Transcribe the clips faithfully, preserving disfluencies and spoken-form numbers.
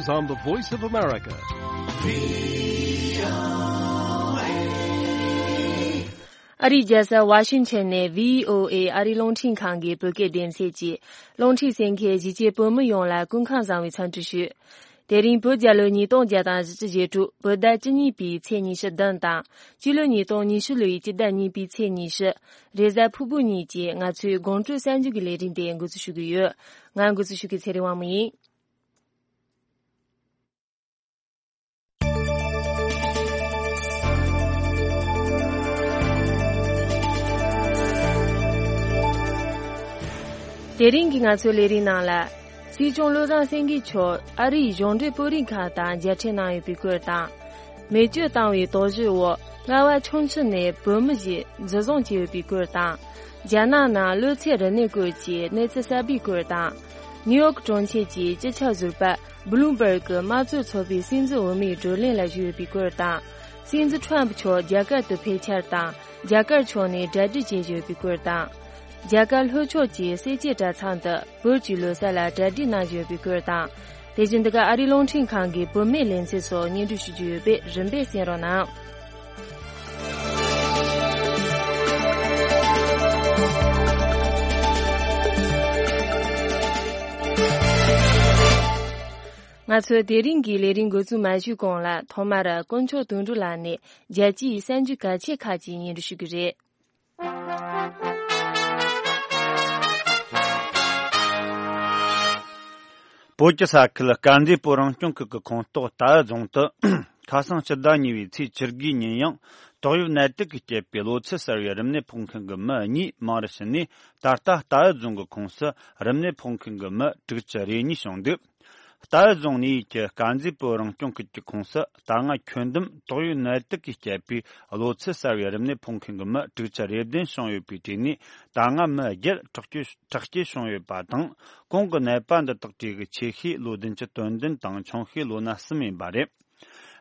On the Voice of America. ཨ་རིའི་རྒྱལ་ས་ཝ་ཤིང་ཊོན་ནས་བྷི་ཨོ་ཨེ་ཨ་རིའི་རླུང་འཕྲིན་ཁང་གི་བོད་སྐད་སྡེ་ཚན་གྱིས་རླུང་འཕྲིན་གསན་མཁན་གཞིས་བྱེས་བོད་མི་ཡོངས་ལ་སྐུ་ཁམས་བཟང་བའི་འཚམས་འདྲི་ཞུ། དེ་རིང་བོད་རྒྱལ་ལོ་ཉིས་སྟོང་བརྒྱ་དང་བཞི་བཅུ་ཞེ་དྲུག་བོད་ཟླ་བཅུ་གཉིས་པའི་ཚེས་ཉི་ཤུ་བདུན་དང་སྤྱི་ལོ་ཉིས་སྟོང་ཉི་ཤུ་ལོའི་སྤྱི་ཟླ་གཉིས་པའི་ཚེས་ཉི་ཤུ། རེས་གཟའ་ཕུར་བུ་ཉིན་གྱི་ང་ཚོའི་དགོང་དྲོའི་གསར་འགྱུར་གྱི་ལས་རིམ་དེ་འགོ་འཛུགས་ཞུ་གི་ཡོད། ང་འགོ་འཛུགས་ཞུ་མཁན་ཚེ་རིང་དབང་མོ་ཡིན། དེ་རིང་གི་ང་ཚོའི་ལས་རིམ་ནང་ལ། སྲིད་སྐྱོང་བློ་བཟང་སེང་གེ་མཆོག་ཨ་རིའི་གཞུང་འབྲེལ་སྤོ་རིག་ཁང་དང་མཇལ་འཕྲད་གནང་ཡོད་པའི་སྐོར་དང་། མེ་མཆོད་བཏང་བའི་དོགས་གཞི་འོག་རྔ་བ་ཁྱུང་མཆུ་ནས་བོད་མི་ཞིག་འཛིན་བཟུང་བྱས་ཡོད་པའི་སྐོར་དང་། རྒྱ་ནག་ནང་གློ་ཚད་རིམས་ནད་སྐོར་གྱི་གནས་ཚུལ་གསར་པའི་སྐོར་དང་། ནིའུ་ཡོག་གྲོང་ཁྱེར་གྱི་སྤྱི་ཁྱབ་ཟུར་པ་བྷུ་ལུམ་བྷར་གྱི་དམངས་གཙོ་ཚོགས་པའི་སྲིད་འཛིན་འོས་མིའི་བགྲོ་གླེང་ལ་ཞུགས་ཡོད་པའི་སྐོར་དང་། སྲིད་འཛིན་ཁྲོམ་ཕུ་མཆོག་རྒྱ་གར་དུ་ཕེབས་འཆར་དང་། རྒྱ་གར་ཕྱོགས་ནས་གྲ་སྒྲིག་བྱེད་བཞིན་ཡོད་པའི་སྐོར་དང་། རྒྱ་གར་ལྷོ་ཕྱོགས་ཀྱི་སེར་བྱེས་གྲྭ་ཚང་དུ་བོད་ཀྱི་ལོ་གསར་ལ་གྲ་སྒྲིག་གནང་བཞིན་ཡོད་པའི་སྐོར་དང་། དེ་བཞིན་འདི་ག་ཨ་རིའི་རླུང་འཕྲིན་ཁང་གི་བུད་མེད་ལེ་ཚན་སོགས་སྙན་སྒྲོན་ཞུ་རྒྱུ་ཡོད་པས་རིམ་པས་གསན་རོགས་གནང་། ང་ཚོའི་དེ་རིང་གི་ལས་རིམ་འགོ་འཛུགས་མ་ཞུས་གོང་ལ་ཐོག་མར་དཀོན་མཆོག་དོན་གྲུབ་ལགས་ནས་རྒྱལ་སྤྱིའི་གསར་འགྱུར་གལ་ཆེ་ཁག་ཅིག་སྙན་སྒྲོན་ཞུ་གི་རེད། བོད་ཀྱི་ས་ཁུལ་དཀར་མཛེས་བོད་རང་སྐྱོང་ཁུལ་གྱི་ཁོངས་གཏོགས་རྟའུ་རྫོང་དུ་ཁ་སང་སྤྱི་ཟླ་གཉིས་པའི་ཚེས་བཅུ་དགུའི་ཉིན་ཡང་ཏོག་དབྱིབས་ནད་དུག་གིས་བསྐྱེད་པའི་གློ་ཚད་གསར་བའི་རིམས་ནད་ཕོག་མཁན་གྱི་མི་གཉིས་མང་རུ་ཕྱིན་ནས། ད་ལྟ་རྟའུ་རྫོང་གི་ཁོངས་སུ་རིམས་ནད་ཕོག་མཁན་གྱི་མི་དྲུག་ཅུ་རེ་གཉིས་བྱུང་འདུག་རྟའུ་རྫོང་ནས་ཀྱི་དཀར་མཛེས་བོད་རང་སྐྱོང་ཁུལ་གྱི་ཁོངས་སུ་ད་སྔ་ཁྱོན་བསྡོམས་ཏོག་དབྱིབས་ནད་དུག་གིས་བསྐྱེད་པའི་གློ་ཚད་གསར་བའི་རིམས་ནད་ཕོག་མཁན་གྱི་མི་དྲུག་ཅུ་རེ་བདུན་བྱུང་ཡོད་པའི་གྲས་ནས། ད་སྔ་མི་བརྒྱད་དྲག་སྐྱེད་དྲག་སྐྱེད་བྱུང་ཡོད་པ་དང་། གོང་གི་ནད་པ་འདི་དག་གྲས་ཀྱི་ཆེ་ཤོས་ལོ་བདུན་ཅུ་དོན་བདུན་དང་ཆུང་ཤོས་ལོ་ན་གསུམ་ཡིན་པ་རེད།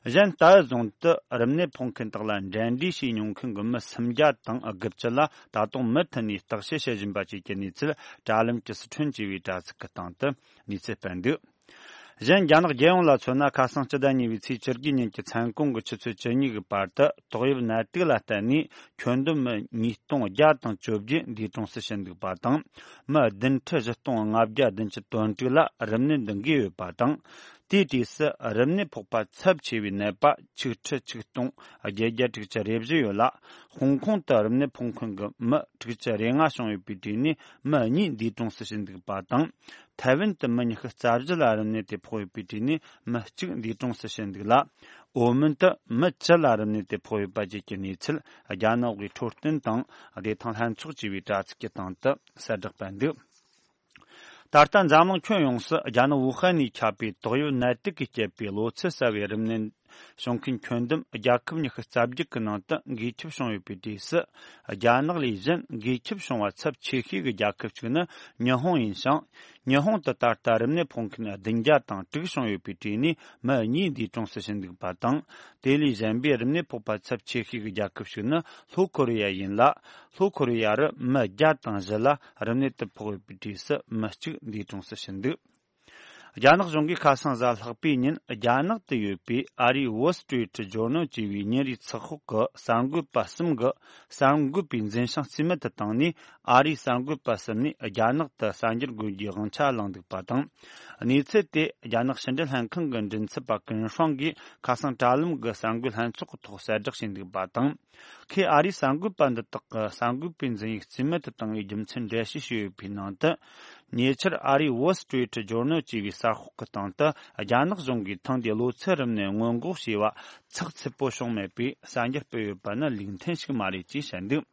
གཞན་རྟའུ་རྫོང་དུ་རིམས་ནད་ཕོག་མཁན་དག་ལ་འབྲེལ་འདྲིས་བྱས་མྱོང་མཁན་གྱི་མི་སུམ་བརྒྱ་དང་དགུ་བཅུ་ལ་ད་དུང་མུ་མཐུད་ནས་བརྟག་དཔྱད་བྱེད་བཞིན་པ་བཅས་ཀྱི་གནས་ཚུལ། དྲ་ལམ་གྱི་སི་ཁྲོན་ཅེས་པའི་དྲ་ཚིགས་ཀྱི་སྟེང་དུ་གནས་ཚུལ་སྤེལ་འདུག་གཞན་རྒྱ་ནག་རྒྱལ་ཡོངས་ལ་མཚོན་ན། ཁ་སང་སྤྱི་ཟླ་གཉིས་པའི་ཚེས་བཅུ་དགུའི་ཉིན་གྱི་མཚན་གུང་གི་ཆུ་ཚོད་བཅུ་གཉིས་ཀྱི་བར་དུ་ཏོག་དབྱིབས་ནད་དུག་ལ་བརྟེན་ནས་ཁྱོན་བསྡོམས་མི་ཉིས་སྟོང་བརྒྱ་དང་བཅོ་བརྒྱད་འདས་གྲོངས་སུ་ཕྱིན་འདུག་པ་དང་། མི་བདུན་ཁྲི་བཞི་སྟོང་ལྔ་བརྒྱ་བདུན་ཅུ་དོན་དྲུག་ལ་རིམས་ནད་འདི་འགོས་ཡོད་པ་དང་། དེའི་གྲས་སུ་རིམས་ནད་ཕོག་པ་ཚབས་ཆེ་བའི་ནད་པ་ཆིག་ཁྲི་ཆིག་སྟོང་བརྒྱད་བརྒྱ་དྲུག་ཅུ་རེ་བཞི་ཡོད་ལ། ཧོང་ཀོང་དུ་རིམས་ནད་ཕོག་མཁན་གྱི་མི་དྲུག་ཅུ་རེ་ལྔ་བྱུང་ཡོད་པའི་གྲས་ནས་མི་གཉིས་འདས་གྲོངས་སུ་ཕྱིན་འདུག་པ་དང་། ཐའེ་ཝན་དུ་མི་ཉི་ཤུ་རྩ་བཞི་ལ་རིམས་ནད་དེ་ཕོག་ཡོད་པའི་གྲས་ནས་མི་གཅིག་འདས་གྲོངས་སུ་ཕྱིན་འདུག་ལ། ཨོ་མོན་དུ་མི་བཅུ་ལ་རིམས་ནད་དེ་ཕོག་ཡོད་པ་བཅས་ཀྱི་གནས་ཚུལ། རྒྱ་ནག་གི་འཕྲོད་བསྟེན་དང་བདེ་ཐང་ལྷན་ཚོགས་ཅེས་པའི་དྲ་ཚིགས་ཀྱི་སྟེང་དུ་གསལ་བསྒྲགས་སྤེལ་འདུག་ད་ལྟ་འཛམ་གླིང་ཁྱོན་ཡོངས་སུ་རྒྱ་ནག་ཝུ་ཧན་ནས་ཁྱབ་པའི་ཏོག་དབྱིབས་ནད་དུག་གིས་བསྐྱེད་པའི་གློ་ཚད་གསར་བའི་རིམས་ནད་བྱུང་མཁན་ཁྱོན་བསྡོམས་རྒྱལ་ཁབ་ཉི་ཤུ་རྩ་བརྒྱད་ཀྱི་ནང་དུ་འགོས་ཁྱབ་བྱུང་ཡོད་པའི་གྲས་སུ། རྒྱ་ནག་ལས་གཞན་འགོས་ཁྱབ་བྱུང་བ་ཚབས་ཆེ་ཤོས་ཀྱི་རྒྱལ་ཁབ་ཅིག་ནི་ཉི་ཧོང་ཡིན་ཞིང་། ཉི་ཧོང་དུ་ད་ལྟ་རིམས་ནད་ཕོག་མཁན་བདུན་བརྒྱ་དང་དྲུག་བྱུང་ཡོད་པའི་གྲས་ནས་མི་གཉིས་འདས་གྲོངས་སུ་ཕྱིན་འདུག་པ་དང་། དེ་ལས་གཞན་པའི་རིམས་ནད་ཕོག་པ་ཚབས་ཆེ་ཤོས་ཀྱི་རྒྱལ་ཁབ་ཞིག་ནི་ལྷོ་ཁོ་རེ་ཡ་ཡིན་ལ། ལྷོ་ཁོ་རེ་ཡ་རུ་མི་བརྒྱ་དང་བཞི་ལ་རིམས་ནད་དེ་ཕོག་ཡོད་པའི་གྲས་སུ་མི་གཅིག་འདས་གྲོངས་སུ་ཕྱིན་འདུག་རྒྱ་ནག་གཞུང་གིས་ཁ་སང་གཟའ་ལྷག་པའི་ཉིན་རྒྱ་ནག་ཏུ་ཡོད་པའི་ཨ་རིའི་Wall Street Journal་ཅེས་པའི་ཉིན་རེའི་ཚགས་ཤོག་གི་གསར་འགོད་པ་གསུམ་གྱི་གསར་འགོད་པའི་འཛིན་བྱང་རྩིས་མེད་དུ་བཏང་ནས། ཨ་རིའི་གསར་འགོད་པ་གསུམ་ནས་རྒྱ་ནག་ཏུ་གསར་འགྱུར་འགོད་རྒྱུའི་དབང་ཆ་བླངས་འདུག་པ་དང་། གནས་ཚུལ་དེ་རྒྱ་ནག་ཕྱི་འབྲེལ་ལྷན་ཁང་གི་མགྲིན་ཚབ་པ་ཀུན་ཧྲང་གིས་ཁ་སང་དྲ་ལམ་གྱི་གསར་འགོད་ལྷན་ཚོགས་ཀྱི་ཐོག་གསལ་བསྒྲགས་བྱས་འདུག་པ་དང་། ཁོས་ཨ་རིའི་གསར་འགོད་པ་འདི་དག་གི་གསར་འགོད་པའི་འཛིན་ཡིག་རྩིས་མེད་དུ་བཏང་བའི་རྒྱུ་མཚན་འགྲེལ་བཤད་བྱས་ཡོད་པའི་ནང་དུ། ཉེ་ཆར་ཨ་རིའི་Wall Street Journal་ཅེས་པའི་གསར་ཤོག་གི་སྟེང་དུ་རྒྱ་ནག་གཞུང་གིས་ཐེངས་འདིའི་གློ་ཚད་རིམས་ནད་སྔོན་འགོག་བྱས་པ་ཚགས་ཚུད་པོ་བྱུང་མེད་པའི་གསར་འགྱུར་སྤེལ་ཡོད་པ་ནི་ལུགས་མཐུན་ཞིག་མ་རེད་ཅེས་བཤད་འདུག་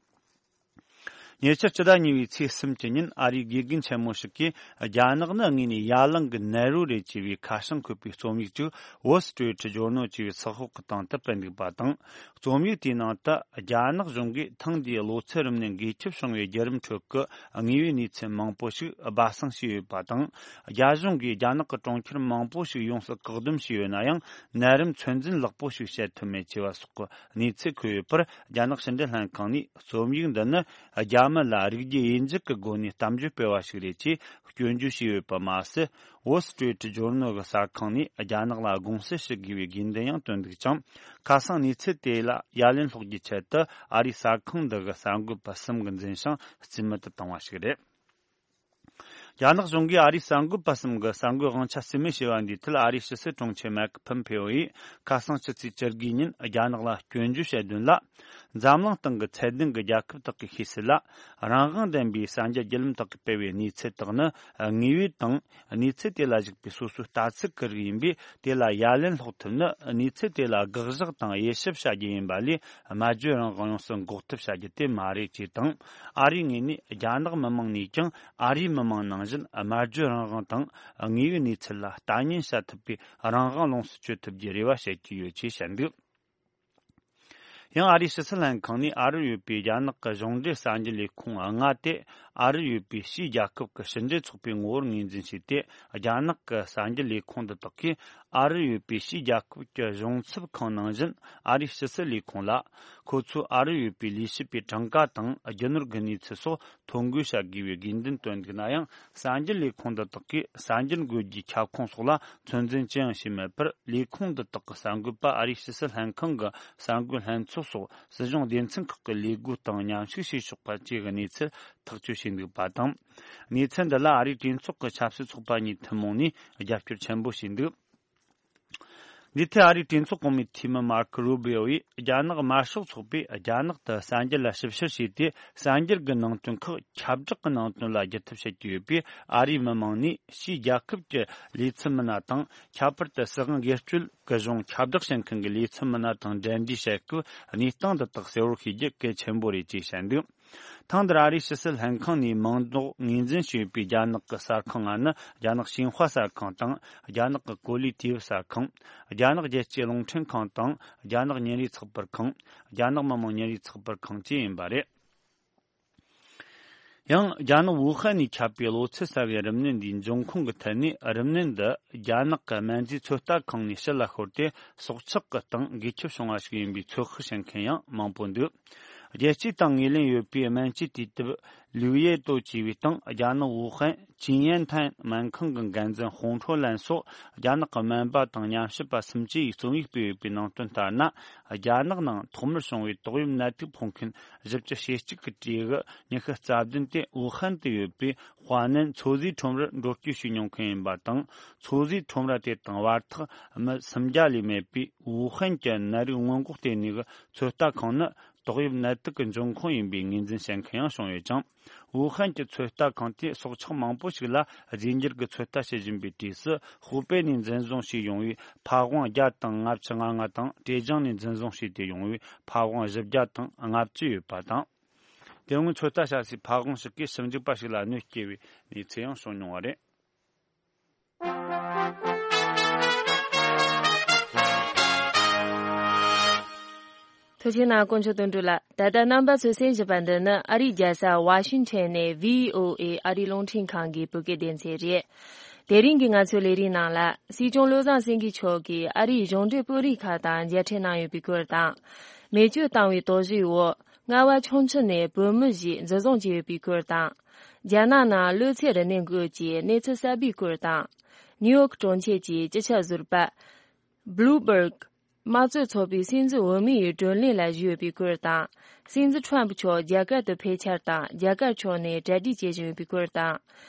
ཉེ་ཆར་སྤྱི་ཟླ་གཉིས་པའི་ཚེས་གསུམ་གྱི་ཉིན་ཨ་རིའི་དགེ་རྒན་ཆེན་མོ་ཞིག་གིས་རྒྱ་ནག་ནི་དངོས་ནས་ཡ་ལང་གི་ནེ་རུ་རེད་ཅེས་པའི་ཁ་བྱང་འཁོད་པའི་རྩོམ་ཡིག་ཅིག་Wall Street Journal་ཅེས་པའི་ཚགས་ཤོག་གི་སྟེང་དུ་སྤེལ་འདུག་པ་དང་། རྩོམ་ཡིག་དེའི་ནང་དུ་རྒྱ་ནག་གཞུང་གིས་ཐེངས་འདིའི་གློ་ཚད་རིམས་ནད་འགོས་ཁྱབ་བྱུང་བའི་བརྒྱུད་རིམ་ཁྲོད་ཀྱི་དངོས་པོའི་གནས་ཚུལ་མང་པོ་ཞིག་སྦ་གསང་བྱས་ཡོད་པ་དང་། རྒྱ་གཞུང་གིས་རྒྱ་ནག་གི་གྲོང་ཁྱེར་མང་པོ་ཞིག་ཡོངས་སུ་བཀག་སྡོམ་བྱས་ཡོད་ན་ཡང་། ནད་རིམས་ཚོད་འཛིན་ལེགས་པོ་ཞིག་བྱེད་ཐུབ་མེད་ཅེས་པ་སོགས་ཀྱི་གནས་ཚུལ་འཁོད་ཡོད་པར། རྒྱ་ནག་ཕྱི་འབྲེལ་ལྷན་ཁང་ནས་རྩོམ་ཡིག་འདི་ནི་རྒྱ་ མི་ལ་རིགས་རྒྱུད་དབྱེ་འབྱེད་ཀྱི་སྒོ་ནས་གཏམ་བརྗོད་སྤེལ་བ་ཞིག་རེད་ཅེས་སྐྱོན་བརྗོད་བྱས་ཡོད་པ་མ་ཟད། Wall Street Journal གྱི་གསར་ཁང་ནས་རྒྱ་ནག་ལ་དགོངས་སེལ་ཞུ་དགོས་པའི་དགོས་འདུན་ཡང་བཏོན་འདུག་ཅིང་། ཁ་སང་གནས་ཚུལ་དེ་ལ་ཡ་ལན་སློག་རྒྱུའི་ཆེད་དུ་ཨ་རིའི་གསར་ཁང་འདི་གི་གསར་འགོད་པ་གསུམ་གྱི་འཛིན་བྱང་རྩིས་མེད་དུ་བཏང་བ་ཞིག་རེད། རྒྱ་ནག་གཞུང་གིས་ཨ་རིའི་གསར་འགོད་པ་གསུམ་གྱི་གསར་འགོད་དབང་ཆ་རྩིས་མེད་བྱས་པ་འདིའི་ཐད། ཨ་རིའི་ཕྱི་སྲིད་དྲུང་ཆེ་མེག་ཕོམ་ཕེ་ཨོ་ཡིས་ཁ་སང་ཕྱི་ཚེས་བཅུ་དགུའི་ཉིན་རྒྱ་ནག་ལ་སྐྱོན་བརྗོད་བྱས་དོན་ལ། འཛམ་གླིང་སྟེང་གི་ཚད་ལྡན་གྱི་རྒྱལ་ཁབ་དག་གིས་ཤེས་གསལ་ལ། རང་དབང་ལྡན་པའི་གསར་འགྱུར་བརྒྱུད་ལམ་དག་གིས་སྤེལ་བའི་གནས་ཚུལ་དག་ནི་ངེས་པའི་དང་། གནས་ཚུལ་དེ་ལ་གཞིགས་པའི་སོ་སོའི་ལྟ་ཚུལ་གྱི་རིགས་ཡིན་པས། དེ་ལ་ཡ་ལན་སློག་ཐུབ་ནི་གནས་ཚུལ་དེ་ལ་དགག་བཞག་དང་དབྱེ་ཞིབ་བྱ་རྒྱུ་ཡིན་པ་ལས། སྨྲ་བརྗོད་རང་དབང་ཡོངས་སུ་འགོག་ཐབས་བྱ་རྒྱུ་དེ་མ་རེད་ཅེས་དང་། ཨ་རིའི་ངོས་ནས་རྒྱ་ནག་མི་དམངས་ནས་ཀྱང་ཨ་རིའི་མི་དམངས་ནང་བཞིན་སྨྲ་བརྗོད་རང་དབང་དང་། དངོས་ཡོད་གནས་ཚུལ་ལ་ལྟ་ཉན་བྱ་ཐུབ་པའི་རང་དབང་ལོངས་སུ་སྤྱོད་ཐུབ་རྒྱུའི་རེ་བ་བྱེད་ཀྱི་ཡོད་ཅེས་བཤད་འདུག་ཡང་ཨ་རིའི་ཕྱི་སྲིད་ལྷན་ཁང་ནས་ཨ་རིར་ཡོད་པའི་རྒྱ་ནག་གི་གཞུང་འབྲེལ་གསར་འགྱུར་ལས་ཁུངས་ལྔ་དེ་ཨ་རིར་ཡོད་པའི་ཕྱིའི་རྒྱལ་ཁབ་ཀྱི་ཕྱི་འབྲེལ་ཚོགས་པའི་ངོ་བོར་ངོས་འཛིན་བྱས་ཏེ། རྒྱ་ནག་གི་གསར་འགྱུར་ལས་ཁུངས་འདི་དག་གིས་ཨ་རིར་ཡོད་པའི་ཕྱིའི་རྒྱལ་ཁབ་ཀྱི་གཞུང་ཚབ་ཁང་ནང་བཞིན་ཨ་རིའི་ཕྱི་སྲིད་ལས་ཁུངས་ལ། ཁོ་ཚོས་ཨ་རིར་ཡོད་པའི་ལས་བྱེད་པའི་གྲངས་ཀ་དང་རྒྱུ་ནོར་གྱི་གནས་ཚུལ་སོགས་ཐོ་འགོད་བྱ་དགོས་པའི་དགོས་འདུན་བཏོན་འདུག་ན་ཡང་། གསར་འགྱུར་ལས་ཁུངས་འདི་དག་གིས་གསར་འགྱུར་འགོད་རྒྱུའི་ཁྱབ་ཁོངས་སོགས་ལ་ཚོད་འཛིན་ཅི་ཡང་བྱས་མེད་པར། ལས་ཁུངས་འདི་དག་གི་གསར་འགོད་པ་ཨ་རིའི་ཕྱི་སྲིད་ལྷན་ཁང་གི་གསར་འགོད་ལྷན་ཚོགས་སོགས་སྲིད་གཞུང་སྡེ་ཚན་ཁག་གི་ལས་བགོས་དང་མཉམ་ཞུགས་བྱས་ཆོག་པ་བཅས་ཀྱི་གནས་ཚུལ་ཐག་གཅོད་བྱས་འདུག་པ་དང་། གནས་ཚུལ་འདི་ལ་ཨ་རིའི་གྲོས་ཚོགས་ཀྱི་ཆབ་སྲིད་ཚོགས་པ་གཉིས་ཐུན་མོང་ནས་རྒྱབ་སྐྱོར་ཆེན་པོ་བྱས་འདུག་འདིའི་ཐད་ཨ་རིའི་གྲོས་ཚོགས་གོང་མའི་འཐུས་མི་མར་ཁོ་རུ་བྷི་ཨོ་ཡིས། རྒྱ་ནག་དམར་ཤོག་ཚོགས་པས་རྒྱ་ནག་ཏུ་གསར་འགྱུར་ལ་ཞིབ་བཤེར་བྱས་ཏེ། གསར་འགྱུར་གྱི་ནང་དོན་ཁག་ཁྱབ་བསྒྲགས་ཀྱི་ནང་དོན་ལ་བསྒྱུར་ཐབས་བྱེད་ཀྱི་ཡོད་པས། ཨ་རིའི་མི་དམངས་ནས་ཕྱིའི་རྒྱལ་ཁབ་ཀྱི་ལས་ཚབ་མི་སྣ་དང་། ཁྱད་པར་དུ་སྲིད་དབང་སྒེར་གཅོད་ཀྱི་གཞུང་ཁྱབ་བསྒྲགས་བྱེད་མཁན་གྱི་ལས་ཚབ་མི་སྣ་དང་འབྲེལ་འདྲིས་བྱེད་སྐབས། གནས་སྟངས་འདི་དག་གསལ་བོར་ཤེས་རྒྱུ་གལ་ཆེན་པོ་རེད་ཅེས་བཤད་འདུག་ཐེངས་འདིར་ཨ་རིའི་ཕྱི་སྲིད་ལྷན་ཁང་ནས་མིང་འདོགས་ངོས་འཛིན་བྱས་ཡོད་པའི་རྒྱ་ནག་གི་གསར་ཁང་ལྔ་ནི། རྒྱ་ནག་ཤིན་ཧྭ་གསར་ཁང་དང་། རྒྱ་ནག་གི་གོ་ལའི་དུས་བབ་གསར་ཁང་། རྒྱ་ནག་རྒྱལ་སྤྱིའི་རླུང་འཕྲིན་ཁང་དང་། རྒྱ་ནག་ཉིན་རེའི་ཚགས་པར་ཁང་། རྒྱ་ནག་མི་དམངས་ཉིན་རེའི་ཚགས་པར་ཁང་བཅས་ཡིན་པ་རེད། ཡང་། རྒྱ་ནག་ཝུ་ཧན་ནས་ཁྱབ་པའི་གློ་ཚད་གསར་བའི་རིམས་ནད་འདིའི་འབྱུང་ཁུངས་ཀྱི་ཐད་ནས། རིམས་ནད་འདི་རྒྱ་ནག་གི་སྨན་རྫས་ཚོད་ལྟ་ཁང་ནས་ཕྱི་ལ་ཤོར་ཏེ། སྲོག་ཆགས་ཀྱི་སྟེང་འགོས་ཁྱབ་བྱུང་བ་ཞིག་ཡིན་པའི་ཚོད་དཔག་བྱེད་མཁན་ཡང་མང་པོ་འདུག་རྒྱལ་སྤྱིའི་སྟེང་ངོས་ལེན་ཡོད་པའི་སྨན་བཅོས་དུས་དེབ་ལིའུ་ཡེ་ཏོ་ཅེས་པའི་སྟེང་། རྒྱ་ནག་ཝུ་ཧན་ཅིན་ཡན་ཐན་སྨན་ཁང་གི་འགན་འཛིན་ཧོང་ཁྲོ་ལན་སོགས། རྒྱ་ནག་གི་སྨན་པ་དང་ཉམས་ཞིབ་པ་གསུམ་བཅས་ཀྱིས་རྩོམ་ཡིག་སྤེལ་ཡོད་པའི་ནང་དོན་ལྟར་ན། རྒྱ་ནག་ནང་ཐོག་མར་བྱུང་བའི་ཏོག་དབྱིབས་ནད་དུག་ཕོག་མཁན་བཞི་བཅུ་ཞེ་གཅིག་གི་གྲས་ཀྱི་ཉི་ཤུ་རྩ་བདུན་དེ་ཝུ་ཧན་དུ་ཡོད་པའི་ཧྭ་ནན་མཚོ་ཟས་ཁྲོམ་རར་འགྲོ་སྐྱོད་བྱས་མྱོང་མཁན་ཡིན་པ་དང་། མཚོ་ཟས་ཁྲོམ་ར་དེ་དང་བར་ཐག་མི་སུམ་བརྒྱ་ལས་མེད་པའི་ཝུ་ཧན་གྱི་ནད་རིགས་སྔོན་འགོག་ལྟེ་གནས་ཀྱི་ཚོད་ལྟ་ཁང་ནི། ཏོག་དབྱིབས་ནད་དུག་གི་འབྱུང་ཁུངས་ཡིན་པའི་ངོས་འཛིན་བྱེད་མཁན་ཡང་བྱུང་ཡོད་ཅིང་། ཝུ་ཧན་གྱི་ཚོད་ལྟ་ཁང་དེས་སྲོག་ཆགས་མང་པོ་ཞིག་ལ་རྫས་འགྱུར་གྱི་ཚོད་ལྟ་བྱེད་བཞིན་པའི་དུས་སུ། ཧུའུ་པེ་ནས་འཛིན་བཟུང་བྱས་ཡོང་བའི་ཕ་ཝང་བརྒྱ་དང་ལྔ་བཅུ་ང་ལྔ་དང་། ཀྲེ་ཅང་ནས་འཛིན་བཟུང་བྱས་ཏེ་ཡོང་བའི་ཕ་ཝང་བཞི་བརྒྱ་དང་ལྔ་བཅུ་ཡོད་པ་དང་། དེ་སྔོན་ཚོད་ལྟ་བྱ་སའི་ཕ་ཝང་ཞིག་གིས་ཞིབ་འཇུག་པ་ཞིག་ལ་གནོད་སྐྱེལ་བའི་གནས་ཚུལ་ཡང་བྱུང་མྱོང་བ་རེད། ཐུགས་རྗེ་གནང་དཀོན་མཆོག་དོན་གྲུབ་ལགས། ད་ལྟ་རྣམ་པ་ཚོས་གསན་བཞིན་པ་འདི་ནི་ཨ་རིའི་རྒྱལ་ས་ཝ་ཤིང་ཊོན་ནས་བྷི་ཨོ་ཨེ་ཨ་རིའི་རླུང་འཕྲིན་ཁང་གི་བོད་སྐད་སྡེ་ཚན་རེད། དེ་རིང་གི་ང་ཚོའི་ལས་རིམ་ནང་ལ། སྲིད་སྐྱོང་བློ་བཟང་སེང་གེ་མཆོག་གིས་ཨ་རིའི་གཞུང་འབྲེལ་དཔོན་རིགས་ཁག་དང་མཇལ་འཕྲད་གནང་ཡོད་པའི་སྐོར་དང་། མེ་མཆོད་བཏང་བའི་དོགས་གཞིའི་འོག་རྔ་བ་ཁྱུང་མཆུ་ནས་བོད་མི་ཞིག་འཛིན་བཟུང་བྱས་ཡོད་པའི་སྐོར་དང་། རྒྱ་ནག་ནང་གློ་ཚད་རིམས་ནད་འགོས་ཀྱི་གནས་ཚུལ་གསར་པའི་སྐོར་དང་། ནིའུ་ཡོག་གྲོང་ཁྱེར་གྱི་སྤྱི་ཁྱབ་ཟུར་པ། Bloomberg དམངས་གཙོའི་ཚོགས་པའི་སྲིད་འཛིན་འོས་མིའི་བགྲོ་གླེང་ལ་ཞུགས་ཡོད་པའི་སྐོར་དང་། སྲིད་འཛིན་ཁྲོམ་ཕུ་མཆོག་རྒྱ་གར་དུ་ཕེབས་འཆར་དང་། རྒྱ་གར་ཕྱོགས་ནས་གྲ་སྒྲིག་བྱེད་བཞིན་ཡོད་པའི་སྐོར་དང་།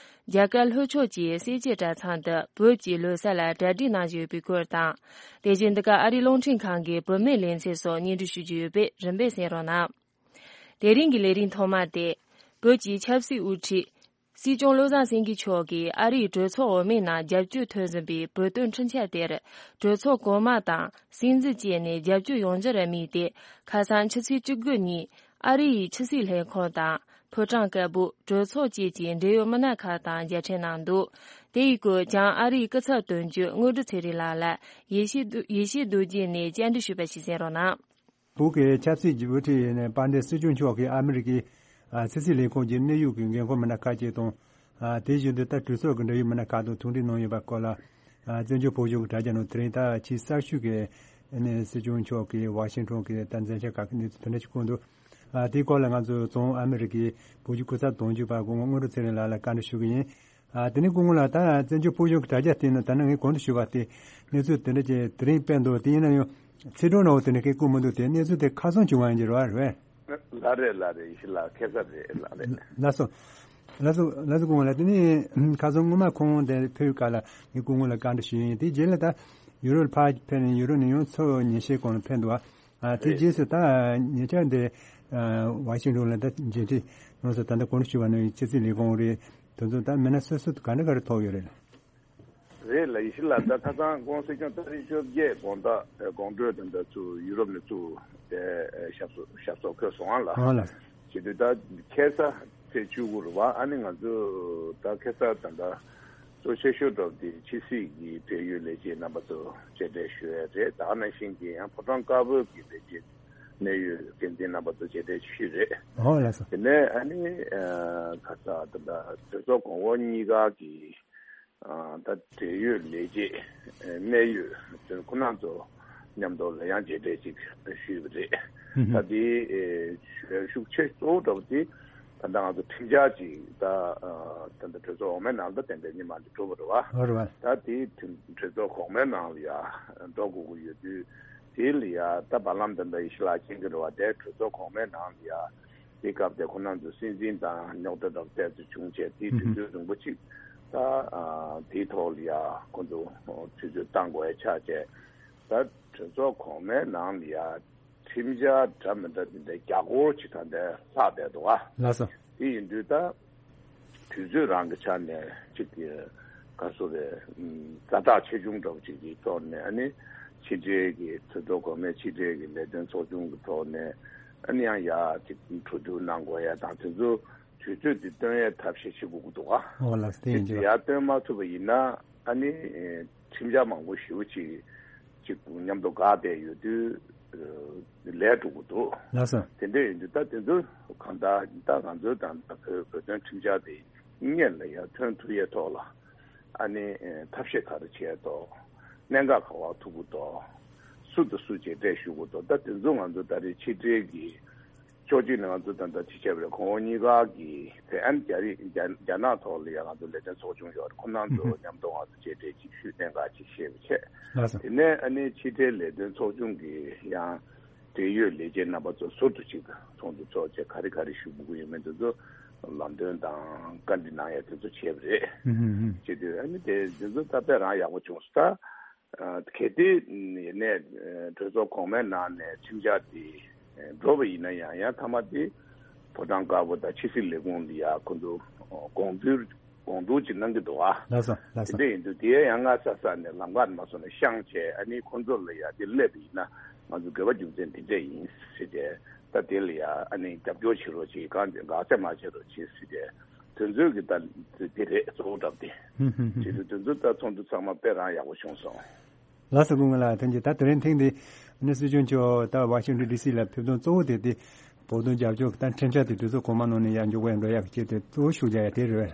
རྒྱ་གར་ལྷོ་ཕྱོགས་ཀྱི་སེར་སྐྱའི་གྲྭ་ཚང་དུ་བོད་ཀྱི་ལོ་གསར་ལ་གྲ་སྒྲིག་གནང་བཞིན་ཡོད་པའི་སྐོར་དང་། དེ་བཞིན་འདི་ག་ཨ་རིའི་རླུང་འཕྲིན་ཁང་གི་བུད་མེད་ལེ་ཚན་སོགས་སྙན་སྒྲོན་ཞུ་རྒྱུ་ཡོད་པས་རིམ་པས་གསན་རོགས་གནང་། དེ་རིང་གི་ལས་རིམ་ཐོག་མ་དེ། བོད་ཀྱི་ཆབ་སྲིད་དབུ་ཁྲིད། སྲིད་སྐྱོང་བློ་བཟང་སེང་གེ་མཆོག་གིས་ཨ་རིའི་གྲོས་ཚོགས་འོག་མའི་ནང་རྒྱབ་སྐྱོར་ཐོན་བཞིན་པའི་བོད་དོན་འཕྲིན་བཅར་དེར། གྲོས་ཚོགས་གོང་མ་དང་སྲིད་འཛིན་བཅས་ནས་རྒྱབ་སྐྱོར་ཡོང་རྒྱུར་དམིགས་ཏེ། ཁ་སང་ཕྱི་ཚེས་བཅུ་དགུ་ཉིན་ཨ་རི་ཡི་ཕྱི་སྲིད་ལྷན་ཁང་དང་ཕོ་བྲང་དཀར་པོ། གྲོས་ཚོགས་བཅས་ཀྱི་འབྲེལ་ཡོད་མི་སྣ་ཁག་དང་མཇལ་འཕྲད་གནང་འདུག་དེ་ཡི་སྐོར་བྱང་ཨ་རིའི་སྐུ་ཚབ་དོན་གཅོད་དངོས་གྲུབ་ཚེ་རིང་ལགས་ལ་ཡེ་ཤེས་རྡོ་ཡེ་ཤེས་རྡོ་རྗེ་ནས་བཅར་འདྲི་ཞུས་པ་ཞིག་གསན་རོགས་གནང་། བོད་ཀྱི་ཆབ་སྲིད་ཀྱི་དབུ་ཁྲིད་ཡིན་ནའི་དཔལ་ལྡན་སྲིད་སྐྱོང་མཆོག་གིས་ཨ་མི་རི་ཀའི་ཨ་ཕྱི་སྲིད་ལས་ཁུངས་ཀྱི་གནད་ཡོད་ཀྱི་འགན་ཁུར་མི་སྣ་ཁག་ཅིག་དང་། ཨ་དེ་བཞིན་དུ་ད་གྲོས་ཚོགས་ཀྱི་འབྲེལ་ཡོད་མི་སྣ་ཁག་དང་ཐུག་འཕྲད་གནང་ཡོད་པ་སྐོར་ལ། ཨ་བཙན་བྱོལ་བོད་གཞུང་གི་དྲ་རྒྱ་ནང་དེ་རིང་ད་ཕྱི་གསར་ཤོས་ཀྱི་ཨ་ནི་སྲིད་སྐྱོང་མཆོག་གིས་ཝ་ཤིང་ཊོན་གྱི་ད་མཚན་ཆ་ཁག་གི་གནས་ཚུལ་དེ་འདྲ་ཞིག་བཀོད་འདུག་ཨ་དེའི་སྐོར་ལ་ང་ཚོ་རྫོང་ཨ་མི་རི་ཀའི་བོད་བརྒྱུད་སྐུ་ཚབ་དོན་གཅོད་པ་སྐུ་ངོ་དངོས་གྲུབ་ཚེ་རིང་ལགས་ལ་བཀའ་འདྲི་ཞུ་གི་ཡིན། ཨ་དེ་ནས་སྐུ་ངོ་ལགས། ད་བཙན་བྱོལ་བོད་གཞུང་གི་དྲ་རྒྱ་སྟེང་ན་ད་ནང་ངས་གོང་དུ་ཞུས་པ་དེ་གནས་ཚུལ་དེ་འདྲ་ཅིག་དེ་རིང་སྤེལ་འདུག་དེ་ཡིན་ན་ཡང་ཚིག་གྲོགས་ནང་དེ་འདྲ་སྐད་བསྐུར་མི་འདུག་དེ་གནས་ཚུལ་དེ་ཁ་སང་བྱུང་བ་ཡིན་གྱི་རེད་བ། རེད་བས། ལགས་རེད། ལགས་རེད། ཡེ་ཤེས་ལགས། ཁ་སང་རེད། ལགས་རེད། ལགས་སོ། ལགས་སོ། ལགས་སོ་སྐུ་ངོ་ལགས། དེ་ནས་ཁ་སང་སྔོན་མ་ཁོང་དེ་ཕེབས་སྐབས་ལ་ངས་སྐུ་ངོ་ལ་བཀའ་འདྲི་ཞུས་ཡིན། དེ་རྗེས་ལ་ད་ཡུ་རོབ་ཕར་ཕེབས་ནས་ཡུ་རོབ་ནས་ཡང་མཚོ་ཉིན་ཤས་གོང་ལ་ཕེབས་འདུག་ཨ་དེ་རྗེས་སུ་ད་ཉེ་ཆར་འདི་ཝ་ཤིང་ཊོན་ལ་ད་མཇལ་འཕྲད་གནང་སོང་། ད་ལྟ་གོང་དུ་ཞུས་པ་ནང་བཞིན་ཕྱི་སྲིད་ལས་ཁུངས་རེད། དེ་ཚོ་ད་མི་སྣ་སོ་སོ་ག་འདྲ་ག་རེ་ཐོབ་ཡོད་རེད། རེད་ལགས། ཡེ་ཤེས་ལགས། ད་ཁ་སང་ཁོང་སྲིད་སྐྱོང་ཏ་རིག་བཅོ་བརྒྱད་དགོང་དག་དགོང་དྲོ་དེ་འདྲ་ཚུར་ཡུ་རོབ་ནས་ཚུར་དེ་ཞབས་སོར་ཞབས་སོར་འཁོད་སོང་ཨ་ལགས། ཨོ་ལགས། བྱེད་དུས་ད་ཁ་སང་ཚེས་བཅུ་དགུ་རེད་བ། ཨ་ནི་ང་ཚོ་ད་ཁ་སང་ད་ལྟ་གཙོ་ཆེ་ཤོས་འགྲོ་དེ་ཕྱི་སྲིད་ཀྱི་འབྲེལ་ཡོད་ལས་བྱེད་རྣམ་པ་ཚོ་མཇལ་འཕྲད་ཞུ་ཡས་རེད། ད་ག་ནང་བཞིན་གྱི་ཡང་ཕོ་བྲང་དཀར་པོའི་གི་ལས་བྱེད་གནད་ཡོད་འགན་འཛིན་རྣམ་པ་ཚོ་མཇལ་འཕྲད་ཞུས་རེད། ཨོ་ལགས་སོ། དེ་ནས་ཨ་ནི་ཁ་སང་ད་ལྟ་གྲོས་ཚོགས་གོང་འོག་གཉིས་ཀ་གི་ད་འབྲེལ་ཡོད་ལས་བྱེད་གནད་ཡོད་དོན་ཁོ་ན་ཚོ་མཉམ་དུ་ལ་ཡང་མཇལ་འཕྲད་ཅིག་ཞུས་པ་རེད། ད་དེ་ཤུགས་ཆེ་གཙོ་བོ་འདྲ་པོ་དེ་ད་ལྟ་ང་ཚོ་ཁྲིམས་འཆར་ཅིག་ད་ད་ལྟ་གྲོས་ཚོགས་འོག་མའི་ནང་ད་ཏན་ཏན་ཉི་མ་འདི་གྲུབ་པ་རེད་བ། ད་དེ་གྲོས་ཚོགས་གོང་མའི་ནང་ལ་ཡ་འགྲོ་དགོས་ཀྱི་ཡོད་དུས་དེ་ལ་ཡ་ད་བར་ལམ་ད་ལྟ་ཡེ་ཤེས་ལགས་མཁྱེན་གྱི་རེད་བ། དེ་གྲོས་ཚོགས་གོང་མའི་ནང་ལ་ཡ། དེ་སྐབས་དེ་ཁོ་རང་ཚོ་སྲིད་འཛིན་དང་རྙོག་དྲ་འདྲ་པོ་ཏོག་ཙམ་བྱུང་བྱས་དེའི་དུས་ཚོད་རིང་པོ་ཅིག་ད་དེའི་ཐོག་ལ་ཡ་ཁོ་ཚོ་དུས་ཚོད་བཏང་དགོས་ཡ་ཆགས་བྱས། ད་གྲོས་ཚོགས་གོང་མའི་ནང་ལ་ཡ་ཁྲིམས་འཆར་འདྲ་མི་འདྲ་དེ་འདྲའི་བརྒྱ་སྐོར་ཅིག་ད་ལྟ་ལྷག་བསྡད་འདུག་ཨ། ལགས་སོ། དེ་ཡིན་དུས་ད་དུས་ཚོད་རང་གི་ཆ་ནས་ཅིག་གི་ག་རེ་ཟེར་རེད། ཛ་དྲག་ཆེ་ཆུང་འདྲ་པོ་ཅིག་གི་ཐོག་ནས་ཨ་ནི་ཕྱི་འབྲེལ་གྱི་གྲོས་ཚོགས་གོང་མའི་ཕྱི་འབྲེལ་གྱི་ལས་དོན་ཚོགས་ཆུང་གི་ཐོག་ནས་ཨ་ནི་ཡང་ཡ་ཅིག་གྲོས་བསྡུར་གནང་དགོས་ཡ་དང་དེ་ཚོ་དུས་ཚོད་དེ་བཏོན་ཡའི་ཐབས་ཤེས་བྱེད་དགོས་ཀྱི་འདུག་ག། ཨོ་ལགས་སོ། དེ་ཡིན་དེ་ཚོ་ཡ་བཏོན་མ་ཐུབ་པ་ཡིན་ན་ཨ་ནི་ཁྲིམས་འཆར་མང་པོ་ཞེ་པོ་ཅིག་ཅིག་མཉམ་དུ་འགག་བསྡད་ཡོད་དུས་ལས་འགྲོ་གི་འདུག། ལགས་སོ། དེ་འདྲ་ཡིན་དུས་ད་དེ་ཚོ་གང་ལྟར་ད་ང་ཚོའི་ད་ལྟ་བོད་བོད་དོན་ཁྲིམས་འཆར་དེ་སྔོན་ལ་ཡར་ཐོན་ཐུབ་ཡས་ཐོག་ལ་ཨ་ནི་ཐབས་ཤེས་ག་རེ་བྱས་ཐོག་གནད་འགག་ག་པར་ཐུག་གི་འདུག། སུ་དང་སུ་མཇལ་འཕྲད་ཞུ་དགོས་འདུག། ད་དེ་ཚོ་ང་ཚོ་ད་རེས་ཕྱི་འབྲེལ་གྱི་ཕྱོགས་གཅིག་ནས་ང་ཚོ་ད་ལྟ་ཅི་བྱས་པ་རེད། གོང་འོག་གཉིས་ཀ་གི་དེ་ཨན་རྒྱ་རིགས་རྒྱ་རྒྱ་ནག་ཐོག་ལ་ཡང་ང་ཚོ་ལས་དོན་ཚོགས་ཆུང་ཡོད་རེད། ཁོ་རང་ཚོ་མཉམ་དུ་ང་ཚོ་མཇལ་འཕྲད་ཅིག་ཞུས་གནད་འགག་ཅིག་བཤད་པ་བྱས། ལགས་སོ། དེ་ནས་ཨ་ནི་ཕྱི་འབྲེལ་ལས་དོན་ཚོགས་ཆུང་གི་ཡང་འབྲེལ་ཡོད་ལས་བྱེད་རྣམ་པ་ཚོ་ཟུར་དུ་ཅིག་ཚོགས་འདུ་ཚོགས་བྱས་ག་རེ་ག་རེ་ཞུ་དགོས་ཀྱི་ཡོད་མེད་དེ་ཚོ་ལམ་སྟོན་དང་བཀའ་འདྲི་གནང་ཡ་དེ་ཚོ་བྱས་པ་རེད། ཧུམ་ཧུམ་ཧུམ། བྱས་དུས་ཨ་ནི་དེ་དེ་ཚོ་ད་དཔེ་རང་ཡག་པོ་བྱུང་སོང་ད། གལ་ཏེ་ཡིན་ནའི་གྲོས་ཚོགས་གོང་མའི་ནང་ནས་ཁྲིམས་འཆར་དེ་འགྲོ་བ་ཡིན་ན་ཡང་ཡང་མཐའ་མ་དེ་ཕོ་བྲང་དཀར་པོ་དང་ཕྱི་སྲིད་ལས་ཁུངས་ལ་ཡ་ཁོ་ཚོ་དགོངས་ཚུལ་དགོངས་འདུན་ཅིག་གནང་གི་འདུག་ཨ། ལགས་སོ། ལགས་སོ། དེ་འདྲ་ཡིན་དུས་དེ་ཡང་སྔ་ས་ས་ནས་ལམ་ཁ་མ་སོང་ནས་བཤངས་བྱས་ཨ་ནི་ཁོ་ཚོ་ལ་ཡ་དེ་སླེབས་པ་ཡིན་ན་ང་ཚོ་དགོས་པ་རྒྱུ་མཚན་དེ་འདྲ་ཡིན་ཟེར་ཏེ་ད་དེ་ལ་ཡ་ཨ་ནི་རྒྱབ་སྐྱོར་བྱེད་རོགས་བྱེད་གང་དགག་བྱ་མ་བྱེད་རོགས་བྱེད་ཟེར་ཏེ། དོན་ཚོད་ཀྱི་ད་དེ་རེད་གཙོ་བོ་གྲབས་དེ། ཧུམ་ཧུམ་ཧུམ། བྱེད་དུས་དོན་ཚོད་ད་ཚོགས་འདུ་ཚང་མ་དཔེ་རང་ཡག་པོ་བྱུང་སོང་། ལགས་སོ་སྐུ་ངོ་ལགས། ཐེངས་གཅིག་ད་དེ་རིང་ཐེངས་འདི་ནི་སྲིད་སྐྱོང་མཆོག་ད་ཝ་ཤིང་ཊོན་ཌི་སི་ལ་ཕེབས་དོན་གཙོ་བོ་དེ་དེ་བོད་དོན་རྒྱབ་སྐྱོར་གྱི་ད་ཁྲིམས་འཆར་དེ་དུས་ཚོད་གོང་མ་ནང་ནས་ཡར་མགྱོགས་པོ་ཡར་འགྲོ་ཡག་གི་ཆེད་དུ་གཙོ་བོ་ཤུགས་རྒྱག་ཡ་དེ་རེད།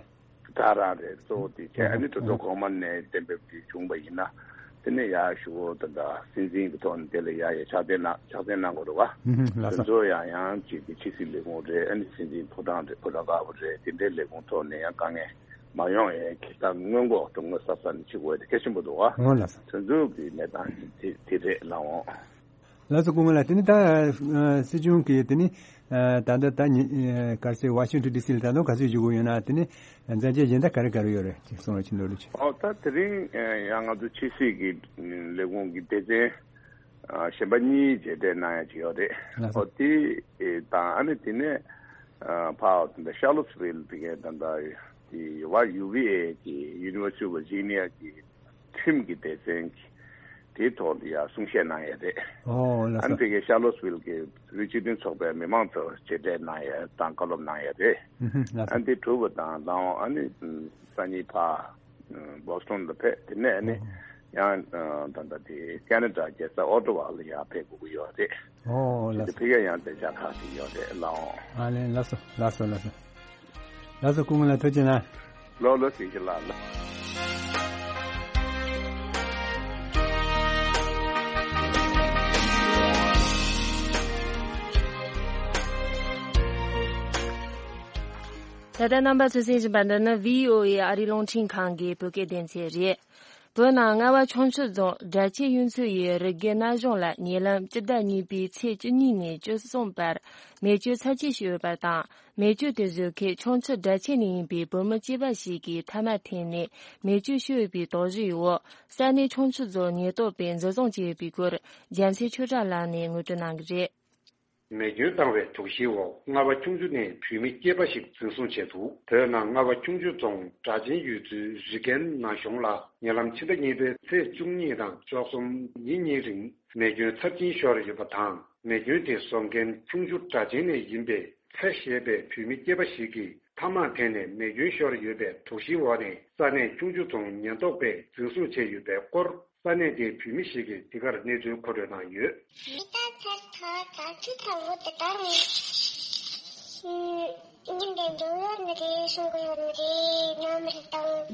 ད་རང་རེད་གཙོ་བོ་དེ་བྱས་ཨ་ནི་གྲོས་ཚོགས་གོང་མ་ནས་གཏན་འབེབས་དེ་བྱུང་བ་ཡིན་ན། དེ་ནས་ཡར་ཞུ་བོ་ད་ལྟ་སྲིད་འཛིན་གྱི་ཐོག་ནས་དེ་ལ་ཡ་ཡ་ཕྱག་འཚལ་གནང་ཕྱག་འཚལ་གནང་དགོས་རེད་བ། ཧུམ་ཧུམ། ལགས་སོ། དེ་ཚོ་ཡང་ཡང་ཅིག་གི་ཕྱི་སྲིད་ལས་ཁུངས་རེད། ཨ་ནི་སྲིད་འཛིན་ཕོ་བྲང་རེད། ཕོ་བྲང་དཀར་པོ་རེད། དེ་འདྲའི་ལས་ཁུངས་ཐོག་ནས་ཡང་དཀའ་ངལ་མ་ཡོང་ཡས་ཀྱི་ད་སྔོན་འགོག་དང་སྔོན་གསབ་ས་ནས་བྱེད་དགོས་དེ་གལ་ཆེན་པོ་འདུག་བ། འོ་ལགས་སོ། དེ་ཚོ་གི་གནས་སྟངས་དེ་དེ་རེད་ལགས་འོང་། ལགས་སོ་སྐུ་ངོ་ལགས། དེ་ནི་ད་སྲིད་སྐྱོང་གིས་དེ་ནི་ད་ལྟ་ད་ག་རེ་ཟེར་ཝ་ཤིང་ཊོན་ཌི་སི་ལ་ད་དུང་ག་ཚོད་བཞུགས་ཡོད་ན་དེ་ནི་མཛད་རྗེས་གཞན་དག་ག་རེ་ག་རེ་ཡོད་རེད་ཅེས་གསུང་རོགས་བྱེད་འདོད་ལུགས་ཅིག། ཨོ་ད་དེ་རིང་ཡང་ང་ཚོ་ཕྱི་སྲིད་ཀྱི་ལས་ཁུངས་ཀྱི་སྡེ་ཚན་གཞན་པ་གཉིས་མཇལ་འཕྲད་གནང་ཡ་ཅིག་ཡོད་རེད། ལགས་སོ། ཨོ་དེ་དང་ཨ་ནི་དེ་ནས་ཕར་ད་ཤར་ལོ་སི་ཝིལ་དེ་གའི་ད་ལྟ་དེ་ཝ་ཡུ་ཝི་ཨེ་གི་University of Virginia གི་ཁྲིམས་ཀྱི་སྡེ་ཚན་གྱི་དེའི་ཐོག་ལ་ཡང་གསུང་བཤད་གནང་ཡས་རེད། ཨོ་ལགས་སོ། ཨ་ནི་དེ་གའི་ཤར་ལོ་སི་ཝིལ་གྱི་བོད་རིགས་སྤྱི་མཐུན་ཚོགས་པའི་མི་མང་ཚོར་མཇལ་འཕྲད་གནང་ཡས་དང་བཀའ་སློབ་གནང་ཡས་རེད། ཨུ་ཧུ་ལགས་སོ། ཨ་ནི་དེ་གྲུབ་པ་དང་ལའོ་ཨ་ནི་སང་ཉིན་ཕར་བོ་སི་ཊོན་ལ་ཕེབས། དེ་ནས་ཨ་ནི་ཨོ་ཡང་ད་ལྟ་དེ་ཁེ་ན་ཌ་རྒྱལ་ས་ཨོ་ཊ་ཝ་ལ་ཡང་ཕེབས་དགོས་ཀྱི་ཡོད་རེད། ཨོ་ལགས་སོ། དེ་ཕ་གིར་ཡང་བདེ་འཇགས་ཁག་ཅིག་ཡོད་རེད་ལགས་འོང་། ཨ་ལེ་ལགས་སོ་ལགས་སོ་ལགས་སོ། ལགས་སོ་སྐུ་ངོ་ལགས་ཐུགས་རྗེ་གནང་། ལོ་ལོ་ཞིག་ཞིག་ལགས་ལགས། ད་ལྟ་རྣམ་པ་ཚོས་གསན་བཞིན་པ་འདི་ནི་བྷི་ཨོ་ཨེ་ཨ་རིའི་རླུང་འཕྲིན་ཁང་གི་བོད་སྐད་སྡེ་ཚན་རེད། བོད་ནང་རྔ་བ་ཁྱུང་མཆུ་རྫོང་སྦྲ་ཆེན་གཡུ་མཚོ་ཡི་རི་རྒྱུད་ན་གཞུང་ལ་ཉེ་ལམ་སྤྱི་ཟླ་གཉིས་པའི་ཚེས་བཅུ་གཉིས་ནས་བཅུ་གསུམ་བར་མེ་སྐྱོན་ཚབས་ཆེ་བྱུང་ཡོད་པ་དང་། མེ་སྐྱོན་དེ་བཟོ་མཁན་ཁྱུང་མཆུ་སྦྲ་ཆེན་ནས་ཡིན་པའི་བོད་མི་སྐྱེས་པ་ཞིག་གིས་ཐ་མག་འཐེན་ནས་མེ་སྐྱོན་ཤོར་ཡོད་པའི་དོགས་གཞིའི་འོག་ས་གནས་ཁྱུང་མཆུ་རྫོང་ཉེན་རྟོག་པས་འཛིན་བཟུང་བྱས་ཡོད་པའི་སྐོར་རྒྱལ་མཚན་ཆོས་གྲགས་ལགས་ནས་ངོ་སྤྲོད་གནང་གི་རེད། མེ་སྐྱོན་བཏང་བའི་དོགས་གཞིའི་འོག་རྔ་བ་ཁྱུང་མཆུ་ནས་བོད་མི་སྐྱེས་པ་ཞིག་འཛིན་བཟུང་བྱས་འདུག་བོད་ནང་རྔ་བ་ཁྱུང་མཆུ་རྫོང་སྦྲ་ཆེན་ཡུལ་ཚོའི་རི་རྒན་ན་གཞོང་ལ་ཉེ་ལམ་ཕྱི་ཟླ་གཉིས་པའི་ཚེས་བཅུ་གཉིས་དང་བཅུ་གསུམ་ཉིན་གཉིས་རིང་མེ་སྐྱོན་ཚབས་ཆེན་ཤོར་ཡོད་པ་དང་། མེ་སྐྱོན་དེ་བཟོ་མཁན་ཁྱུང་མཆུ་སྦྲ་ཆེན་ནས་ཡིན་པའི་ཚེ་ཞེས་པའི་བོད་མི་སྐྱེས་པ་ཞིག་གིས་ཐ་མག་འཐེན་ནས་མེ་སྐྱོན་ཤོར་ཡོད་པའི་དོགས་གཞིའི་འོག་ནས་ས་གནས་ཁྱུང་མཆུ་རྫོང་ཉེན་རྟོག་པས་འཛིན་བཟུང་བྱས་ཡོད་པའི་སྐོར། ས་གནས་དེའི་བོད་མི་ཞིག་གིས་འདི་གར་གནས་ཚུལ་མཁོ་སྤྲོད་གནང་ཡོད། མི་ད་ཚར་ཐག་ད་ཚུ་ཚ་བོ་དེ་དག་ནི་ཉིན་དེ་འགྲོ་ཡོད་ནི་རེད། སོང་གི་ཡོད་ནི་རེད། ཉོ་མི་རེད་དང་།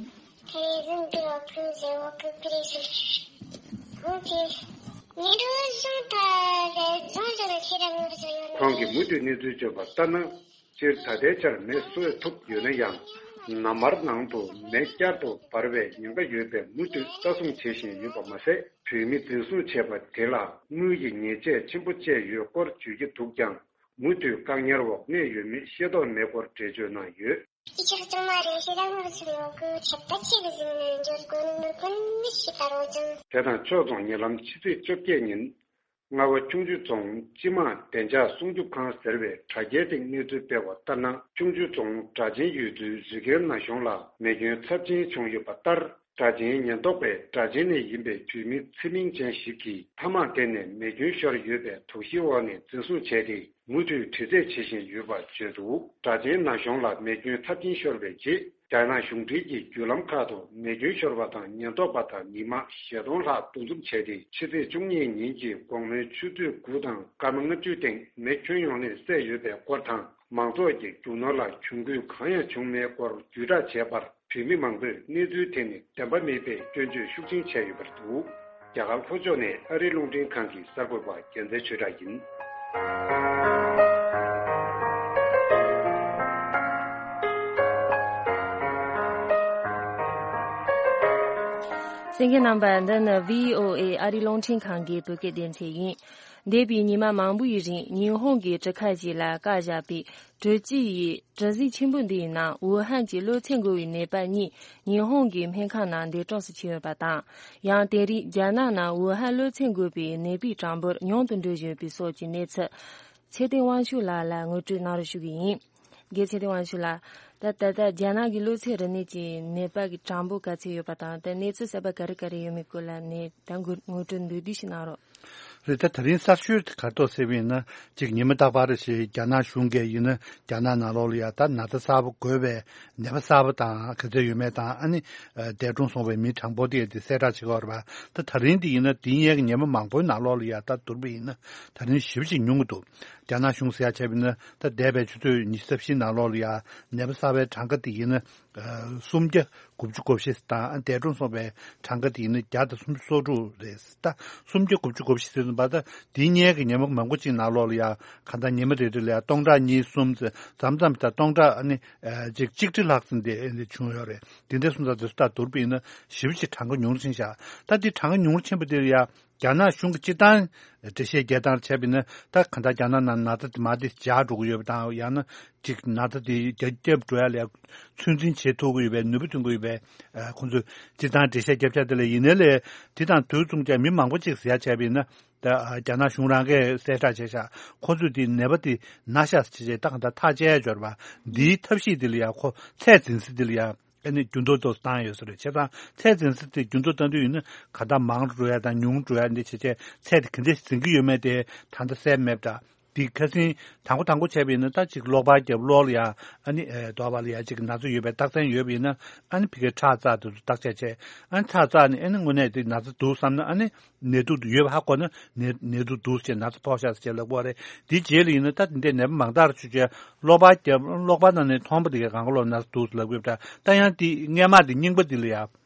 དེ་རིང་འདི་བ་ཕུལ་ཟེར་བ་ཀུ་ཀུ་རེད་ཟེར། འོ་དེ་ཉིན་འགྲོ་སོང་ད་རེད། རྫོང་ཟེར་ན་ཁྱེད་རང་ངོ་ཟེར་ཡོད་ནི། ཁོང་གིས་མུ་མཐུད་གནས་ཚུལ་བརྗོད་པ་ལྟར་ན། སྤྱིར་ད་ལྟའི་ཆར་མེ་གསོད་ཐུབ་ཡོད་ན་ཡང་། ནམ་མཁའ་ནང་དུ་མེ་བསྐྱར་དུ་འབར་བའི་ཉེན་ཁ་ཡོད་པས་མུ་མཐུད་ལྟ་སྲུང་བྱེད་བཞིན་ཡོད་པ་མ་ཟད། བོད་མི་འཛིན་བཟུང་བྱས་པ་དེ་ལ་དངུལ་གྱི་ཉེས་ཆད་ཆེན་པོ་བཅད་ཡོད་སྐོར་བརྗོད་ཀྱི་འདུག་ཀྱང་། མུ་མཐུད་བཀག་ཉར་འོག་གནས་ཡོད་མེད་ཤེས་རྟོགས་མེད་སྐོར་འགྲེལ་བརྗོད་གནང་ཡོད། ཡིག་ཆ་གཙང་མ་རེད། ཤེས་ལ་ངོ་ཚུལ་ཡོད་གི་ཁྱད་པར་ཆེ་གི་ཟིན་ནས་འབྱོར་དགོས་ནི་མི་དགོས་ནི་མི་ཤེས་པ་རོ་ཅང་། དེ་དང་ཕྱོགས་མཚུངས་ཉེ་ལམ་ཕྱི་ཚེས་བཅོ་བརྒྱད་ཉིན། རྔ་བ་ཁྱུང་མཆུ་རྫོང་སྤྱི་དམངས་བདེ་འཇགས་སྲུང་སྐྱོབ་ཁང་ཟེར་བས་དྲ་རྒྱའི་སྟེང་གནས་ཚུལ་སྤེལ་བ་ལྟར་ན། ཁྱུང་མཆུ་རྫོང་སྦྲ་ཆེན་ཡུལ་ཚོའི་རི་རྒན་ན་གཞོང་ལ་མེ་སྐྱོན་ཚབས་ཆེན་བྱུང་ཡོད་པ་ལྟར། སྦྲ་ཆེན་ཉེན་རྟོག་པས་སྦྲ་ཆེན་ནས་ཡིན་པའི་བོད་མི་ཚེ་མིང་ཅན་ཞིག་གིས་ཐ་མག་འཐེན་ནས་མེ་སྐྱོན་ཤོར་ཡོད་པའི་དོགས་གཞིའི་འོག་ནས་འཛིན་བཟུང་བྱས་ཏེ། མུ་མཐུད་དྲི་རྩད་བྱེད་བཞིན་ཡོད་པ་བརྗོད་འདུག་སྦྲ་ཆེན་ན་གཞོང་ལ་མེ་སྐྱོན་ཚབས་ཆེན་ཤོར་བའི་རྗེས། རྒྱ་ནག་གཞུང་འབྲེལ་གྱི་བརྒྱུད་ལམ་ཁག་ཏུ་མེ་སྐྱོན་ཤོར་བ་དང་ཉེན་རྟོག་པ་དང་མི་མང་བཞི་སྟོང་ལྷག་འདུ་འཛོམས་བྱས་ཏེ། ཕྱི་ཚེས་བཅུ་གཉིས་ཉིན་གྱི་དགོང་མོའི་ཆུ་ཚོད་དགུ་དང་སྐར་མ་ལྔ་བཅུའི་སྟེང་མེ་ཁྱོན་ཡོངས་ནས་བསད་ཡོད་པའི་སྐོར་དང་། མང་ཚོགས་ཀྱི་རྒྱུ་ནོར་ལ་གྱོང་གུད་གང་ཡང་བྱུང་མེད་སྐོར་བརྒྱུད་བསྒྲགས་བྱས་པར། བོད་མི་མང་པོས་གནས་ཚུལ་དེ་ནི་བདེན་པ་མེད་པའི་སྐྱོན་བརྗོད་ཤུགས་ཆེན་བྱས་ཡོད་པ་རེད་འདུག་རྒྱ་གར་ལྷོ་ཕྱོགས་ནས་ཨ་རིའི་རླུང་འཕྲིན་ཁང་གི་གསར་འགོད་པ་རྒྱལ་མཚན་ཆོས་གྲགས་ཡིན། གསན་མཁན་རྣམ་པ། འདི་ནི་བྷི་ཨོ་ཨེ་ཨ་རིའི་རླུང་འཕྲིན་ཁང་གི་བོད་སྐད་སྡེ་ཚན་ཡིན། འདས་པའི་ཉི་མ་མང་པོའི་རིང་ཉི་ཧོང་གི་གྲུ་ཁ་ཞིག་ལ་བཀག་བཞག་པའི་གྲུ་གཅིག་ཡི་གྲུ་གཟིངས་ཆེན་པོ་འདིའི་ནང་ཝུ་ཧན་གྱི་གློ་ཚད་འགོ་བའི་ནད་པ་གཉིས་ཉི་ཧོང་གི་སྨན་ཁང་ནང་འདས་གྲོངས་སུ་ཕྱིན་ཡོད་པ་དང་། ཡང་དེ་རིང་རྒྱ་ནག་ནང་ཝུ་ཧན་གློ་ཚད་འགོ་བའི་ནད་པའི་གྲངས་འབོར་ཉུང་དུ་འགྲོ་བཞིན་ཡོད་པའི་སོགས་ཀྱི་གནས་ཚུལ། ཚེ་བརྟན་དབང་ཕྱུག་ལགས་ལ་ངོ་སྤྲོད་གནང་རོགས་ཞུ་གི་ཡིན། རྒན་ཚེ་བརྟན་དབང་ཕྱུག་ལགས། ད་ད་ལྟ་རྒྱ་ནག་གི་གློ་ཚད་རིམས་ནད་ཀྱི་ནད་པ་གི་གྲངས་འབོར་ག་ཚད་ཡོད་པ་དང་། ད་གནས་ཚུལ་གསར་པ་ག་རེ་ག་རེ་ཡོད་མེད་སྐོར་ལ་ནས་ད་ངོ་སྤྲོད་མདོར་བསྡུས་ཤིག་གནང་རོགས། རེད། ད་ད་རིང་གསར་ཤོས་དེ་ག་ཐོག་ཟེར་བ་ཡིན་ན། གཅིག་ཉི་མ་རྟག་པར་ཞིག་རྒྱ་ནག་གཞུང་གིས་ཡིན་ན་རྒྱ་ནག་ནང་ལོགས་ལ་ཡ་ད་ན་ཚ་གསར་པ་འགོས་པའི་ནད་པ་གསར་པ་དང་ག་ཚད་ཡོད་མེད་དང་། ཨ་ནི་འདས་གྲོངས་སོང་བའི་མི་གྲངས་འབོར་དེ་དེ་གསལ་བསྒྲགས་བྱེད་ཀྱི་ཡོད་རེད་པ། ད་ད་རིང་དེ་ཡིན་ན་དེ་སྔོན་གྱི་ཉི་མ་མང་པོའི་ནང་ལོགས་ལ་ཡ་ད་བསྡུར་བ་ཡིན་ན་ད་རིང་ཞེ་པོ་ཅིག་ཉུང་གི་འདུག་རྒྱ་ནག་གཞུང་ཟེར་ཡ་བྱས་པ་ཡིན་ན་ད་འདས་པའི་ཆུ་ཚོད་ཉི་ཤུ་རྩ་བཞི་ནང་ལོགས་ལ་ཡ་ནད་པ་གསར་པའི་གྲངས་ཀ་དེ་ཡིན་ན། སུམ་བརྒྱ་དགུ་བཅུ་གོ་བཞི་དང་། འདས་གྲོངས་སོང་བའི་གྲངས་ཀ་དེ་ཡིན་ན་བརྒྱ་དང་སུམ་ཅུ་སོ་དྲུག་རེད། ད་སུམ་བརྒྱ་དགུ་བཅུ་གོ་བཞི་ཟེར་ཙམ་པ། ད་དེའི་སྔོན་གྱི་ཉི་མ་མང་པོ་ཅིག་ནང་ལོགས་ལ་ཡ་གང་ལྟར་ཉི་མ་རེ་རེ་ལ་ཡ་སྟོང་ཕྲག་གཉིས་གསུམ་ཙམ་ཙམ་ཙམ། ད་སྟོང་ཕྲག་ཨ་ནི་ཅིག་གཅིག་ཁྲི་ལྷག་ཙམ་དེ་ཨ་ནི་བྱུང་ཡོད་རེད། དེ་འདྲ་སོང་ཙང་དེ་ཚོ་ད་བསྡུར་བ་ཡིན་ན་ཞེ་པོ་ཅིག་གྲངས་ཀ་ཉུང་རུ་ཕྱིན་ཤག་ད་དེ་གྲངས་ཀ་ཉུང་རུ་ཕྱིན་པ་དེ་ལ་ཡ། རྒྱ་ནག་གཞུང་གིས་སྤྱིར་བཏང་འགྲེལ་བཤད་རྒྱག་སྟངས་བྱས་པ་ཡིན་ན། ད་གང་ལྟར་རྒྱ་ནག་ནང་ན་ཚ་དེ་མར་དེ་འཇགས་འགྲོ་གི་ཡོད་པ་དང་། ཡང་ན་ཅིག་ན་ཚ་དེ་རྒྱ་སྐྱབས་འགྲོ་ཡ་ལ་ཚོད་འཛིན་བྱེད་ཐུབ་ཀྱི་ཡོད་པའི་ནུས་པ་ཐོན་གྱི་ཡོད་པའི་ཁོང་ཚོས་སྤྱིར་བཏང་འགྲེལ་བཤད་རྒྱབ་ཆ་དེ་ལ། ཡིན་ནའི་ལས་དེ་དང་དུས་མཚུངས་ཀྱང་མི་མང་པོ་ཅིག་ཟེར་ཡ་བྱས་པ་ཡིན་ན། ད་རྒྱ་ནག་གཞུང་རང་གིས་གསལ་བསྒྲགས་བྱས་ཤག་ཁོང་ཚོས་དེ་ནད་པ་དེ་ན་ཤག་ཟེར་བྱས་ད་གང་ལྟར་ཐག་བཅད་ཡ་འབྱོར་བ་འདིའི་ཐབས་ཤེས་དེ་ལ་ཡ། ཁོ་ཚད་འཛིན་ས་དེ་ལ་ཡ། ཨ་ནི་འགྱུར་ལྡོག་ཏོག་ཙམ་བཏང་ཡོད་ས་རེད། བྱས་ཙང་ཚད་འཛིན་ས་དེ་འགྱུར་ལྡོག་བཏང་དུས་ཡིན་ན་ག་ད་མང་འགྲོ་ཡ་དང་ཉུང་འགྲོ་ཡ་འདི་བྱས་བྱས་ཚད་དེ་ག་འདྲ་འཛིན་གྱི་ཡོད་མེད་དེ་ད་ལྟ་གསལ་མེད་པ་འདྲ། འདི་ཁ་སང་དང་པོ་དང་པོ་བྱས་པ་ཡིན་ན་ད་ཅིག་གློག་པར་རྒྱབ། གློག་ལ་ཡ་ཨ་ནི་ཨེ་རྡོ་བ་ལ་ཡ་ཅིག་ན་ཚ་ཡོད་པའི་རྟགས་མཚན་ཡོད་པ་ཡིན་ན། ཨ་ནི་ཕ་གིར་ཁྲག་བཙགས་དུས་སུ་བརྟག་དཔྱད་བྱས། ཨ་ནི་ཁྲག་བཙགས་ནས་ཨ་ནི་དངོས་གནས་དེ་ན་ཚ་འདུག་བསམ་ན། ཨ་ནི་ནད་དུག་ཡོད་པ་ཧ་གོ་ན་ནད་ནད་དུག་འདུག་ཟེར། ན་ཚ་ཕོག་ཤག་ཟེར་ལབ་ཀྱི་ཡོད་རེད། དེའི་རྗེས་ལ་ཡིན་ན་ད་དེ་འདྲའི་ནད་པ་མང་དག་ཅིག་གིས་གློག་པར་རྒྱབ། གློག་པར་ནང་ནས་མཐོང་བ་དེ་གའི་གང་ག་ལོག་ན་ཚ་འདུག་ཟེར་ལབ་ཀྱི་ཡོད་པ་འདྲ། ད་ཡང་དེ་སྔས་མ་དེ་རྙིང་པ་དེ་ལ་ཡ་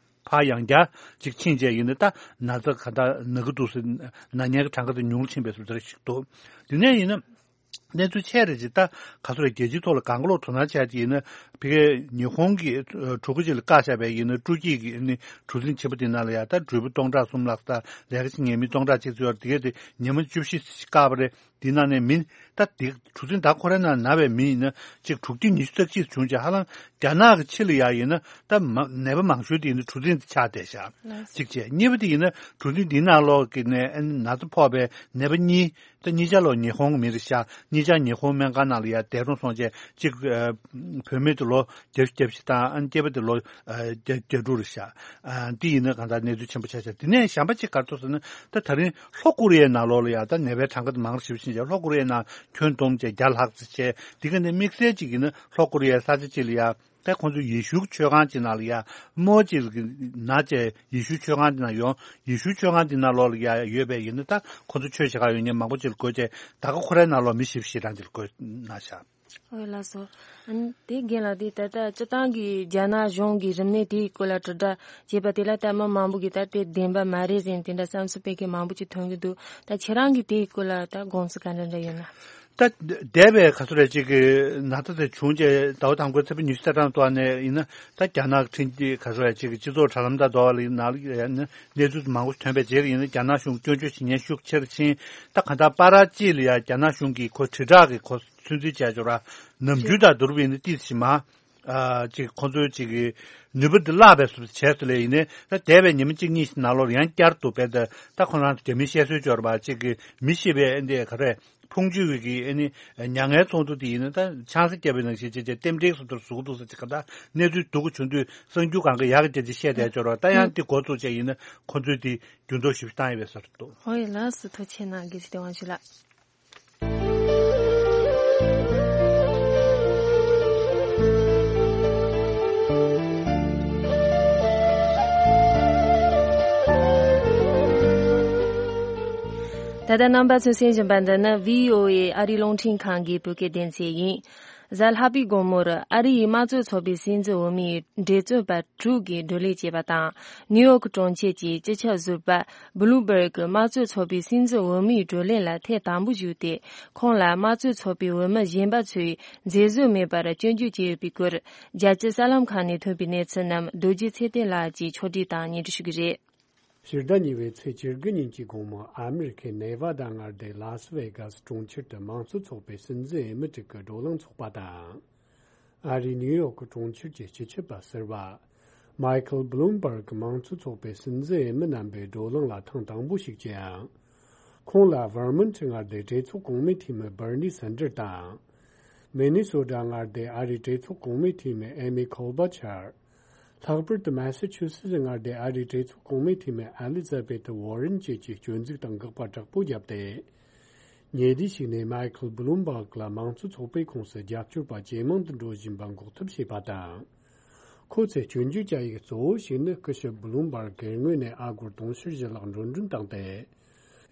ཕར་ཡང་བསྐྱར་ཅིག་ཕྱིན་བྱས་ཡིན་ན་ད་ན་ཚ་ག་ད་ན་གི་འདུག་ཟེར། ན་མཁན་གྱི་གྲངས་ཀ་དེ་ཉུང་རུ་ཕྱིན་པའི་བཟོ་འདྲ་ཞིག་འདུག་དེ་ནས་ཡིན་ན། གནས་ཚུལ་ཆེ་རེ་ཅིག་ད་ག་ཚོད་རེད། རྒྱལ་སྤྱིའི་ཐོག་ལ་གང་ག་ལོག་དོ་སྣང་བྱས་ཏེ་ཡིན་ན། ཕ་གིའི་ཉི་ཧོང་གི་ཨ་གྲུ་གུ་ཅིག་ལ་བཀག་བཞག་པའི་ཡིན་ན། སྤྲོ་སྐྱིད་ཀྱི་ཨ་ནི་གྲུ་གཟིངས་ཆེན་པོ་དེ་ནང་ལ་ཡ་ད་འགྲུལ་པ་སྟོང་ཕྲག་གསུམ་ལྷག་ཙམ། ལས་ཀ་བྱེད་མཁན་མི་སྟོང་ཕྲག་གཅིག་ཙམ་ཡོད་རེད། དེ་གས་དེ་ཉི་མ་བཅུ་བཞི་བཀག་པ་རེད། དེ་ནང་ནས་མི་ད་དེ་གྲུ་གཟིངས་ད་ཁོ་རའི་ནང་ན་བའི་མི་ཡིན་ན་ཅིག་དྲུག་བརྒྱ་ཉི་ཤུ་རྩ་གཅིག་བྱུང་བྱས། ཧ་ལམ་རྒྱ་ནག་གི་ཕྱི་ལ་ཡ་ཡིན་ན་ད་མ་ནད་པ་མང་ཤོས་དེ་ཡིན་ན་གྲུ་གཟིངས་དེ་ཆགས་བསྡད་ཤག་ལགས་སོ། གཅིག་བྱས། གཉིས་པ་དེ་ཡིན་ན་གྲུ་གཟིངས་འདིའི་ནང་ལོགས་ཀྱི་ནས་ཨ་ནི་ན་ཚ་ཕོག་པའི་ནད་པ་གཉིས། ད་གཉིས་ཆ་ལོ་ཉི་ཧོང་གི་མི་རེད་ཤག་གཉིས་ཆ་ཉི་ཧོང་སྨན་ཁང་ནང་ལ་ཡ་བསྡད་རུང་སོང་བྱས། གཅིག་ཨ་བུད་མེད་དེ་ལོ་བརྒྱད་ཅུ་གྱ་བཞི་དང་། ཨ་ནི་སྐྱེས་པ་དེ་ལོ་ཨ་བརྒྱད་བརྒྱད་དྲུག་རེད་ཤག་ཨ་འདི་ཡིན་ན་གང་ལྟར་གནས་ཚུལ་ཆེན་པོ་ཆགས་ཤག་དེ་ནས་གཞན་པ་གཅིག་ག་རེ་འདུག་ཟེར་ན། ད་ད་རིང་ལྷོ་ཀོ་རི་ཡའི་ནང་ལོགས་ལ་ཡ་ད་ནད་པའི་གྲངས་ཀ་དེ་མང་རུ་ཞེ་པོ་ཕྱིན་བྱས། ལྷོ་ཀོ་རི་ཡའི་ནང་ཁྱོན་བསྡོམས་བྱས་བརྒྱ་ལྷག་ཙམ་བྱས། དེ་ག་ནས་དམིགས་བསལ་གཅིག་ཡིན་ན་ལྷོ་ཀོ་རི་ཡའི་ས་ཆ་གཅིག་ལ་ཡ། ད་ཁོང་ཚོ་ཡེ་ཤུ་ཆོས་ཁང་ཅིག་ནང་ལ་ཡ་རྨོ་ཅིག་ན་བྱས། ཡེ་ཤུ་ཆོས་ཁང་དེ་ནང་ཡོང་། ཡེ་ཤུ་ཆོས་ཁང་དེ་ནང་ལོགས་ལ་ཡ་ཡོད་པའི་ཡིན་ན། ད་ཁོང་ཚོ་ཆོས་བྱེད་གར་ཡོང་མཁན་མང་པོ་ཅིག་ལ་འགོས་བྱས། ད་ག་ཁོ་རའི་ནང་ལོགས་མི་བཞི་བཅུ་ཞེ་གྲངས་ཅིག་ལ་འགོས་གནང་ཤག་ཨོ་ལགས་སོ། ཨ་ནི་དེ་རྒན་ལགས། དེ་ད་ལྟ་སྤྱིར་བཏང་གི་རྒྱ་ནག་གཞུང་གི་རིམས་ནད་དེའི་སྐོར་ལ་དྲིལ་བསྒྲགས་བྱས་པ་དེ་ལ་ད་མི་མང་པོ་གིས་ད་དེ་བདེན་པ་མ་རེད་ཟེར་དེ་འདྲ་བསམ་ཚུལ་སྤེལ་མཁན་མང་པོ་ཅིག་ཐོན་གྱི་འདུག་ད་ཁྱེད་རང་གིས་དེའི་སྐོར་ལ་ད་དགོངས་ཚུལ་ག་འདྲ་འདྲ་ཡོད་ན། ད་འདས་པའི་ག་ཚོད་རེ་ཅིག་གི་ན་ཚ་དེ་བྱུང་རྗེས་ཟླ་བ་དང་པོའི་ཚེས་པ་ཉི་ཤུ་རྩ་གྲངས་ཐོག་ནས་ཡིན་ན། ད་རྒྱ་ནག་ཕྲན་གྱི་ག་ཚོད་རེ་ཅིག་གི་སྤྱི་ཚོགས་དྲ་ལམ་དང་དོ་བ་ལ་ཡིན་ན་གནས་ཚུལ་མང་པོ་ཐོན་པའི་རྗེས་ཡིན་ན། རྒྱ་ནག་གཞུང་སྐྱོན་བརྗོད་བྱེད་མཁན་ཤུགས་ཆེ་རུ་ཕྱིན། ད་གང་ལྟར་པ་ར་ཅི་ལ་ཡ་རྒྱ་ནག་གཞུང་གིས་ཁོ་དྲིལ་བསྒྲགས་ཀྱི་ཁོ་ཚོད་འཛིན་བྱས་ཡོད་ར། ནམ་རྒྱུན་དང་བསྡུར་བ་ཡིན་ན་ཏོག་ཙམ་མ། ཨ་ཅིག་ཁོང་ཚོའི་ཅིག་གི་ནུས་པ་འདི་བརླག་པའི་བཟོ་འདྲ་བྱས་སོང་ལེ། ཡིན་ནའི་ད་འདས་པའི་ཉི་མ་གཅིག་གཉིས་ཤིག་ནང་ལོགས་ཡང་བསྐྱར་དུ་བས། ད་ད་ཁོ་རང་ཚོ་རྒྱ་མིའི་བཤད་སྲོལ་སྦྱོར་བ་ཅིག་གི་མི་ཤི་བའི་ཨེ་འདི་ག་རེ། ཕུང་མཆོད་ཀྱི་ཨེ་ནི་མྱ་ངན་ཚོགས་འདུ་དེ་ཡིན་ན། ད་ཆང་ས་བརྒྱབ་པའི་ནང་བཞིན་བྱས་བྱས་རྟེན་འབྲེལ་སོ་སོར་བཟོ་གི་འདུག་ཟེར་ཅིག་ག་ད་གནས་ཚུལ་སྡུག་གི་བྱུང་དུས་གསར་འགྱུར་སྒང་ག་ཡག་གི་རྒྱ་ཆེ་བཤད་བསྡད་སྦྱོར་བ། ད་ཡང་དེ་འགོ་བཙུགས་བྱས་ཡིན་ན་ཁོང་ཚོས་དེ་འགྱུར་ལྡོག་ཞིབ་བཏང་ཡོད་པའི་བཟོ་འདྲ་འདུག་ཧོ་ཡ་ལགས་སོ། ཐུགས་རྗེ་གནང་། དགེ་བཤེས་བདེ་དབང་ཞུ་ལགས། ད་ལྟ་རྣམ་པ་ཚོས་གསན་བཞིན་པ་འདི་ནི་བྷི་ཨོ་ཨེ་ཨ་རིའི་རླུང་འཕྲིན་ཁང་གི་བོད་སྐད་སྡེ་ཚན་ཡིན། གཟའ་ལྷག་པའི་དགོང་མོར་ཨ་རིའི་དམངས་གཙོ་ཚོགས་པའི་སྲིད་འཛིན་འོས་མིའི་འབྲེལ་མཐུད་པ་དྲུག་གིས་བགྲོ་གླེང་བྱས་པ་དང་། ནིའུ་ཡོག་གྲོང་ཁྱེར་གྱི་སྤྱི་ཁྱབ་ཟུར་པ་བྷུ་ལུམ་བྷར་གྱིས་དམངས་གཙོ་ཚོགས་པའི་སྲིད་འཛིན་འོས་མིའི་བགྲོ་གླེང་ལ་ཐེངས་དང་པོ་ཞུགས་ཏེ། ཁོང་ལ་དམངས་གཙོ་ཚོགས་པའི་འོས་མི་གཞན་པ་ཚོས་མཛད་བཟོ་མེད་པར་སྐྱོན་བརྗོད་བྱས་ཡོད་པའི་སྐོར། རྒྱལ་སྤྱིའི་གསར་ལམ་ཁག་ནས་ཐོན་པའི་གནས་ཚུལ་རྣམས་རྡོ་རྗེ་ཚེ་བརྟན་ལགས་ཀྱིས་ཕྱོགས་སྒྲིག་དང་སྙན་སྒྲོན་ཞུ་གི་རེད། ཕྱི་ཟླ་གཉིས་པའི་ཚེས་བཅུ་དགུ་ཉིན་གྱི་དགོང་མོ། ཨ་མེ་རི་ཁའི་ནེ་ཝ་ཌ་མངའ་སྡེ་ལཱ་སི་ཝེ་གྷ་སི་གྲོང་ཁྱེར་དུ་དམངས་གཙོ་ཚོགས་པའི་སྲིད་འཛིན་འོས་མི་དྲུག་གི་བགྲོ་གླེང་ཚོགས་པ་དང་། ཨ་རིའི་ནིའུ་ཡོག་གི་གྲོང་ཁྱེར་གྱི་སྤྱི་ཁྱབ་པ་ཟུར་པ་མའི་ཁལ་བྷུ་ལུམ་བྷར་གྱིས་དམངས་གཙོ་ཚོགས་པའི་སྲིད་འཛིན་འོས་མི་རྣམ་པའི་བགྲོ་གླེང་ལ་ཐེངས་དང་པོ་ཞུགས་ཀྱང་། ཁོང་ལ་ཝར་མོན་ཊི་མངའ་སྡེའི་གྲོས་ཚོགས་གོང་མའི་འཐུས་མི་བྷར་ནི་སན་ཌར་དང་། མི་ནི་སོ་ཌ་མངའ་སྡེའི་ཨ་རིའི་གྲོས་ཚོགས་གོང་མའི་འཐུས་མི་ཨེ་མི་ཁོལ་བྷ་ཆར། ལྷག་པར་དུ་མེ་སི་ཆུ་སི་སི་མངའ་སྡེའི་ཨ་རིའི་གྲོས་ཚོགས་གོང་མའི་འཐུས་མི་ཨེ་ལི་ཛ་བེ་ཐི་ཝོ་རེན་བཅས་ཀྱིས་སྐྱོན་འཛུགས་དང་དགག་པ་དྲག་པོ་བརྒྱབ་སྟེ། ཉེ་དུས་ཤིག་ནས་མའི་ཁལ་བྷུ་ལུམ་བྷག་ལ་དམངས་གཙོ་ཚོགས་པའི་ཁོངས་སུ་རྒྱབ་སྐྱོར་པ་ཇེ་མང་དུ་འགྲོ་བཞིན་པ་འགོག་ཐབས་བྱས་པ་དང་། ཁོ་ཚོས་སྐྱོན་བརྗོད་བྱ་ཡུལ་གཙོ་བོ་ཞིག་ནི་སྐུ་ཞབས་བྷུ་ལུམ་བྷག་སྒེར་ངོས་ནས་ཨ་སྒོར་དུང་ཕྱུར་བཞི་ལྷག་འགྲོ་གྲོན་བཏང་སྟེ།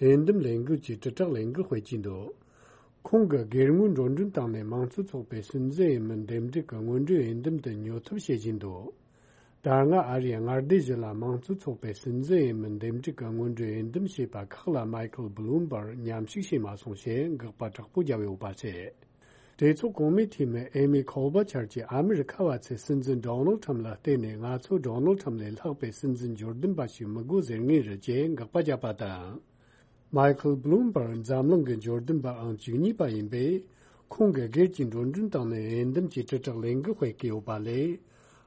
འོས་འདེམས་ལས་འགུལ་གྱི་དྲིལ་བསྒྲགས་ལས་འགུལ་སྤེལ་གྱིན་འདུག་ཁོང་གིས་སྒེར་ངོས་འགྲོ་གྲོན་བཏང་ནས་དམངས་གཙོ་ཚོགས་པའི་སྲིད་འཛིན་འོས་མི་འདེམས་སྒྲུག་གི་སྔོན་འགྲོའི་འོས་འདེམས་དུ་ཉོ་ཐབས་བྱེད་བཞིན་འདུག་ད་སྔ་ཨ་རིའི་མངའ་སྡེ་བཞི་ལ་དམངས་གཙོ་ཚོགས་པའི་སྲིད་འཛིན་འོས་མི་འདེམས་སྒྲུག་གི་སྔོན་འགྲོའི་འོས་འདེམས་བྱས་པ་ཁག་ལ་མའི་ཁལ་བྷུ་ལུམ་བྷར་མཉམ་ཞུགས་བྱས་མ་སོང་ཞེས་དགག་པ་དྲག་པོ་བརྒྱབ་ཡོད་པ་རེད། གྲོས་ཚོགས་གོང་མའི་འཐུས་མི་ཨེ་མི་ཁོལ་བྷ་ཆར་གྱིས་ཨ་མི་རི་ཁ་བ་ཚོས་སྲིད་འཛིན་ཌོ་ནལ་ཁྲམ་ལ་བརྟེན་ནས་ང་ཚོ་ཌོ་ནལ་ཁྲམ་ལས་ལྷག་པའི་སྲིད་འཛིན་འབྱོར་ལྡན་པ་ཞིག་མི་དགོས་ཟེར་ངེས་རེད་ཅེས་དགག་པ་བརྒྱབ་པ་དང་། མའི་ཁལ་བྷུ་ལུམ་བྷར་འཛམ་གླིང་གི་འབྱོར་ལྡན་པའང་བཅུ་གཉིས་པ་ཡིན་པས། ཁོང་གིས་སྒེར་གྱི་འགྲོ་གྲོན་བཏང་ནས་འོས་འདེམས་ཀྱི་དྲིལ་བསྒྲགས་ལས་འགུལ་སྤེལ་གྱི་ཡོད་པ་ལས།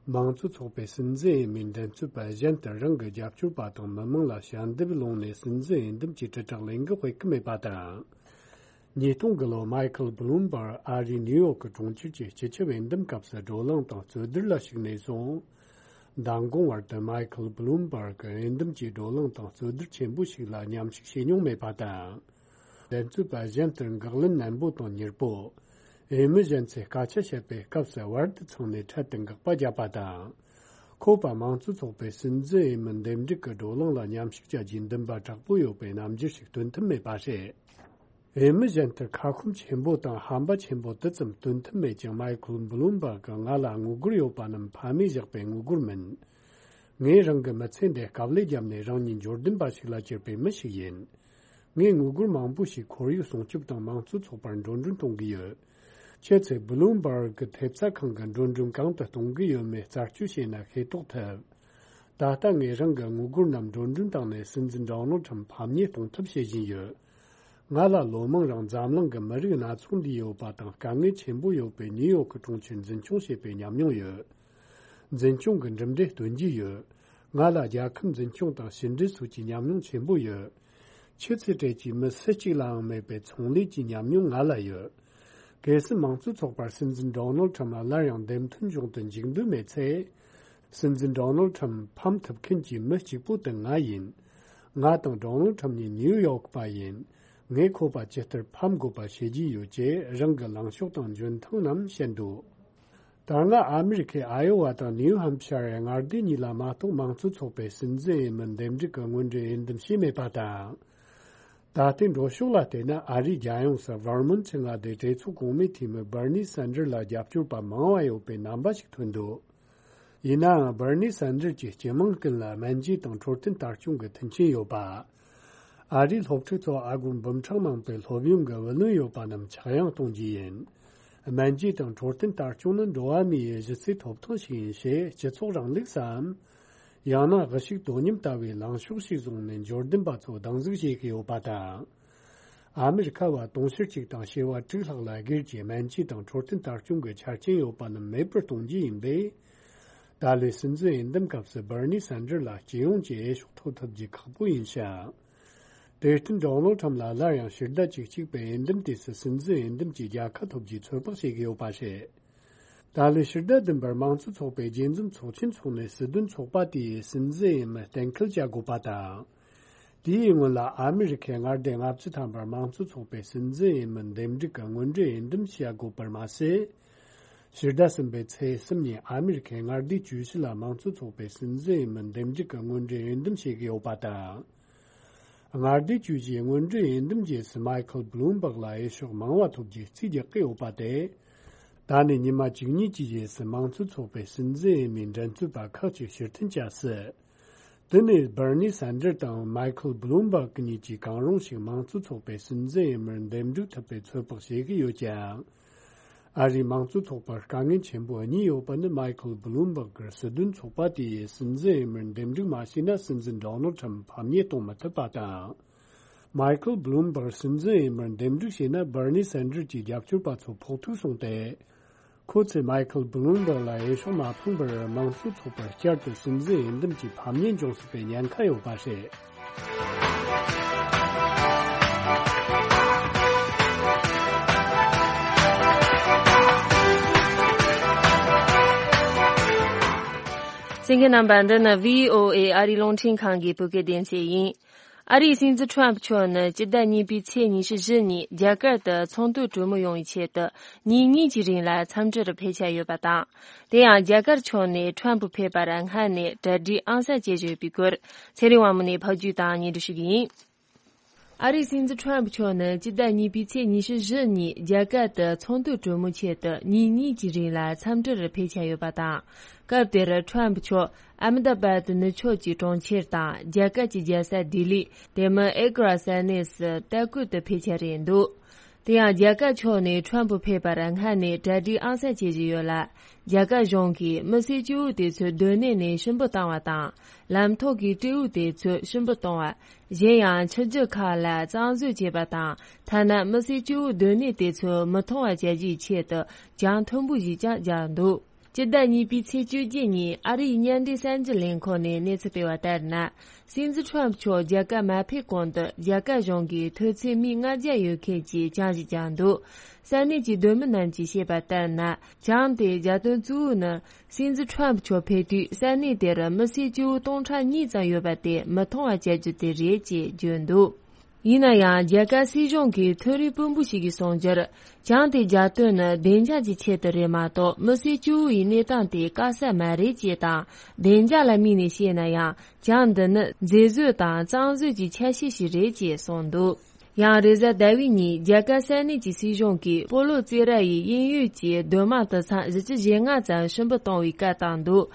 དམངས་གཙོ་ཚོགས་པའི་སྲིད་འཛིན་འོས་མིའི་འགྲན་རྩོད་པ་གཞན་དུ་རང་གི་རྒྱབ་སྐྱོར་པ་དང་མི་མང་ལ་ཞལ་འདེབས་སློང་ནས་སྲིད་འཛིན་འོས་འདེམས་ཀྱི་དྲིལ་བསྒྲགས་ལས་འགུལ་སྤེལ་གྱི་མེད་པ་དང་། ཉིས་སྟོང་དགུ་ལོར་མའི་ཁལ་བྷུ་ལུམ་བྷར་ཨ་རིའི་ནིའུ་ཡོག་གི་གྲོང་ཁྱེར་གྱི་སྤྱི་ཁྱབ་འོས་འདེམས་སྐབས་སུ་བགྲོ་གླེང་དང་རྩོད་བསྡུར་ལ་ཞུགས་ནས་བཟུང་། མདང་དགོང་བར་དུ་མའི་ཁལ་བྷུ་ལུམ་བྷར་གྱིས་འོས་འདེམས་ཀྱི་བགྲོ་གླེང་དང་རྩོད་བསྡུར་ཆེན་པོ་ཞིག་ལ་མཉམ་ཞུགས་བྱས་མྱོང་མེད་པ་དང་། འགྲན་རྩོད་པ་གཞན་ལྟར་འགག་ལན་ནན་པོ་དང་མྱུར་པོ། འོས་མི་གཞན་ཚོས་སྐད་ཆ་བཤད་པའི་སྐབས་སུ་བར་དུ་ཚང་ནས་འཕྲལ་དུ་འགག་པ་བརྒྱབ་པ་དང་། ཁོ་པ་དམངས་གཙོ་ཚོགས་པའི་སྲིད་འཛིན་འོས་མི་འདེམས་སྒྲུག་གི་བགྲོ་གླེང་ལ་མཉམ་ཞུགས་བྱ་རྒྱུའི་འདུན་པ་དྲག་པོ་ཡོད་པའི་རྣམ་འགྱུར་ཞིག་སྟོན་ཐུབ་མེད་པ་རེད། འོས་མི་གཞན་ལྟར་ཁ་སྐོམ་ཆེན་པོ་དང་ཧམ་པ་ཆེན་པོ་དེ་ཙམ་སྟོན་ཐུབ་མེད་ཀྱང་། མའི་ཁལ་བྷུ་ལུམ་བྷག་གིས་ང་ལ་དངུལ་སྒོར་ཡོད་པ་རྣམས་ཕ་མས་བཞག་པའི་དངུལ་སྒོར་མིན། ངས་རང་གི་མི་ཚེ་འདི་དཀའ་ལས་བརྒྱབ་ནས་རང་ཉིད་འབྱོར་ལྡན་པ་ཞིག་ལ་གྱུར་པའི་མི་ཞིག་ཡིན། ངས་དངུལ་སྒོར་མང་པོ་ཞིག་ཁོར་ཡུག་སྲུང་སྐྱོབ་དང་དམངས་གཙོ་ཚོགས་པར་འགྲོ་གྲོན་གཏོང་གི་ཡོད། ཁྱེད་ཚོས་Bloomberg གི་ཐེབས་རྩ་ཁང་གི་འགྲོ་གྲོན་གང་དུ་གཏོང་གི་ཡོད་མེད་རྩད་གཅོད་བྱས་ན་ཤེས་རྟོགས་ཐུབ། ད་ལྟ་ངས་རང་གི་དངུལ་སྒོར་རྣམས་འགྲོ་གྲོན་བཏང་ནས་སྲིད་འཛིན་Donald Trump ཕམ་ཉེས་གཏོང་ཐབས་བྱེད་བཞིན་ཡོད། ང་ལ་ལོ་མང་རིང་འཛམ་གླིང་གི་མི་རིགས་སྣ་ཚོགས་འདིར་ཡོད་པ་དང་དཀའ་ངལ་ཆེན་པོ་ཡོད་པའི་ནིའུ་ཡོག་གི་གྲོང་ཁྱེར་འཛིན་སྐྱོང་བྱེད་པའི་ཉམས་མྱོང་ཡོད། འཛིན་སྐྱོང་གི་གྲུབ་འབྲས་སྟོན་རྒྱུ་ཡོད། ང་ལ་རྒྱལ་ཁབ་འཛིན་སྐྱོང་དང་ཕྱི་འབྲེལ་སོགས་ཀྱི་ཉམས་མྱོང་ཆེན་པོ་ཡོད། ཁྱེད་ཚོའི་གྲས་ཀྱི་མི་སུ་གཅིག་ལའང་མེད་པའི་ཚོང་ལས་ཀྱི་ཉམས་མྱོང་ང་ལ་ཡོད། གལ་སྲིད་དམངས་གཙོ་ཚོགས་པར་སྲིད་འཛིན་Donald Trump སླར་ཡང་འདེམས་ཐོན་འབྱུང་དུ་འཇུག་འདོད་མེད་ཚེ། སྲིད་འཛིན་Donald Trump ཕམ་ཐུབ་མཁན་གྱི་མི་གཅིག་པོ་དེ་ང་ཡིན། ང་དང་Donald Trump གཉིས་ནིའུ་ཡོག་པ་ཡིན། ངས་ཁོ་པ་ཇི་ལྟར་ཕམ་དགོས་པ་བྱེད་ཀྱི་ཡོད་ཅེས་རང་གི་ལངས་ཕྱོགས་དང་འཇོན་ཐང་རྣམས་བཤད་འདུག་ད་སྔ་ཨ་མི་རི་ཁའི་ཨ་ཡོ་ཝ་དང་ནིའུ་ཧམ་ཕྱར་མངའ་སྡེ་གཉིས་ལ་མ་གཏོགས་དམངས་གཙོ་ཚོགས་པའི་སྲིད་འཛིན་འོས་མི་འདེམས་སྒྲུག་གི་དངོས་འབྲེལ་འོས་འདེམས་བྱས་མེད་པ་དང་། ད་ལྟའི་འགྲོ་ཕྱོགས་ལ་བལྟས་ན། ཨ་རིའི་རྒྱལ་ཡོངས་སུ་Vermont མངའ་སྡེའི་གྲོས་ཚོགས་གོང་མའི་འཐུས་མི་Bernie Sanders ལ་རྒྱབ་སྐྱོར་པ་མང་བ་ཡོད་པའི་རྣམ་པ་ཞིག་ཐོན་འདུག་ཡིན་ནའང་Bernie Sanders གྱིས་སྤྱི་དམངས་ཀུན་ལ་སྨན་བཅོས་དང་འཕྲོད་བསྟེན་ལྟ་སྐྱོང་གི་མཐུན་རྐྱེན་ཡོད་པ། ཨ་རིའི་སློབ་ཕྲུག་ཚོ་ཨ་སྒོར་འབུམ་ཕྲག་མང་པོའི་སློབ་ཡོན་གྱི་བུ་ལོན་ཡོད་པ་རྣམས་ཆག་ཡང་གཏོང་རྒྱུ་ཡིན། སྨན་བཅོས་དང་འཕྲོད་བསྟེན་ལྟ་སྐྱོང་ནི་འགྲོ་བ་མིའི་གཞི་རྩའི་ཐོབ་ཐང་ཞིག་ཡིན་ཞེས་སྤྱི་ཚོགས་རིང་ལུགས་སམ། ཡང་ན་དབུ་ཞུགས་དོ་མཉམ་ལྟ་བུའི་ལངས་ཕྱོགས་ཤིག་བཟུང་ནས་འབྱོར་ལྡན་པ་ཚོ་སྡང་ཟུག་བྱེད་ཀྱི་ཡོད་པ་དང་། ཨ་མི་རི་ཁ་བ་དུང་ཕྱུར་གཅིག་དང་བྱེ་བ་དྲུག་ལྷག་ལ་སྒེར་གྱི་སྨན་བཅོས་དང་འཕྲོད་བསྟེན་ལྟ་སྐྱོང་གི་ཆ་རྐྱེན་ཡོད་པ་རྣམས་མེད་པར་གཏོང་རྒྱུ་ཡིན་པས། ད་ལོའི་སྲིད་འཛིན་འོས་འདེམས་སྐབས་སུ་Bernie Sanders ལ་སྤྱི་ཡོངས་ཀྱི་འོས་ཤོག་ཐོབ་ཐུབ་རྒྱུ་ཁག་པོ་ཡིན་ཞིང་། དེར་བརྟེན་Donald Trump ལ་སླར་ཡང་ཕྱིར་བསྡད་བཅུ་གཅིག་པའི་འོས་འདེམས་དུས་སུ་སྲིད་འཛིན་འོས་འདེམས་ཀྱི་རྒྱལ་ཁ་ཐོབ་རྒྱུའི་ཚོད་དཔག་བྱེད་ཀྱི་ཡོད་པ་རེད། ད་ལོའི་ཕྱི་ཟླ་བདུན་པར་དམངས་གཙོ་ཚོགས་པའི་རྒྱས་འཛོམས་ཚོགས་ཆེན་འཚོགས་ནས་སྲིད་དོན་ཚོགས་པ་དེའི་སྲིད་འཛིན་འོས་མི་གཏན་འཁེལ་བྱ་དགོས་པ་དང་། དེའི་སྔོན་ལ་ཨ་མི་རི་ཁའི་མངའ་སྡེ་ལྔ་བཅུ་ཐམ་པར་དམངས་གཙོ་ཚོགས་པའི་སྲིད་འཛིན་འོས་མི་འདེམས་སྒྲུག་གི་དངོས་འབྲེལ་འོས་འདེམས་བྱ་དགོས་པར་མ་ཟད། ཕྱི་ཟླ་གསུམ་པའི་ཚེས་གསུམ་ཉིན་ཨ་མི་རི་ཁའི་མངའ་སྡེ་བཅུ་བཞི་ལ་དམངས་གཙོ་ཚོགས་པའི་སྲིད་འཛིན་འོས་མི་འདེམས་སྒྲུག་གི་དངོས་འབྲེལ་འོས་འདེམས་བྱེད་ཀྱི་ཡོད་པ་དང་། མངའ་སྡེ་བཅུ་བཞིའི་དངོས་འབྲེལ་འོས་འདེམས་རྗེས་སུ་Michael Bloomberg ལ་འོས་ཤོག་མང་བ་ཐོབ་རྒྱུའི་རྩིས་རྒྱག་གི་ཡོད་པ་དེ། ད་ནས་ཉི་མ་བཅུ་གཉིས་ཀྱི་རྗེས་སུ་དམངས་གཙོ་ཚོགས་པའི་སྲིད་འཛིན་འོས་མིའི་འགྲན་རྩོད་པ་ཁག་ཅིག་ཕྱིར་འཐེན་བྱ་སྲིད། དེ་ནས་Bernie Sanders དང་Michael Bloomberg གཉིས་ཀྱིས་གང་རུང་ཞིག་དམངས་གཙོ་ཚོགས་པའི་སྲིད་འཛིན་འོས་མིར་འདེམས་སྒྲུག་ཐུབ་པའི་ཚོད་དཔག་བྱེད་ཀྱི་ཡོད་ཀྱང་། ཨ་རིའི་དམངས་གཙོ་ཚོགས་པར་དཀའ་ངལ་ཆེན་པོ་གཉིས་ཡོད་པ་ནི་Michael Bloomberg གིས་སྲིད་དོན་ཚོགས་པ་དེའི་སྲིད་འཛིན་འོས་མིར་འདེམས་སྒྲུག་མ་བྱས་ན་སྲིད་འཛིན་Donald Trump ཕམ་ཉེས་གཏོང་མི་ཐུབ་པ་དང་། Michael Bloomberg སྲིད་འཛིན་འོས་མིར་འདེམས་སྒྲུག་བྱས་ན་Bernie Sanders གྱི་རྒྱབ་སྐྱོར་པ་ཚོ་ཕོག་ཐུག་སོང་སྟེ། ཁོ་ཚོས་Michael Bloomberg ལ་འོས་ཤོག་མ་འཕངས་པར་དམངས་གཙོ་ཚོགས་པར་བསྐྱར་དུ་སྲིད་འཛིན་འོས་འདེམས་ཀྱི་ཕམ་ཉེས་འབྱུང་སྲིད་པའི་ཉེན་ཁ་ཡོད་པ་རེད། གསན་མཁན་རྣམ་པ། འདི་ནི་བྷི་ཨོ་ཨེ་ཨ་རིའི་རླུང་འཕྲིན་ཁང་གི་བོད་སྐད་སྡེ་ཚན་ཡིན། ཨ་རིའི་སྲིད་འཛིན་ཁྲོམ་ཕུ་མཆོག་ནི་སྤྱི་ཟླ་གཉིས་པའི་ཚེས་ཉི་ཤུ་བཞི་ཉིན་རྒྱ་གར་དུ་ཚོགས་འདུར་གྲོས་མོལ་ཡོང་བའི་ཆེད་དུ་ཉིན་གཉིས་ཀྱི་རིང་ལ་འཚམས་འདྲིར་ཕེབས་འཆར་ཡོད་པ་དང་། དེ་ཡང་རྒྱ་གར་ཕྱོགས་ནས་ཁྲོམ་ཕུ་ཕེབས་པར་སྔ་ནས་གྲ་སྒྲིག་ཨང་གསར་བྱེད་བཞིན་ཡོད་པའི་སྐོར་ཚེ་རིང་དབང་མོ་ནས་ཕབ་སྒྱུར་དང་སྙན་སྒྲོན་ཞུ་གི་ཡིན། ཨ་རིའི་སྲིད་འཛིན་ཁྲོམ་ཕུ་མཆོག་ནི་སྤྱི་ཟླ་གཉིས་པའི་ཚེས་ཉི་ཤུ་བཞི་ཉིན་རྒྱ་གར་དུ་ཚོགས་འདུར་གྲོས་མོལ་ཆེད་དུ་ཉིན་གཉིས་ཀྱི་རིང་ལ་འཚམས་འདྲིར་ཕེབས་འཆར་ཡོད་པ་དང་། སྐབས་དེར་ཁྲོམ་ཕུ་མཆོག་ཨ་མི་ད་བཱད་ནུབ་ཕྱོགས་ཀྱི་གྲོང་ཁྱེར་དང་རྒྱ་གར་གྱི་རྒྱལ་ས་ལྡི་ལི། དེ་མིན་ཨེ་གྷ་ར་ས་གནས་སུ་ལྟ་སྐུལ་དུ་ཕེབས་འཆར་རེད་འདུག་དེ་ཡང་རྒྱ་གར་ཕྱོགས་ནས་ཁྲོམ་ཕུ་ཕེབས་པར་སྔ་ནས་གྲ་སྒྲིག་ཨང་གསར་བྱེད་བཞིན་ཡོད་ལ། རྒྱ་གར་གཞུང་གིས་མི་སེར་སྐྱེ་བོ་དེ་ཚོའི་སྡོད་གནས་ནས་ཕྱིར་འབུད་བཏང་བ་དང་། ལམ་ཐོག་གི་སྤྲེའུ་དེ་ཚོ་ཕྱིར་འབུད་གཏོང་བ། གཞན་ཡང་ཆུ་རྒྱུད་ཁག་ལ་གཙང་བཟོ་བྱེད་པ་དང་། ཐ་ན་མི་སེར་སྐྱེ་བོ་སྡོད་གནས་དེ་ཚོ་མི་མཐོང་བ་བྱ་རྒྱུའི་ཆེད་དུ་གྱང་མཐོན་པོ་ཞིག་ཀྱང་བརྒྱབ་འདུག་སྤྱི་ཟླ་གཉིས་པའི་ཚེས་བཅོ་བརྒྱད་ཉིན་ཨ་རིའི་མཉམ་འབྲེལ་གསར་འགྱུར་ལས་ཁུངས་ནས་གནས་ཚུལ་སྤེལ་བ་ལྟར་ན། སྲིད་འཛིན་ཁྲོམ་མཆོག་རྒྱ་གར་མ་ཕེབས་གོང་དུ་རྒྱ་གར་གཞུང་གིས་མཐོ་ཚད་མི་ལྔ་བརྒྱ་ཡོད་མཁན་གྱི་གྱང་ཞིག་བརྒྱབ་འདུག་ས་གནས་ཀྱི་སྡོད་མི་རྣམས་ཀྱིས་བཤད་པ་ལྟར་ན། གྱང་དེ་བརྒྱབ་དོན་གཙོ་བོ་ནི། སྲིད་འཛིན་ཁྲོམ་མཆོག་ཕེབས་དུས་ས་གནས་དེར་མི་སེར་སྐྱེ་བོ་སྟོང་ཕྲག་གཉིས་ཙམ་ཡོད་པ་དེ་མི་མཐོང་བ་བྱ་རྒྱུ་དེ་རེད་ཅེས་བརྗོད་འདུག་ཡིན་ན་ཡང་རྒྱ་གར་སྲིད་གཞུང་གི་མཐོ་རིམ་དཔོན་པོ་ཞིག་གིས་གསུངས་རྒྱུར། གྱང་དེ་རྒྱག་དོན་ནི་བདེ་འཇགས་ཀྱི་ཆེད་དུ་རེད་མ་གཏོགས་མི་སེར་སྐྱེ་བོ་ཡི་གནས་སྟངས་དེ་དཀའ་ས་མ་རེད་ཅེས་དང་། བདེ་འཇགས་ལ་དམིགས་ནས་བཤད་ན་ཡང་གྱང་འདི་ནི་མཛེས་བཟོ་དང་གཙང་བཟོ་གྱི་ཆ་ཤས་ཤིག་རེད་ཅེས་གསུངས་འདུག་ཡང་རེས་གཟའ་ཟླ་བའི་ཉིན་རྒྱ་གར་ས་གནས་ཀྱི་སྲིད་གཞུང་གིས་སྤོ་ལོ་རྩེད་ར་ཡི་དབྱིན་ཡུལ་གྱི་སྡོད་དམངས་དུད་ཚང་བཞི་བཅུ་ཞེ་ལྔ་ཙམ་ཕྱིར་འབུད་གཏོང་བའི་བཀའ་བཏང་འདུག་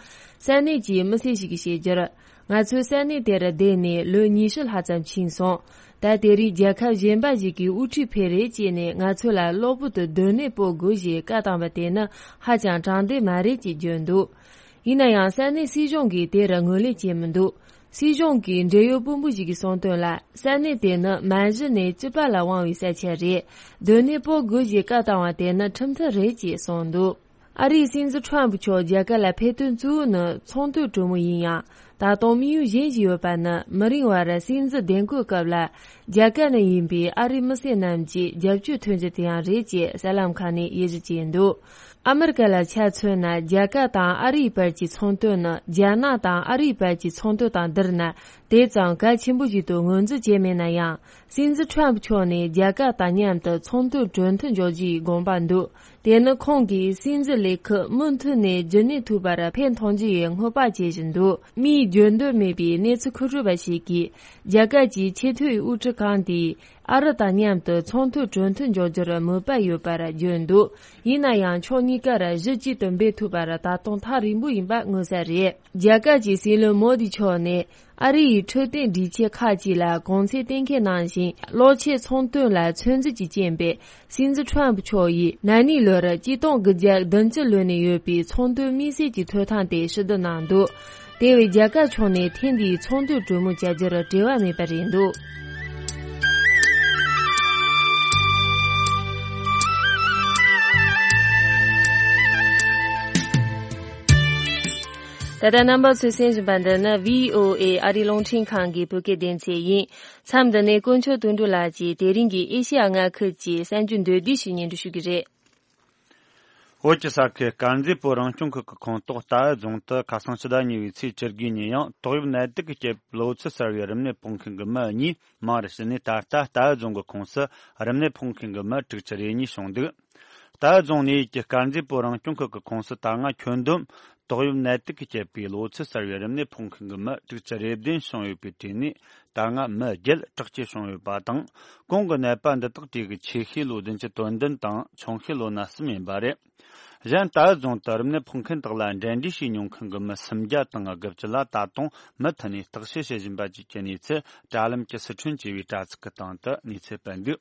ས་གནས་ཀྱི་མི་སེར་ཞིག་གིས་བཤད་རྒྱུར། ང་ཚོའི་ས་གནས་དེར་བསྡད་ནས་ལོ་ཉི་ཤུ་ལྷག་ཙམ་ཕྱིན་སོང་། ད་དེ་རིང་རྒྱལ་ཁབ་གཞན་པ་ཞིག་གི་དབུ་ཁྲིད་ཕེབས་རེད་ཅེས་ནས་ང་ཚོ་ལ་གློ་བུར་དུ་སྡོད་གནས་སྤོ་དགོས་ཞེས་བཀའ་བཏང་བ་དེ་ནི་ཧ་ཅང་དྲང་བདེན་མ་རེད་ཅེས་བརྗོད་འདུག། ཡིན་ན་ཡང་ས་གནས་སྲིད་གཞུང་གིས་དེར་ངོས་ལེན་བྱས་མི་འདུག། སྲིད་གཞུང་གི་འབྲེལ་ཡོད་དཔོན་པོ་ཞིག་གིས་གསུངས་དོན་ལ། ས་གནས་དེ་ནི་མ་གཞི་ནས་སྐྱིད་པ་ལ་དབང་བའི་ས་ཆ་རེད། སྡོད་གནས་སྤོ་དགོས་ཞེས་བཀའ་བཏང་བ་དེ་ནི་ཁྲིམས་མཐུན་རེད་ཅེས་གསུངས་འདུག། ཨ་རིའི་སྲིད་འཛིན་ཁྲོམ་ཕུ་མཆོག་རྒྱ་གར་ལ་ཕེབས་དོན་གཙོ་བོ་ནི་ཚོང་དོན་གྲོས་མོལ་ཡིན་ཡང་། ད་དུང་དམིགས་ཡུལ་གཞན་ཞིག་ཡོད་པ་ནི། མི་རིང་བར་སྲིད་འཛིན་འདེམས་བསྐོའི་སྐབས་ལ་རྒྱ་གར་ནས་ཡིན་པའི་ཨ་རིའི་མི་སེར་རྣམས་ཀྱི་རྒྱབ་སྐྱོར་ཐོན་རྒྱུ་དེ་ཡང་རེད་ཅེས་གསར་ལམ་ཁག་ནས་དབྱེ་ཞིབ་བྱས་འདུག། ཨ་མི་རི་ཀ་ལ་ཆ་མཚོན་ན། རྒྱ་གར་དང་ཨ་རིའི་བར་གྱི་ཚོང་དོན་ནི་རྒྱ་ནག་དང་ཨ་རིའི་བར་གྱི་ཚོང་དོན་དང་བསྡུར་ན། དེ་ཙམ་གལ་ཆེན་པོ་ཞིག་ཏུ་ངོས་འཛིན་བྱས་མེད་ན་ཡང་། སྲིད་འཛིན་ཁྲོམ་ཕུ་མཆོག་ནས་རྒྱ་གར་དང་མཉམ་དུ་ཚོང་དོན་གྲོས་མཐུན་འཇོག་རྒྱུའི་དགོངས་པ་འདུག། དེ་ནི་ཁོང་གིས་སྲིད་འཛིན་ལས་ཁུར་མུ་མཐུད་ནས་རྒྱུན་གནས་ཐུབ་པར་ཕན་ཐོགས་རྒྱུ་ཡི་སྔོན་དཔག་བྱེད་བཞིན་འདུག། མིའི་བརྗོད་འདོད་མེད་པའི་གནས་ཚུལ་མཁོ་སྤྲོད་པ་ཞིག་གིས། རྒྱ་གར་གྱི་ཆེས་མཐོའི་དབུ་ཁྲིད་ཁང་དེས་ཨ་རི་དང་མཉམ་དུ་ཚོང་དོན་གྲོས་མཐུན་འཇོག་རྒྱུར་མོས་པ་ཡོད་པར་བརྗོད་འདུག། ཡིན་ན་ཡང་ཕྱོགས་གཉིས་ཀར་གཞི་གཅིག་ཏུ་འབེབས་ཐུབ་པར་ད་དུང་ཐག་རིང་པོ་ཡིན་པ་མངོན་གསལ་རེད། རྒྱ་གར་གྱི་སྲིད་བློན་མོ་དི་མཆོག་ནས། ཨ་རི་ཡི་འཕྲོད་བསྟེན་སྒྲིག་ཆས་ཁག་ཅིག་ལ་གོང་ཚད་གཏན་འཁེལ་གནང་ཞིང་། གློག་ཆས་ཚོང་དོན་ལ་ཚོད་འཛིན་གྱི་རྐྱེན་པས། སྲིད་འཛིན་ཁྲོམ་ཕུ་མཆོག་ཡིས་ན་ནིང་ལོར་གཅིག་སྟོང་དགུ་བརྒྱ་བདུན་ཅུ་ལོན་ནས་ཡོད་པའི་ཚོང་དོན་དམིགས་བསལ་གྱི་ཐོབ་ཐང་དེ་ཕྱིར་བསྡུ་གནང་འདུག། དེ་བས་རྒྱ་གར་ཕྱོགས་ནས་ཐེངས་འདིའི་ཚོང་དོན་གྲོས་མོལ་བྱ་རྒྱུར་འབྲེལ་བ་མེད་པ་རེད་འདུག། ད་ལྟ་རྣམ་པ་ཚོས་གསན་བཞིན་པ་འདི་ནི་བྷི་ཨོ་ཨེ་ཨ་རིའི་རླུང་འཕྲིན་ཁང་གི་བོད་སྐད་སྡེ་ཚན་ཡིན། མཚམས་འདི་ནས་དཀོན་མཆོག་དོན་གྲུབ་ལགས་ཀྱིས་དེ་རིང་གི་ཨེ་ཤེ་ཡ་མངའ་ཁུལ་གྱི་གསར་འགྱུར་མདོར་བསྡུས་ཤིག་སྙན་སྒྲོན་ཞུ་གི་རེད། བོད་ཀྱི་ས་ཁུལ་དཀར་མཛེས་བོད་རང་སྐྱོང་ཁུལ་གྱི་ཁོངས་གཏོགས་རྟའུ་རྫོང་དུ་ཁ་སང་ཕྱི་ཟླ་གཉིས་པའི་ཚེས་བཅུ་དགུ་ཉིན་ཡང་ཏོག་དབྱིབས་ནད་དུག་གི་རྐྱེན་པས་ལོ་ཚོད་གསར་བའི་རིམས་ནད་ཕོག་མཁན་གྱི་མི་གཉིས་མང་རུ་ཕྱིན་ནས། ད་ལྟ་རྟའུ་རྫོང་གི་ཁོངས་སུ་རིམས་ནད་ཕོག་མཁན་གྱི་མི་དྲུག་ཅུ་རེ་གཉིས་བྱུང་འདུག། རྟའུ་རྫོང་ནས་ཡུལ་གྱི་དཀར་མཛེས་བོད་རང་སྐྱོང་ཁུལ་གྱི་ཁོངས་སུ་ད་སྔ་ཁྱོན་བསྡོམས་ཏོག་དབྱིབས་ནད་དུག་གི་རྐྱེན་པས་ལོ་ཚོད་གསར་བའི་རིམས་ནད་ཕོག་མཁན་གྱི་མི་དྲུག་ཅུ་རེ་བདུན་བྱུང་ཡོད་པའི་གྲས་ནས། ད་སྔ་མི་བརྒྱད་དྲག་སྐྱེད་བྱུང་ཡོད་པ་དང་། གོང་གི་ནད་པ་འདི་དག་གྲས་ཀྱི་ཆེ་ཤོས་ལོ་བདུན་ཅུ་དོན་བདུན་དང་ཆུང་ཤོས་ལོ་ན་གསུམ་ཡིན་པ་རེད། གཞན་རྟའུ་རྫོང་དུ་རིམས་ནད་ཕོག་མཁན་དག་ལ་འབྲེལ་འདྲིས་བྱས་མྱོང་མཁན་གྱི་མི་སུམ་བརྒྱ་དང་དགུ་བཅུ་ལ་ད་དུང་མུ་མཐུད་ནས་བརྟག་དཔྱད་བྱེད་བཞིན་པ་བཅས་ཀྱི་གནས་ཚུལ། དྲ་ལམ་གྱི་སི་ཁྲོན་ཅེས་པའི་དྲ་ཚིགས་ཀྱི་སྟེང་དུ་གནས་ཚུལ་སྤེལ་འདུག།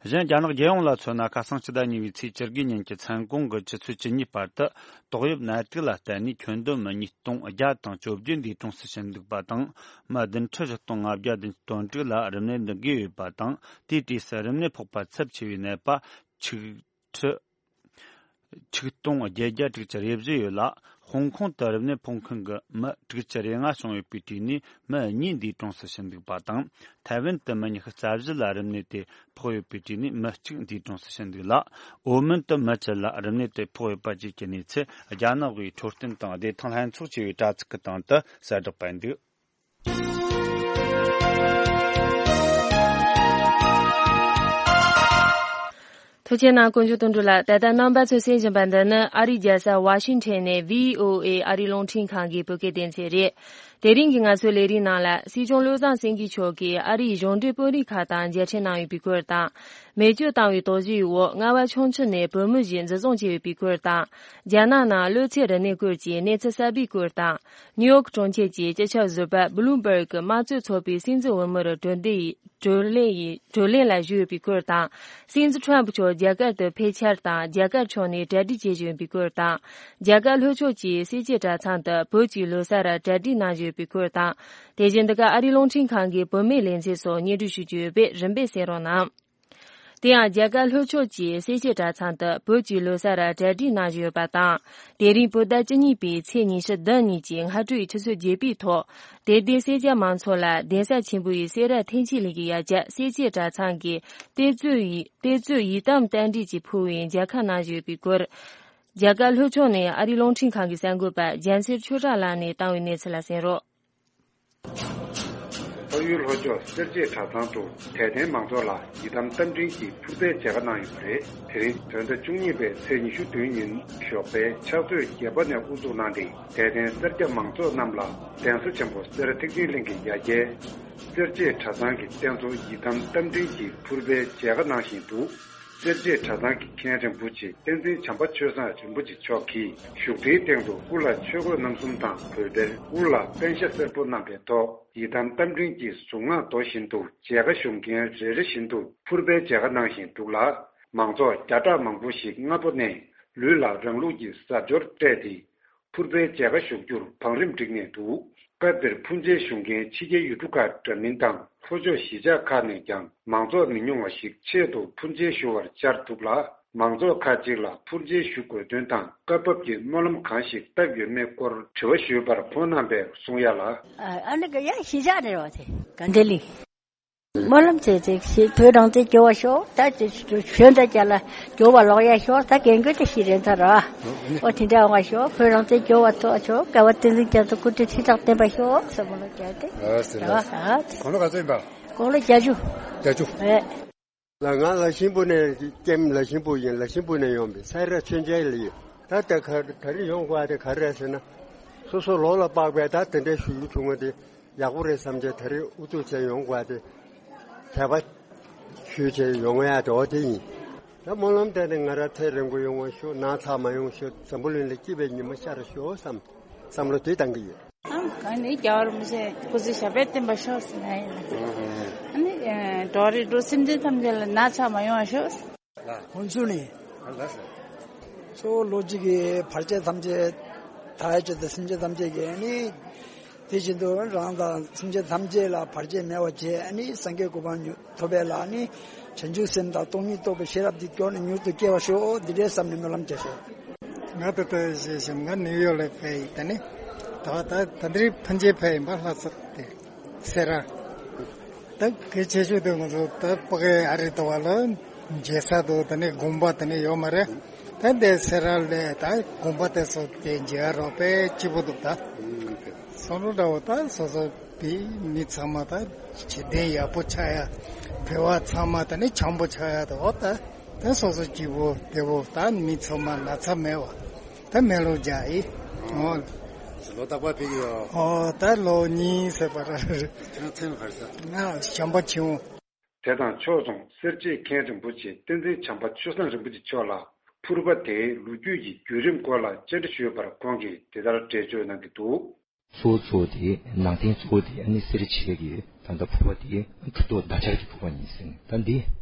གཞན་རྒྱ་ནག་རྒྱལ་ཡོངས་ལ་མཚོན་ན། ཁ་སང་ཕྱི་ཟླ་གཉིས་པའི་ཚེས་བཅུ་དགུ་ཉིན་གྱི་མཚན་གུང་གི་ཆུ་ཚོད་བཅུ་གཉིས་བར་དུ་ཏོག་དབྱིབས་ནད་དུག་ལ་བརྟེན་ནས་ཁྱོན་བསྡོམས་མི་ཉིས་སྟོང་བརྒྱ་དང་བཅོ་བརྒྱད་འདས་གྲོངས་སུ་ཕྱིན་འདུག་པ་དང་། མི་བདུན་ཁྲི་བཞི་སྟོང་ལྔ་བརྒྱ་བདུན་ཅུ་དོན་དྲུག་ལ་རིམས་ནད་འདི་འགོས་ཡོད་པ་དང་། དེའི་གྲས་སུ་རིམས་ནད་ཕོག་པ་ཚབས་ཆེ་བའི་ནད་པ་ཆིག་ཁྲི་ཆིག་སྟོང་བརྒྱད་བརྒྱ་དྲུག་ཅུ་རེ་བཞི་ཡོད་ལ། ཧོང་ཀོང་དུ་རིམས་ནད་ཕོག་མཁན་གྱི་མི་དྲུག་ཅུ་རེ་ལྔ་བྱུང་ཡོད་པའི་གྲས་ནས་མི་གཉིས་འདས་གྲོངས་སུ་ཕྱིན་འདུག་པ་དང་། ཐའེ་ཝན་དུ་མི་ཉི་ཤུ་རྩ་བཞི་ལ་རིམས་ནད་དེ་ཕོག་ཡོད་པའི་གྲས་ནས་མི་གཅིག་འདས་གྲོངས་སུ་ཕྱིན་འདུག་ལ། ཨོ་མོན་དུ་མི་བཅུ་ལ་རིམས་ནད་དེ་ཕོག་ཡོད་པ་བཅས་ཀྱི་གནས་ཚུལ། རྒྱ་ནག་གི་འཕྲོད་བསྟེན་དང་བདེ་ཐང་ལྷན་ཚོགས་ཅེས་པའི་དྲ་ཚིགས་ཀྱི་སྟེང་དུ་གསལ་བསྒྲགས་སྤེལ་འདུག། ཐུགས་རྗེ་གནང་། དཀོན་མཆོག་དོན་གྲུབ་ལགས། ད་ལྟ་རྣམ་པ་ཚོས་གསན་བཞིན་པ་འདི་ནི་ཨ་རིའི་རྒྱལ་ས་ཝ་ཤིང་ཊོན་ནས་བྷི་ཨོ་ཨེ་ཨ་རིའི་རླུང་འཕྲིན་ཁང་གི་བོད་སྐད་སྡེ་ཚན་རེད། དེ་རིང་གི་ང་ཚོའི་ལས་རིམ་ནང་ལ། སྲིད་སྐྱོང་བློ་བཟང་སེང་གེ་མཆོག་གིས་ཨ་རིའི་གཞུང་འབྲེལ་དཔོན་རིགས་ཁག་དང་མཇལ་འཕྲད་གནང་ཡོད་པའི་སྐོར་དང་། མེ་མཆོད་བཏང་བའི་དོགས་གཞིའི་འོག་རྔ་བ་ཁྱུང་མཆུ་ནས་བོད་མི་ཞིག་འཛིན་བཟུང་བྱས་ཡོད་པའི་སྐོར་དང་། རྒྱ་ནག་ནང་གློ་ཚད་རིམས་ནད་སྐོར་གྱི་གནས་ཚུལ་གསར་པའི་སྐོར་དང་། ནིའུ་ཡོག་གྲོང་ཁྱེར་གྱི་སྤྱི་ཁྱབ་ཟུར་པ་བྷི་ལུམ་བྷར་གྱི་དམངས་གཙོའི་ཚོགས་པའི་སྲིད་འཛིན་འོས་མིར་བགྲོ་གླེང་ཡིན། བགྲོ་གླེང་ཡིན། བགྲོ་གླེང་ལ་ཞུགས་ཡོད་པའི་སྐོར་དང་། སྲིད་འཛིན་ཁྲོམ་ཕུ་མཆོག་རྒྱ་གར་དུ་ཕེབས་འཆར་དང་། རྒྱ་གར་ཕྱོགས་ནས་གྲ་སྒྲིག་བྱེད་བཞིན་ཡོད་པའི་སྐོར་དང་། རྒྱ་གར་ལྷོ་ཕྱོགས་ཀྱི་སེར་སྐྱའི་གྲྭ་ཚང་དུ་བོད་ཀྱི་ལོ་གསར་གྲ་སྒྲིག་གནང་བཞིན་ཡོད་པའི་སྐོར་དང་། དེ་བཞིན་འདི་ག་ཨ་རིའི་རླུང་འཕྲིན་ཁང་གི་བོད་མིའི་ལེ་ཚན་སོགས་སྙན་སྒྲོན་ཞུ་རྒྱུ་ཡོད་པས་རིམ་པས་གསན་རོགས་གནང་། དེ་ཡང་རྒྱ་གར་ལྷོ་ཕྱོགས་ཀྱི་སེར་སྐྱའི་གྲྭ་ཚང་དུ་བོད་ཀྱི་ལོ་གསར་གྲ་སྒྲིག་གནང་བཞིན་ཡོད་པ་དང་། དེ་རིང་བོད་ཟླ་བཅུ་གཉིས་པའི་ཚེས་ཉི་ཤུ་བདུན་ཉིན་གྱི་སྔ་དྲོའི་ཆུ་ཚོད་བརྒྱད་པའི་ཐོག་དེ་སྡེའི་སེར་སྐྱ་མང་ཚོགས་ལ་གདན་ས་ཆེན་པོའི་སེ་ར་ཐེག་མཆོག་གླིང་གི་ཡ་གྱལ་སེར་སྐྱའི་གྲྭ་ཚང་གིས་གཏེར་མཛོད་ཡི་གཏེར་མཛོད་ཡི་དམ་རྟེན་འབྲེལ་གྱི་ཕུལ་བའི་མཇལ་ཁ་གནང་བཞིན་ཡོད་པའི་སྐོར། རྒྱ་གར་ལྷོ་ཕྱོགས་ནས་ཨ་རིའི་རླུང་འཕྲིན་ཁང་གི་གསར་འགོད་པ་རྒྱལ་མཚན་ཆོས་གྲགས་ལགས་ནས་བཏང་བའི་གནས་ཚུལ་ལ་གསན་རོགས། ཕ་ཡུལ་ལྷོ་ཕྱོགས་སེར་བྱེས་གྲྭ་ཚང་དུ་དད་ལྡན་མང་ཚོགས་ལ་ཡི་དམ་རྟེན་འབྲེལ་གྱི་ཕུར་པའི་མཇལ་ཁ་གནང་ཡོད་པ་རེད། དེ་རིང་བོད་ཟླ་བཅུ་གཉིས་པའི་ཚེས་ཉི་ཤུ་བདུན་ཉིན་ཞོགས་པའི་ཕྱག་ཚོད་བརྒྱད་པ་ནས་དབུ་འཛུགས་གནང་སྟེ། དད་ལྡན་སེར་སྐྱ་མང་ཚོགས་རྣམས་ལ་གདན་ས་ཆེན་པོ་སེ་ར་ཐེག་མཆོག་གླིང་གི་ཡ་གྱལ་སེར་བྱེས་གྲྭ་ཚང་གི་རྟེན་གཙོ་ཡི་དམ་རྟེན་འབྲེལ་གྱི་ཕུར་པའི་མཇལ་ཁ་གནང་བཞིན་འདུག། གསེར་བྱེས་གྲྭ་ཚང་གི་མཁན་རིན་པོ་ཆེ་བསྟན་འཛིན་བྱམས་པ་ཆོས་བཟང་རིན་པོ་ཆེ་མཆོག་གིས་བཞུགས་ཁྲིའི་སྟེང་དུ་དབུ་ལ་ཆོས་གོས་རྣམ་གསུམ་དང་གོས་དར། དབུ་ལ་པཎ་ཞྭ་སེར་པོ་བསྣམས་པའི་ཐོག་ཡི་དམ་རྟ་མགྲིན་གྱི་གཟུངས་སྔགས་ཟློ་བཞིན་དུ་མཇལ་ཁ་ཞུ་མཁན་རེ་རེ་བཞིན་དུ་ཕུར་པའི་མཇལ་ཁ་གནང་བཞིན་འདུག་ལ། མང་ཚོགས་བརྒྱ་ཕྲག་མང་པོ་ཞིག་སྔ་པོ་ནས་ལུས་ལ་རང་ལུགས་ཀྱི་གཟབ་མཆོར་སྤྲས་ཏེ། ཕུར་པའི་མཇལ་ཁ་ཞུ་རྒྱུར་བང་རིམ་བསྒྲིགས་ནས་འདུག་སྐབས་དེར་ཕུར་མཇལ་ཞུ་མཁན་ཕྱི་རྒྱལ་ཡུལ་གྲུ་ཁག་འདྲ་མིན་དང་ལྷོ་ཕྱོགས་གཞིས་ཆགས་ཁག་ནས་ཀྱང་མང་ཚོགས་མི་ཉུང་བ་ཞིག་ཆེད་དུ་ཕུར་མཇལ་ཞུ་བར་བཅར་འདུག་ལ། མང་ཚོགས་ཁག་ཅིག་ལ་ཕུར་མཇལ་ཞུ་དགོས་དོན་དང་སྐབས་བབ་ཀྱི་སྨོན་ལམ་གང་ཞིག་བཏབ་ཡོད་མེད་སྐོར་དྲི་བ་ཞུས་པར་ཁོང་རྣམ་པས་གསུང་ཡ་ལ། ཨ་ནི་ག་ཡ་གཞིས་ཆགས་ནས་རེད་བ་དེ་ག་འདྲ་ལི། སྨོན་ལམ་བྱས་ཚེ་ཞེས་བོད་རང་བཙན་རྒྱལ་བ་ཤོག་ད་ཅི་ཞོན་ད་རྒྱ་ལ་རྒྱལ་བ་ལོག་ཡ་ཤོག་ད་རྒན་རྒོན་ད་ཤི་རན་ཚར་ར། ཨོ་དེ་འདྲ་འོང་བ་ཤོག་བོད་རང་བཙན་རྒྱལ་བ་ཐོག་ཤོག་དགའ་བ་བསྟན་འཛིན་རྒྱ་མཚོ་སྐུ་ཕྲེང་ཁྲི་ཕྲག་བརྟན་པ་ཤོག་ཟེར་སྨོན་ལམ་བརྒྱབ་སྟེ། ཨ་ཟེར་ཨ་ལ། ཨ་དེ་དགུང་ལོ་ག་ཚོད་ཡིན་པ། དགུང་ལོ་བརྒྱད་ཅུ། བརྒྱད་ཅུ། ཨེ། ལ་ང་ལ་ཤིང་བུ་ནས་ཀྱེམ་ལ་ཤིང་བུ་ཡིན་ལ་ཤིང་བུ་ནས་ཡོང་པའི་སའི་ར་ཆོས་མཇལ་ལ་ཡོད། ད་ལྟ་ག་ད་རེས་ཡོང་དགོས་དེ་ག་རེ་རེད་ཟེར་ན། སོ་སོ་ལོ་ལ་དཔག་པའི་ད་དེ་འདྲའི་ཞུ་རྒྱུ་བྱུང་བ་དེ། ཡག་པོ་རེད་བསམ་བྱས་ད་རེས་ཨུ་ཚུགས་བྱས་ཡོང་དགོས་ཏེ། དད་པ་ཞུས་བྱས་ཡོང་ཡ་དེ་འོ་དེ་ཡིན། ད་སྨོན་ལམ་བཏབ་ནས་ང་རང་ཚེ་རིང་པོ་ཡོང་བ་ཤོག་ན་ཚ་མ་ཡོང་ཤོག་འཛམ་བུ་གླིང་ལ་སྐྱིད་པའི་ཉི་མ་ཤར་ཤོག་བསམ། བསམ་བློ་དེ་བཏང་གི་ཡོད། ཨང་གང་ནས་རྒྱལ་བ་རིན་པོ་ཆེ་སྐུ་ཚེ་ཞབས་པད་བརྟན་པ་ཤོག་ཟེར་ན་ཡིན། ཨ་ནི་འགྲོ་རིགས་འགྲོ་སེམས་ཅན་ཐམས་ཅད་ལ་ན་ཚ་མ་ཡོང་བ་ཤོག་ཧོན་སུར་ནི། གཙོ་བོ་ལོ་གཅིག་གི་བར་ཆད་ཐམས་ཅད་དག་ཡ་ཆེད་དུ་སེམས་ཅན་ཐམས་ཅད་ཀྱི་ནི། དེ་བཞིན་དུ་རང་དང་སེམས་ཅན་ཐམས་ཅད་ལ་བར་ཆད་མེད་པ་བྱས་ནི་སངས་རྒྱས་གོ་འཕང་མྱུར་ཐོབ་པའི་ལ་ནི། བྱང་ཆུབ་སེམས་དང་སྟོང་ཉིད་རྟོགས་པའི་ཤེས་རབ་འདི་མགྱོགས་ནས་མྱུར་དུ་སྐྱེ་བར་ཤོག་འདི་འདྲའི་བསམ་ནས་སྨོན་ལམ་བརྒྱབ་ཤོག་ང་ད་ལྟ་ཞེས་བཞིན་ང་ནིའུ་ཡོག་ལ་ཕེབས་ཡིན་ད་ནི། ད་ད་ད་འདིར་ཕན་ཆད་ཕེབས་ཡིན་པ་ལྷ་ས་དེ། སེ་ར། ད་གལ་ཆེ་ཤོས་དེ་ང་ཚོ་ད་ཕ་གི་ཨ་རི་ལྟ་བ་ལ་མཇལ་ས་དུ་ད་ནི་དགོན་པ་ད་ནི་ཡོད་མ་རེད། ད་འདི་སེ་ར་ལས་ད་དགོན་པ་དེ་ཚོ་དེ་མཇལ་རོགས་པའི་སྐྱིད་པོ་འདུག་ད་བསམ་བློ་འདྲ་བོ་ད་སོ་སོ་བི་མི་ཚང་མ་ད་བྱེད་གཏན་ཡག་པོ་ཆགས་ཡ། བོད་པ་ཚང་མ་ད་ནི་འཆམ་པོ་ཆགས་ཡ་ད་འོ་ད་ད་སོ་སོ་སྐྱིད་པོ་བདེ་པོ་ད་མི་ཚང་མ་ན་ཚ་མེད་པ། ད་མེ་ལོང་རྒྱག་ཡིན། ཨོ། ལོ་རྟག་པར་ཕེབས་ཀྱི་ཡོད། ཨོ་ད་ལོ་གཉིས་ཟེར་བ་ར། ཁྱེད་རང་མཚན་ལ་ག་རེ་ཟེར། ང་བྱམས་པ་ཆེན་པོ། དེ་དང་ཕྱོགས་མཚུངས་སེར་བྱེས་མཁན་རིན་པོ་ཆེ་བསྟན་འཛིན་བྱམས་པ་ཆོས་བཟང་རིན་པོ་ཆེ་མཆོག་ལ་ཕུར་པ་དེའི་ལོ་རྒྱུས་ཀྱི་བརྒྱུད་རིམ་སྐོར་ལ་བཅར་འདྲི་ཞུས་པར་ཁོང་གིས་འདི་ལྟར་འགྲེལ་བརྗོད་གནང་གི་འདུག་གཙོ་བོ་གཙོ་བོ་དེ་ནང་རྟེན་གཙོ་བོ་དེ་ཨ་ནི་སེ་ར་བྱེས་ཀྱི་ད་ལྟ་ཕུར་པ་དེ་གྲུབ་ཐོབ་ཟླ་ཆར་གྱི་ཕུར་པ་ཡིན་ཟེར། ད་འདི་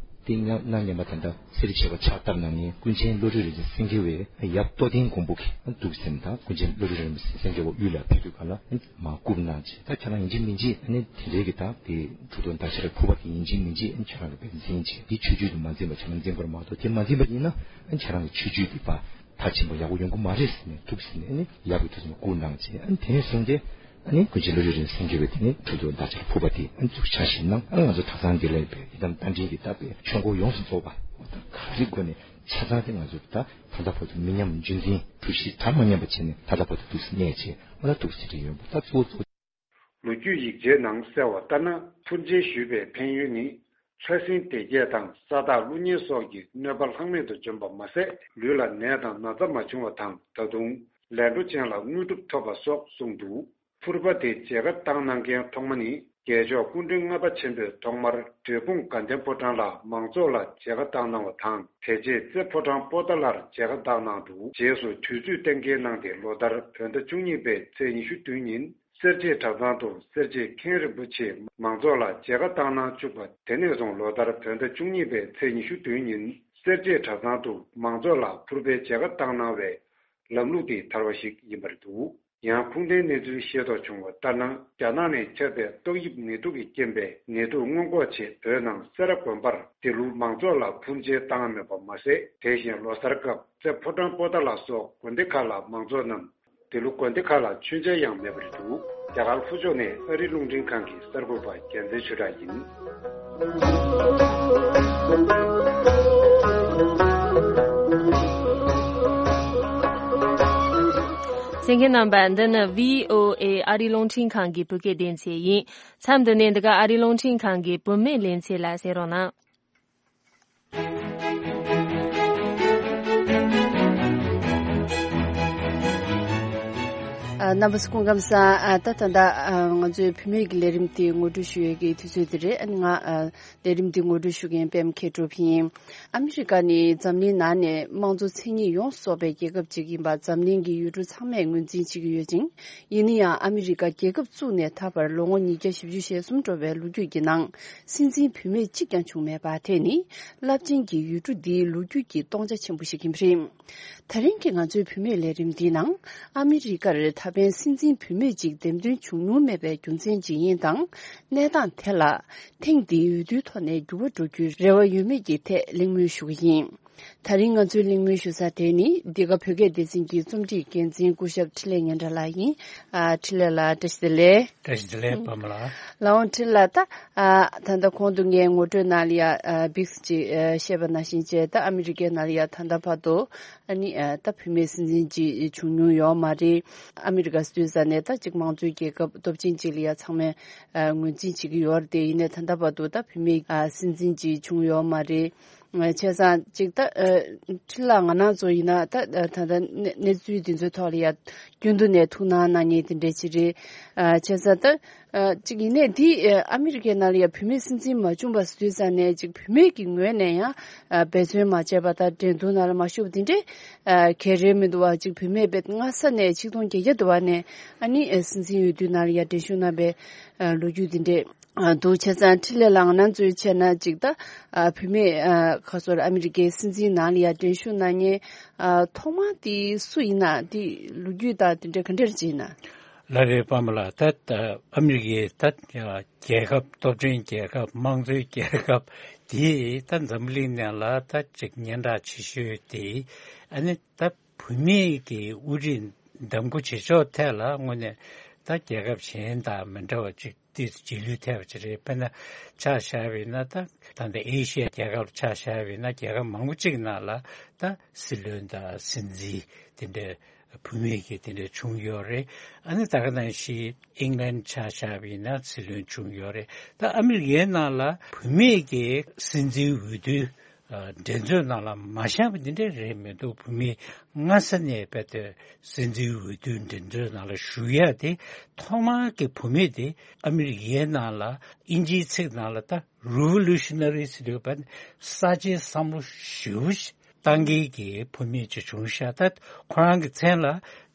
དེ་ང་ང་ཉན་པ་ད་ལྟ་སེ་ར་བྱེས་པ་ཕྱག་བཏབ་གནང་མཁན་ཀུན་མཁྱེན་བློ་གྲོས་རིན་ཆེན་སེང་གེ་བས་ཡབ་རྟོགས་ལྡན་མགོན་པོ་གིས་འདུག་ཟེར་ནས། ད་ཀུན་མཁྱེན་བློ་གྲོས་རིན་ཆེན་སེང་གེ་བ་དབུས་ལ་ཕེབས་དུས་ག་ལ་མ་བཀུར་གནང་བྱས། ད་ཁྱེད་རང་ཡིན་གཅིག་མིན་གཅིག་ཨ་ནི་དེ་འདྲའི་གི་ད་དེ་གྲུབ་ཐོབ་ཟླ་ཆར་ཕུར་པ་དེ་ཡིན་གཅིག་མིན་གཅིག་ཨ་ནི་ཁྱེད་རང་གི་བས་འཛིན་བྱས། འདི་ཆོས་བརྒྱུད་དུ་མ་འཛིན་པ་ཁྱེད་རང་འཛིན་པར་མ་གཏོགས། དེ་མ་འཛིན་པ་ཡིན་ན་ཨ་ནི་ཁྱེད་རང་གི་ཆོས་བརྒྱུད་འདི་པ་མཐར་ཕྱིན་པ་ཡག་པོ་ཡོང་གི་མ་རེད་ཟེར་ནས་འདུག་ཟེར་ནས་ཨ་ནི་ཡབ་ཀྱི་ཐུགས་སུ་བཀུར་གནང་བྱས། ཨ་ནི་དེ་ནས་བཟུང་སྟེ་ཨ་ནི་ཀུན་མཁྱེན་བློ་གྲོས་རིན་ཆེན་སེང་གེ་བས་དེ་ནས་གྲུབ་ཐོབ་ཟླ་ཆར་ཕུར་པ་དེ་ཨ་ནི་བཙུགས་འཆར་གཞི་གནང་། ཨ་ང་ཚོ་གྲྭ་ཚང་འདི་ལ་ཡོད་པའི་ཡི་དམ་རྟ་མགྲིན་གྱི་ད་པའི་ཆོས་འཁོར་ཡོངས་སུ་རྫོགས་པ་ག་རེ་དགོས་ནས་ཆ་ཚང་དེ་ང་ཚོ་ད་ད་ལྟ་བར་དུ་མི་ཉམས་རྒྱུན་འཛིན་གྲུབ་གཞི་དར་མ་ཉམས་པ་བྱས་ནས་ད་ལྟ་བར་དུ་འདུག་སེ་གནས་བྱས། ཨ་ད་འདུག་སེ་བྱས་ཡོད་པ་ད་གཙོ་བོ་གཙོ། ལོ་རྒྱུས་ཡིག་ཆའི་ནང་གསལ་བ་ལྟར་ན། ཕུར་མཇལ་ཞུས་པའི་ཕན་ཡོན་ནི། ཕྲ་སྲིན་སྡེ་བརྒྱད་དང་ས་བདག་ཀླུ་གཉན་སོགས་ཀྱི་གནོད་པ་ལྷག་མེད་དུ་འཇོམས་པ་མ་ཟད། ལུས་ལ་ནད་དང་ན་ཚ་མ་བྱུང་བ་དང་། ད་དུང་ལས་འཕྲོ་ཅན་ལ་དངོས་གྲུབ་ཐོབ་པ་སོགས་གསུངས་འདུག་ཕུར་པ་དེ་མཇལ་ཁ་བཏང་གནང་མཁན་ཐོག་མ་ནི། རྒྱལ་མཆོག་སྐུ་ཕྲེང་ལྔ་པ་ཆེན་པོས་ཐོག་མར་འབྲས་སྤུངས་དགའ་ལྡན་ཕོ་བྲང་ལ་མང་ཚོགས་ལ་མཇལ་ཁ་བཏང་གནང་བ་དང་། དེ་རྗེས་རྩེ་ཕོ་བྲང་པོ་ཏཱ་ལར་མཇལ་ཁ་བཏང་གནང་འདུག་རྗེས་སུ་དུས་ཚོད་གཏན་འཁེལ་གནང་སྟེ། ལོ་ལྟར་བོད་ཟླ་བཅུ་གཉིས་པའི་ཚེས་ཉི་ཤུ་བདུན་ཉིན་སེར་བྱེས་གྲྭ་ཚང་དུ་སེར་བྱེས་མཁན་རིན་པོ་ཆེས་མང་ཚོགས་ལ་མཇལ་ཁ་བཏང་གནང་བཅུག་པ། དེ་ནས་བཟུང་ལོ་ལྟར་བོད་ཟླ་བཅུ་གཉིས་པའི་ཚེས་ཉི་ཤུ་བདུན་ཉིན་སེར་བྱེས་གྲྭ་ཚང་དུ་མང་ཚོགས་ལ་ཕུར་པའི་མཇལ་ཁ་བཏང་གནང་བའི་ལམ་ལུགས་དེ་དར་བ་ཞིག་ཡིན་པ་རེད་འདུག་ཡང་ཁུངས་ལྡན་གནས་ཚུལ་ཤེས་རྟོགས་བྱུང་བ་ལྟར་ན། རྒྱ་ནག་ནས་ཁྱབ་པའི་ཏོག་དབྱིབས་ནད་དུག་གི་རྐྱེན་པས་ནད་དུག་སྔོན་འགོག་ཆེད་བོད་ནང་སེ་ར་དགོན་པར་འདི་ལོ་མང་ཚོགས་ལ་ཕུར་མཇལ་བཏང་མེད་པ་མ་ཟད། དེ་བཞིན་ལོ་གསར་སྐབས་རྩེ་ཕོ་བྲང་པོ་ཏཱ་ལ་སོགས་དགོན་སྡེ་ཁག་ལ་མང་ཚོགས་རྣམས་འདི་ལོ་དགོན་སྡེ་ཁག་ལ་མཆོད་མཇལ་ཡང་མེད་པ་རེད་འདུག་རྒྱ་གར་ལྷོ་ཕྱོགས་ནས་ཨ་རིའི་རླུང་འཕྲིན་ཁང་གི་གསར་འགོད་པ་རྒྱལ་མཚན་ཆོས་གྲགས་ཡིན། གསན་མཁན་རྣམ་པ། འདི་ནི་བྷི་ཨོ་ཨེ་ཨ་རིའི་རླུང་འཕྲིན་ཁང་གི་བོད་སྐད་སྡེ་ཚན་ཡིན། མཚམས་འདི་ནས་འདི་ག་ཨ་རིའི་རླུང་འཕྲིན་ཁང་གི་བུད་མེད་ལེ་ཚན་ལ་གསན་རོགས་གནང་། རྣམ་པ་ཚོ་སྐུ་ཁམས་བཟང་། ད་ད་ལྟ་ང་ཚོའི་བུད་མེད་ཀྱི་ལས་རིམ་དེ་ངོ་སྤྲོད་ཞུ་ཡས་ཀྱི་དུས་ཚོད་དེ་རེད། ཨ་ནི་ང་ལས་རིམ་དེ་ངོ་སྤྲོད་ཞུ་མཁན་པད་མ་མཁས་གྲུབ་ཡིན། ཨ་མི་རི་ཀ་ནི་འཛམ་གླིང་ནང་ནས་དམངས་གཙོ་མཚན་ཉིད་ཡོངས་སུ་རྫོགས་པའི་རྒྱལ་ཁབ་ཅིག་ཡིན་པ་འཛམ་གླིང་གི་ཡུལ་གྲུ་ཚང་མས་ངོས་འཛིན་བྱེད་ཀྱི་ཡོད་ཅིང་། ཡིན་ན་ཡང་ཨ་མི་རི་ཀ་རྒྱལ་ཁབ་བཙུགས་ནས་ད་བར་ལོ་ངོ་ཉིས་བརྒྱ་བཞི་བཅུ་ཞེ་གསུམ་འགྲོ་བའི་ལོ་རྒྱུས་ཀྱི་ནང་། སྲིད་འཛིན་བུད་མེད་གཅིག་ཀྱང་བྱུང་མེད་པ་དེ་ནི་རླབས་ཆེན་གྱི་ཡུལ་གྲུ་འདིའི་ལོ་རྒྱུས་ཀྱི་སྟོང་ཆ་ཆེན་པོ་ཞིག་ཡིན་པ་རེད། དེ་རིང་གི་ང་ཚོའི་བུད་མེད་ལས་རིམ་འདིའི་ནང་། ཨ་མི་རི་ཀར་ད་ཕན་སྲིད་འཛིན་བུད་མེད་ཅིག་འདེམས་ཐོན་བྱུང་མྱོང་མེད་པའི་རྒྱུ་མཚན་ཇི་ཡིན་དང་། གནས་སྟངས་དེ་ལ་ཐེངས་འདིའི་འོས་བསྡུའི་ཐོག་ནས་འགྱུར་བ་འགྲོ་རྒྱུའི་རེ་བ་ཡོད་མེད་ཀྱི་ཐད་གླེང་མོལ་ཞུ་གི་ཡིན། དེ་རིང་ང་ཚོའི་གླེང་མོལ་ཞུ་ས་དེ་ནི་འདི་ག་བོད་སྐད་སྡེ་ཚན་གྱི་རྩོམ་སྒྲིག་འགན་འཛིན་སྐུ་ཞབས་འཕྲིན་ལས་སྙན་གྲགས་ལགས་ཡིན། ཨ། འཕྲིན་ལས་ལགས་བཀྲ་ཤིས་བདེ་ལེགས། བཀྲ་ཤིས་བདེ་ལེགས་པདྨ་ལགས། ལགས་འོང་། འཕྲིན་ལས་ལགས། ད་ཨ་ད་ལྟ་གོང་དུ་ངས་ངོ་སྤྲོད་ནང་ལ་ཡ་ཨ་འབིགས་ཅིག་ཨ་བཤད་པ་ནང་བཞིན་བྱས། ད་ཨ་མི་རི་ཀའི་ནང་ལ་ཡ་ད་ལྟ་བར་དུ་ཨ་ནི་ཨ་ད་བུད་མེད་སྲིད་འཛིན་ཅིག་བྱུང་མྱོང་ཡོད་མ་རེད། ཨ་མི་རི་ཀ་ཟེར་དུས་ཙ་ནས་ད་ཅིག་དམངས་གཙོའི་རྒྱལ་ཁབ་སྟོབས་ཆེན་ཅིག་ལ་ཡ་ཚང་མས་ཨ་ངོས་འཛིན་བྱེད་ཀྱི་ཡོད་རེད་དེ། ཡིན་ནའི་ད་ལྟ་བར་དུ་ད་བུད་མེད་ཨ་སྲིད་འཛིན་ཅིག་བྱུང་ཡོད་མ་རེད། བྱས་ཙང་ཅིག་ད་ཨ་འཕྲིན་ལས་ང་རང་ཚོ་ཡིན་ན་ད་ད་ད་གནས་གནས་ཚུལ་འདི་ཚོའི་ཐོག་ལ་ཡ་རྒྱུན་དུ་ནས་ཐུགས་སྣང་གནང་མཁན་དེ་འདྲ་ཅིག་རེད། ཨ་བྱས་ཙང་ད་ཨ་ཅིག་ཡིན་ནའི་འདི་ཨ་ཨ་མི་རི་ཀའི་ནང་ལ་ཡ་བུད་མེད་སྲིད་འཛིན་མ་བྱུང་བ་ཟེར་དུས་ཙ་ནས་ཅིག་བུད་མེད་ཀྱི་ངོས་ནས་ཡང་ཨ་འབད་བརྩོན་མ་བྱས་པ་དང་འགྲན་བསྡུར་ནང་ལ་མ་ཞུགས་པ་དེ་འདྲ་ཨ་ག་རེ་མི་འདུག་བ། ཅིག་བུད་མེད་དཔེ་སྔ་ས་ནས་ཆིག་སྟོང་བརྒྱད་བརྒྱ་དུ་བ་ནས་ཨ་ནི་ཨ་སྲིད་འཛིན་འོས་བསྡུ་ནང་ལ་ཡ་འགྲན་ཞུགས་གནང་པའི་ཨ་ལོ་རྒྱུས་དེ་འདྲ། ཨ་འདུག་བྱས་ཙང་འཕྲིན་ལས་ལགས་ང་རང་ཚོའི་བྱས་ན་ཅིག་ད་ཨ་བུད་མེད་ཨ་ཁ་སོར་ཨ་མི་རི་ཀའི་སྲིད་འཛིན་ནང་ལ་ཡ་འགྲན་ཞུགས་གནང་མཁན་ཨ་ཐོག་མ་དེ་སུ་ཡིན་ན། དེ་ལོ་རྒྱུས་དང་དེ་འདྲ་ག་འདྲ་ཅིག་ཡིན་ན། ལགས་རེད་པདྨ་ལགས། ད་ཨ་མི་རི་ཀའི་ད་རྒྱལ་ཁབ་སྟོབས་ཆེན་རྒྱལ་ཁབ་དམངས་གཙོའི་རྒྱལ་ཁབ་དེ་ད་འཛམ་བུ་གླིང་ནང་ལ་ད་ཅིག་སྙན་གྲགས་ཆེ་ཤོས་དེ་ཨ་ནི་ད་བུད་མེད་ཀྱི་དབུ་ཁྲིད་འདེམས་བསྐོ་བྱེད་ཕྱོགས་ཐད་ལ་དངོས་གནས་ད་རྒྱལ་ཁབ་གཞན་དང་མི་འདྲ་བ་ཅིག་ཏོག་ཙམ་རྗེས་ལུས་ཐེབས་པ་ཅིག་རེད། དཔེར་ན་ཆ་བཞག་པ་ཡིན་ན་ད་ད་ལྟ་ཨེ་ཤི་ཡའི་རྒྱལ་ཁབ་ཆ་བཞག་པ་ཡིན་ན་རྒྱལ་ཁབ་མང་པོ་ཅིག་ནང་ལ་ད་སྲིད་བློན་དང་སྲིད་འཛིན་དེ་འདྲའི་བུད་མེད་ཀྱི་དེ་འདྲ་བྱུང་ཡོད་རེད། ཨ་ནི་ད་ག་ནང་བཞིན་ཨིང་ལན་ཆ་བཞག་པ་ཡིན་ན་སྲིད་བློན་བྱུང་ཡོད་རེད། ད་ཨ་མི་རི་ཀའི་ནང་ལ་བུད་མེད་ཀྱི་སྲིད་འཛིན་འོས་བསྡུ་འགྲན་རྩོད་ནང་ལ་མ་བཞག་པ་འདི་འདྲ་རེད་མི་འདུག་བུད་མེད་སྔ་ས་ནས་རྦད་དེ་སྲིད་འཛིན་འོས་བསྡུ་འགྲན་རྩོད་ནང་ལ་ཞུགས་ཡ་དེ་ཐོག་མར་གྱི་བུད་མེད་དེ་ཨ་མི་རི་ཀའི་ནང་ལ་དབྱིན་ཇིའི་ཚིག་ནང་ལ་ད་རི་ཝོ་ལུ་ཤི་ན་རི་ཟེར་དུས་བར་གསར་བརྗེའི་བསམ་བློ་ཞེ་པོ་ཞིག་བཏང་མཁན་གྱི་བུད་མེད་ཅིག་བྱུང་ཤག་ད་ཁོ་རང་གི་མཚན་ལ་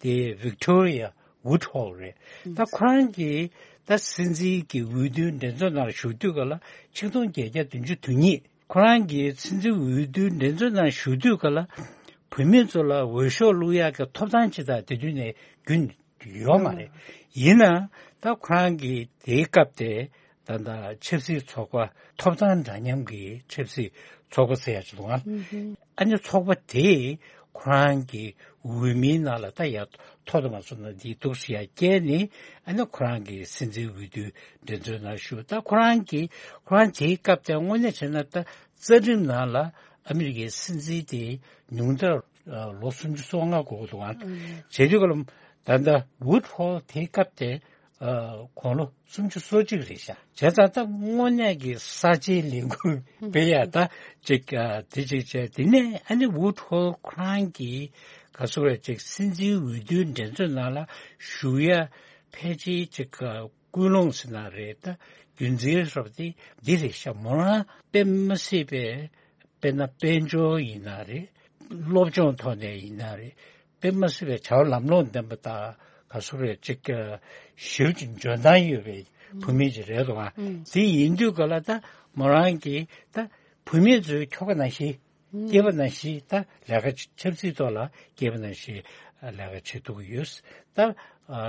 དེ་ཝིག་ཏོ་རི་ཡ་ཝུད་ཧོལ་རེད། ད་ཁོ་རང་གིས་ད་སྲིད་འཛིན་གྱི་འོས་བསྡུའི་འགྲན་རྩོད་ནང་ལ་ཞུགས་དུས་སྐབས་ལ་ཆིག་སྟོང་བརྒྱད་བརྒྱ་བདུན་ཅུ་དོན་གཉིས། ཁོ་རང་གིས་སྲིད་འཛིན་འོས་བསྡུའི་འགྲན་རྩོད་ནང་ཞུགས་དུས་སྐབས་ལ་བུད་མེད་ཚོ་ལ་འོས་ཤོག་བླུག་ཡག་གི་ཐོབ་ཐང་ཅིག་དང་དེ་དུས་ནས་རྒྱུན་ཡོད་མ་རེད། ཡིན་ནའང་ད་ཁོ་རང་གིས་དེའི་སྐབས་དེ་ད་ལྟ་ཆབ་སྲིད་ཚོགས་པ་ཐོབ་ཐང་འདྲ་མཉམ་གྱི་ཆབ་སྲིད་ཚོགས་པ་ཟེར་ཡག་ཅིག་འདུག་ཨང་། ཨ་ནི་ཚོགས་པ་དེས་ཁོ་རང་གི་འོས་མིའི་ནང་ལ་ད་ཡར་ཐོ་དུ་མ་སོང་ན་འདི་འདུག་ཟེར་ཡ་བཀལ་ནས་ཨ་ནི་ཁོ་རང་གི་སྲིད་འཛིན་འོས་བསྡུའི་འགྲན་རྩོད་ནང་ཞུགས། ད་ཁོ་རང་གི་ཁོ་རང་དེའི་སྐབས་དེ་དངོས་གནས་བྱས་ན་ད་རྩ་ཁྲིམས་ནང་ལ་ཨ་མི་རི་ཀའི་སྲིད་འཛིན་དེ་ཉུང་མཐར་ལོ་སུམ་ཅུ་སོ་ལྔ་འགོར་གི་འདུག་ཨང་། བྱེད་དུས་སྐབས་ལ་ད་ལྟ་ཝུད་ཧོལ་དེའི་སྐབས་དེ་ཨ་དགུང་ལོ་སུམ་ཅུ་སོ་གཅིག་རེད་ཤག་བྱས་ཙང་ད་དངོས་གནས་ཀྱི་གསར་བརྗེའི་ལས་འགུལ་སྤེལ་ཡ་ད་ཅིག་ཨ་དེ་ཅིག་བྱས། དེ་ནས་ཨ་ནི་ཝུད་ཧོལ་ཁོ་རང་གིས་ག་ཚོད་རེད་ཅིག་སྲིད་འཛིན་འོས་བསྡུའི་འགྲན་རྩོད་ནང་ལ་ཞུགས་ཡ་ཕལ་ཆེར་ཅིག་ཨ་ཀུན་སློང་ཟེར་ན་རེད། ད་རྒྱུ་མཚན་ཟེར་བ་དེ་འདི་རེད་ཤག་མོ་རང་དཔེ་མི་སྲིད་པའི་དཔེར་ན་དཔལ་འབྱོར་ཡིན་ན་རེད། སློབ་སྦྱོང་ཐོག་ནས་ཡིན་ན་རེད། དཔེ་མ་སྲིད་པའི་བྱ་བ་ལམ་ལྷོང་ལྡན་པ་དང་ག་ཚོད་རེད་ཅིག་ཞེ་པོ་ཅིག་འཇོན་ཐང་ཡོད་པའི་བུད་མེད་ཅིག་རེད་འདུག་ཨ། དེ་ཡིན་དུས་ག་ལ་ད་མོ་རང་གིས་ད་བུད་མེད་ཚོའི་ཁྱོ་ག་ནང་བཞིན་སྐྱེས་པ་ནང་བཞིན་ད་ལས་ཀ་ཆབ་སྲིད་ཐོག་ལ་སྐྱེས་པ་ནང་བཞིན་ལས་ཀ་བྱེད་ཐུབ་ཀྱི་ཡོད། ད་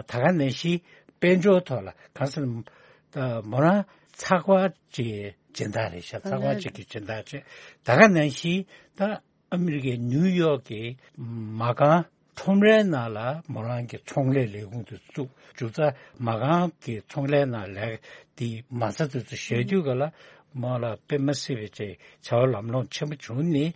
ད་ག་ནང་བཞིན་དཔལ་འབྱོར་ཐོག་ལ་གང་ཟེར་ན་ད་མོ་རང་ཚགས་པར་གྱི་སྦྱིན་བདག་རེད་ཤག་ཚགས་པར་ཅིག་གི་སྦྱིན་བདག་བྱས། ད་ག་ནང་བཞིན་ད་ཨ་མི་རི་ཀའི་ནིའུ་ཡོག་གི་མ་རྐང་ཁྲོམ་རའི་ནང་ལ་མོ་རང་གི་ཚོང་ལས་ལས་ཁུངས་དེ་བཙུགས། མཇུག་མཐར་མ་རྐང་གི་ཚོང་ལས་ནང་ལས་དེ་མ་རྩ་དེ་ཚོ་བཞག་དུས་ག་ལ་མོ་ལ་དཔེ་མ་སྲིད་པའི་ཅིག་བྱ་བ་ལམ་ལྷོང་ཆེན་པོ་བྱུང་ནས་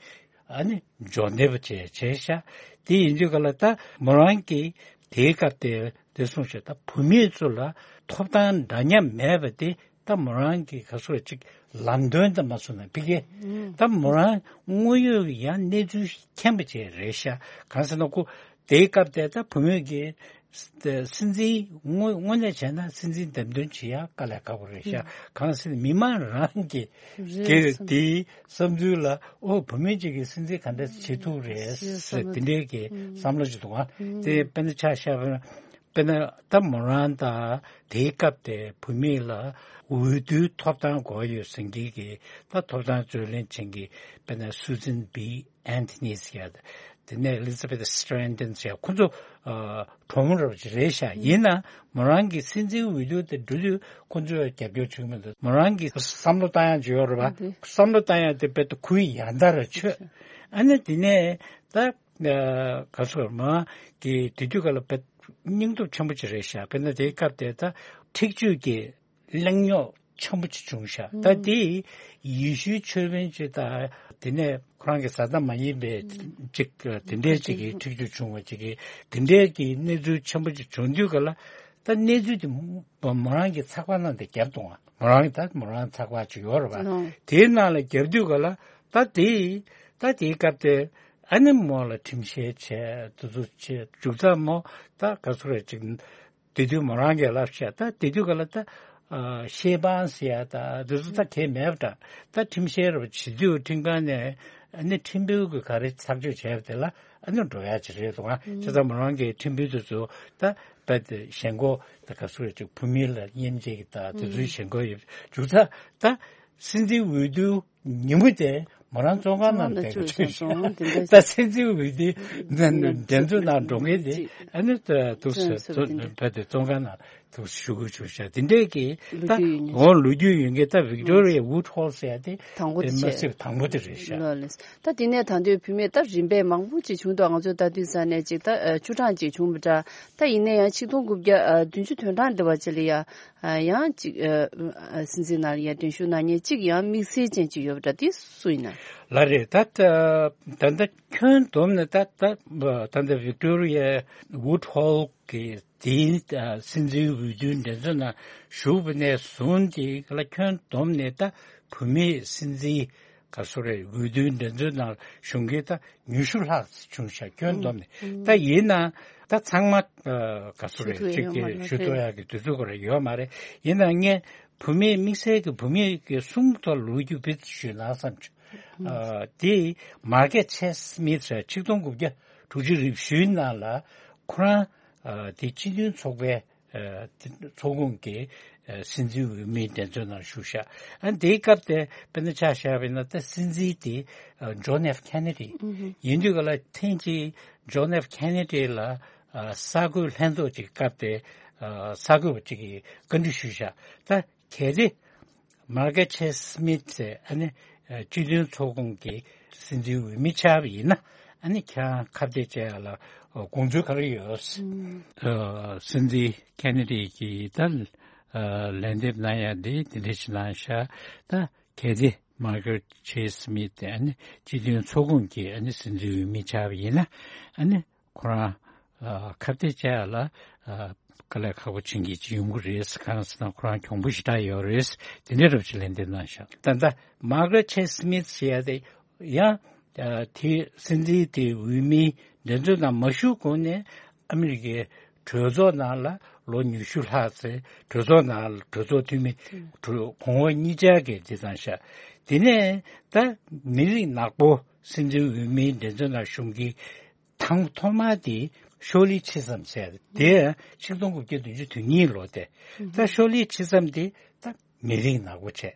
ཨ་ནི་འབྱོར་ལྡན་པ་བྱས་བྱས་ཤག་དེ་ཡིན་དུས་ག་ལ་ད་མོ་རང་གིས་དེའི་སྐབས་དེ་དེ་གསུངས་ཤག་ད་བུད་མེད་ཚོ་ལ་ཐོབ་ཐང་འདྲ་མཉམ་མེད་པ་དེ་ད་མོ་རང་གི་ག་ཚོད་ཅིག་ལམ་སྟོན་དུ་མ་སོང་ན་ཕི་གེ་ད་མོ་རང་དངོས་ཡོད་ཡང་གནས་ཚུལ་མཁྱེན་པ་ཅིག་རེད་ཤག་གང་ཟེར་ན་ཁོ་དེའི་སྐབས་དེ་ད་བུད་མེད་ཀྱི་ སྲིད་འཛིན་དངོས་དངོས་གནས་བྱས་ན་སྲིད་འཛིན་འདེམས་ཐོན་བྱེད་ཡ་དཀའ་ལས་ཁག་པོ་རེད་ཤག་གང་ཟེར་ན་མི་མང་རང་གི་རེད་གི་བསམ་དེའི་བསམ་ཚུལ་ལ་ཨོ་བུད་མེད་ཅིག་གིས་སྲིད་འཛིན་ག་འདྲ་བྱེད་ཐུབ་རེད་ཟེར་དེ་འདྲའི་གི་བསམ་བློ་ཅིག་འདུག་ཨ། དེ་དཔེར་ན་ཆ་བཞག་པ་ན། དཔེར་ན་ད་མོ་རང་དང་དེའི་སྐབས་དེ་བུད་མེད་ལ་འོས་བསྡུའི་ཐོབ་ཐང་དགོས་ཡོད་ཟེར་མཁན་གྱི་ད་ཐོབ་ཐང་རྩོད་ལེན་བྱེད་མཁན་གྱི་དཔེར་ན་སུ་ཛན་བི་ཨན་ཐི་ནིས་ཡ་དེ་ནས་ཨེ་ལི་ཛ་བེ་ཐི་སི་ཊྲན་ཏན་ཟེར་ཡ་ཁོ་ཚོ་ཨ་གྲོགས་མོ་རབ་ཅིག་རེད་ཤག་ཡིན་ན་མོ་རང་གི་སྲིད་འཛིན་འོས་བསྡུ་དེ་འགྲོ་དུས་ཁོ་ཚོས་རྒྱབ་སྐྱོར་བྱུང་མི་འདུག་མོ་རང་གི་བསམ་བློ་བཏང་ཡ་ཅིག་ཡོད་རེད་པ། བསམ་བློ་བཏང་ཡ་དེ་དཔེ་ད་ཁོའི་ཡང་དག་ར་ཆོད། ཨ་ནི་དེ་ནས་ད། ཨ་ག་ཚོད་མ་གི་དེ་དུས་ག་ལ་བེད་སྙིང་སྟོབས་ཆེན་པོ་ཅིག་རེད་ཤག་དཔེར་ན་དེའི་སྐབས་དེ་ད་འཁྲིག་སྤྱོད་ཀྱི་གླེང་རྙོག་ཆེན་པོ་ཅིག་བྱུང་ཤག་ད་དེ་ཡེ་ཤུའི་ཆོས་དཔོན་ཅིག་དང་དེ་ནས་ཁོ་རང་གི་བཟའ་ཟླ་མ་ཡིན་པའི་ཅིག་དེ་འདྲའི་ཅིག་གི་འཁྲིག་སྤྱོད་བྱུང་བ་ཅིག་གི་དེ་འདྲའི་གི་གནས་ཚུལ་ཆེན་པོ་ཅིག་བྱུང་དུས་ག་ལ་ད་གནས་ཚུལ་དེ་མོ་རང་གི་ཚགས་པར་ནང་དེ་བརྒྱབ་འདུག་ཨ། མོ་རང་གི་ད་མོ་རང་ཚགས་པར་ཅིག་ཡོད་རེད་པ། དེའི་ནང་ལ་བརྒྱབ་དུས་ག་ལ་ད་དེ་ད་དེའི་སྐབས་དེ། ཨ་ནི་མོ་ལ་ཁྲིམས་བཤེར་བྱས་དུ་དུ་བྱས་མཇུག་རྩ་མོ་ད་ག་ཚོད་རེད་ཅིག་དེ་དུས་མོ་རང་གིས་ལབ་ཤག་ད་དེ་དུས་ག་ལ་ད་ཤེ་བང་ཟེར་ཡ་ད་དེ་ཚོ་ད་གས་མེད་པ་འདྲ། ད་ཁྲིམས་བཤེར་བྱེད་དུས་ཁྲིམས་ཁང་ནས་ཨ་ནི་ཁྲིམས་དཔོན་གྱིས་ག་རེ་ཐག་གཅོད་བྱས་པ་དེ་ལ་ཨ་ནི་འགྲོ་ཡ་ཅིག་རེད་འདུག་ཨ། བྱས་ཙང་མོ་རང་གི་ཁྲིམས་དཔོན་དེ་ཚོ་ད་རྦད་དེ་ཞེན་ཁོག་ད་ག་ཚོད་རེད་ཅིག་བུད་མེད་ལ་གཉེན་བྱེད་ཀྱི་ད་དེ་ཚོའི་ཞེན་ཁོག་ཡོད་མཇུག་རྩ་ད་སྲིད་འཛིན་འོས་བསྡུ། ཉིན་མོ་དེ་མོ་རང་བཙོན་ཁང་ནང་བསྡད་དགོས་བྱུང་ཤག་ད་སྲིད་འཛིན་འོས་བསྡུའི་འགྲན་རྩོད་ནང་འགྲོ་མཁན་དེ་ཨ་ནི་ཐུག་སེ་བོད་དེ་བཙོན་ཁང་ནང་ཐུག་སེ་བཞུགས་དགོས་བྱུང་ཤག་དེ་འདྲས་ཀྱི་ད་འོ་ལོ་རྒྱུས་ཡོད་མཁན་ད་Victoria Woodhull ཟེར་ཡ་དེ་དེ་མ་སྲིད་དང་པོ་དེ་རེད་ཤག་ད་དེ་ནས་ད་དུང་བུད་མེད་ད་རིམ་པས་མང་པོ་ཅིག་བྱུང་འདུག་ང་ཚོ་ད་དུས་ས་ནས་ཅིག་ད་བཅུ་གྲངས་ཅིག་བྱུང་བ་འདྲ། ད་ཡིན་ན་ཡང་ཆིག་སྟོང་དགུ་བརྒྱ་བདུན་ཅུ་དོན་གྲངས་འདི་བ་ཅི་ལ་ཡ། ཡང་གཅིག་སྲིད་འཛིན་ནང་ལ་ཡ་འགྲན་ཞུགས་གནང་མཁན་གཅིག་ཡང་དམིགས་བསལ་ཅན་གཅིག་ཡོད་པ་འདྲ་དེ་སུ་ཡིན་ན། ལ་རེད་ད་ད་ད་ཁྱོན་བསྡོམས་ནས་ད་ད་ད་ད་Victoria Woodhull གི་དེའི་སྲིད་འཛིན་འོས་བསྡུའི་འགྲན་རྩོད་ནང་ཞུགས་པ་ནས་བཟུང་དེ་ག་ལ་ཁྱོན་བསྡོམས་ནས་ད་བུད་མེད་སྲིད་འཛིན་ག་སོ་རེད་འོས་བསྡུའི་འགྲན་རྩོད་ནང་ཞུགས་མཁན་ད་ཉི་ཤུ་ལྷག་བྱུང་ཤག་ཁྱོན་བསྡོམས་ནས་ད་ཡིན་ན་ད་ཚང་མ་ག་སོ་རེད་ཅིག་གི་ཞུ་ཐུབ་ཡག་གི་དུས་ཚོད་ཁོ་ར་ཡོད་མ་རེད། ཡིན་ན་ངས་བུད་མེད་དམིགས་བསལ་གྱི་བུད་མེད་ཀྱི་གསུམ་ཐོག་ལོ་རྒྱུས་བེད་ཞུས་ན་བསམ་བྱུང་། དེ་Margaret Chase Smith ཆིག་སྟོང་དགུ་བརྒྱ་དྲུག་ཅུ་རེ་བཞིའི་ནང་ལ་ཁོ་རང་དེ་སྤྱི་མཐུན་ཚོགས་པའི་ཚོགས་ཁོངས་ཀྱི་སྲིད་འཛིན་འོས་མིའི་འགྲན་རྩོད་ནང་ཞུགས་ཤག་ཨ་དེའི་སྐབས་དེ་དཔེར་ན་ཆ་བཞག་པ་ཡིན་ན་ད་སྲིད་འཛིན་དེ་John F Kennedy ཡིན་དུས་ག་ལ་ཐེངས་གཅིག་John F Kennedy ལ་གསར་འགོད་ལྷན་ཚོགས་ཀྱི་སྐབས་དེ་གསར་འགོད་པ་གཅིག་གིས་བཀའ་འདྲི་ཞུས་ཤག་ད་གལ་ཏེ་Margaret Chase Smith ཟེར་ཨ་ནི་སྤྱི་མཐུན་ཚོགས་ཁོངས་ཀྱི་སྲིད་འཛིན་འོས་མི་ཆགས་པ་ཡིན་ན་ཨ་ནི་ཁྱེད་རང་ཁ་གཏད་བཅག་ཡ་ལ་དགོངས་ཚུལ་ག་རེ་ཡོད། སྲིད་འཛིན་Kennedy གིས་ད་ལན་འདེབས་གནང་ཡ་འདི་དེ་འདྲ་ཞིག་གནང་ཤག་ད་གལ་ཏེ་Margaret Chase Smith ཨ་ནི་སྤྱི་མཐུན་ཚོགས་ཁོངས་ཀྱི་ཨ་ནི་སྲིད་འཛིན་འོས་མི་ཆགས་པ་ཡིན་ན་ཨ་ནི་ཁོ་རང་ཁ་གཏད་བཅག་ཡ་ལ་དཀའ་ལས་ཁག་པོ་ཅན་གྱི་ཅིག་ཡོང་གི་རེད། གང་ཟེར་ན་ཁོ་རང་གྱོང་པོ་ཞེ་དྲག་ཡོད་རེད། དེ་འདྲ་རབ་ཅིག་ལན་འདེབས་གནང་ཤག་ད་ལྟ་Margaret Chase Smith ཟེར་ཡ་དེ་ཡང་དེ་སྲིད་འཛིན་དེ་འོས་མིའི་འགྲན་རྩོད་ནང་མ་ཞུགས་གོང་ནས་ཨ་མི་རི་ཀའི་གྲོས་ཚོགས་ནང་ལ་ལོ་ཉི་ཤུ་ལྷག་ཙམ་གྲོས་ཚོགས་ནང་གྲོས་ཚོགས་འཐུས་མི་གྲོས་གོང་འོག་གཉིས་ཆར་གྱི་དེ་བཏང་ཤག་དེ་ནས་ད་མི་རིགས་ནག་པོ་སྲིད་འཛིན་འོས་མིའི་འགྲན་རྩོད་ནང་ཞུགས་མཁན་དང་ཐོག་མ་དེ་ཤོ་ལི་ཆི་སམ་ཟེར་དེ་ཆིག་སྟོང་དགུ་བརྒྱ་བདུན་ཅུ་དོན་གཉིས་ལོ་དེ་ད་ཤོ་ལི་ཆི་སམ་དེ་ད་མི་རིགས་ནག་པོ་བྱས།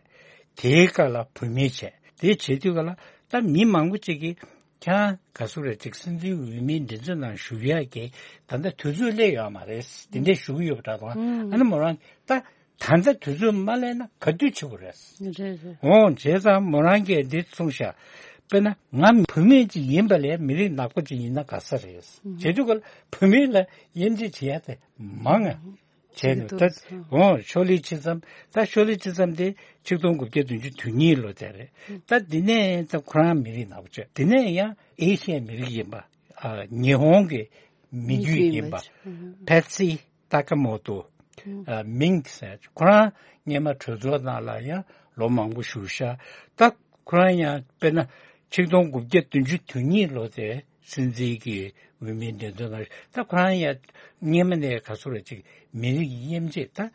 དེའི་སྐབས་ལ་བུད་མེད་བྱས། དེ་བྱེད་དུས་སྐབས་ལ་ད་མི་མང་པོ་ཅིག་གིས་ཁྱེད་རང་ག་ཚོད་རེད་ཅིག་སྲིད་འཛིན་འོས་མིའི་འགྲན་རྩོད་ནང་ཞུགས་ཡག་གི་ད་ལྟ་དུས་ཚོད་སླེབས་ཡོད་མ་རེད། དེ་འདྲས་ཞུ་གི་ཡོད་པ་འདྲ་དང་ཨ་ནི་མོ་རང་ད་ད་ལྟ་དུས་ཚོད་མ་སླེབས་ན་ག་དུས་བྱེད་དགོས་རེད། རེད་རེད། འོང་བྱས་ཙང་མོ་རང་གིས་འདི་གསུངས་ཤག་དཔེར་ན་ང་བུད་མེད་ཅིག་ཡིན་པ་ལས་མི་རིགས་ནག་པོ་ཅིག་ཡིན་ན་དགའ་ས་རེད། བྱེད་དུས་སྐབས་ལ་བུད་མེད་ལ་དབྱེ་འབྱེད་བྱེད་ཡ་དེ་མང་ང་། བྱས་ནས་ད་འོང་ཤོ་ལི་ཆི་སམ་ད་ཤོ་ལི་ཆི་སམ་དེ་ཆིག་སྟོང་དགུ་བརྒྱ་བདུན་ཅུ་དོན་གཉིས་ལོ་དེ་རེད། ད་འདི་ནས་ད་ཁོ་རང་མི་རིགས་ནག་པོ་བྱས། དེ་ནས་ཡང་ཨེ་ཤི་ཡའི་མི་རིགས་ཡིན་པ། ཉི་ཧོང་གི་མི་རྒྱུད་ཡིན་པ། ཕེ་ཚི་ཏཱ་ཀ་མོ་ཏོ། མིང་ཟེར་ཁོ་རང་སྔོན་མ་གྲོས་ཚོགས་ནང་ལ་ཡང་ལོ་མང་པོ་བཞུགས་ཤག་ད་ཁོ་རང་ཡང་དཔེར་ན་ཆིག་སྟོང་དགུ་བརྒྱ་བདུན་ཅུ་དོན་གཉིས་ལོ་དེ་ སྲིད་འཛིན་གྱི་འོས་མིའི་འགྲན་བསྡུར་ནང་ད་ཁོ་རང་ཡང་སྔོན་མ་ནས་ག་ཚོད་རེད་ཅིག་མི་རིགས་དབྱེ་འབྱེད་ད་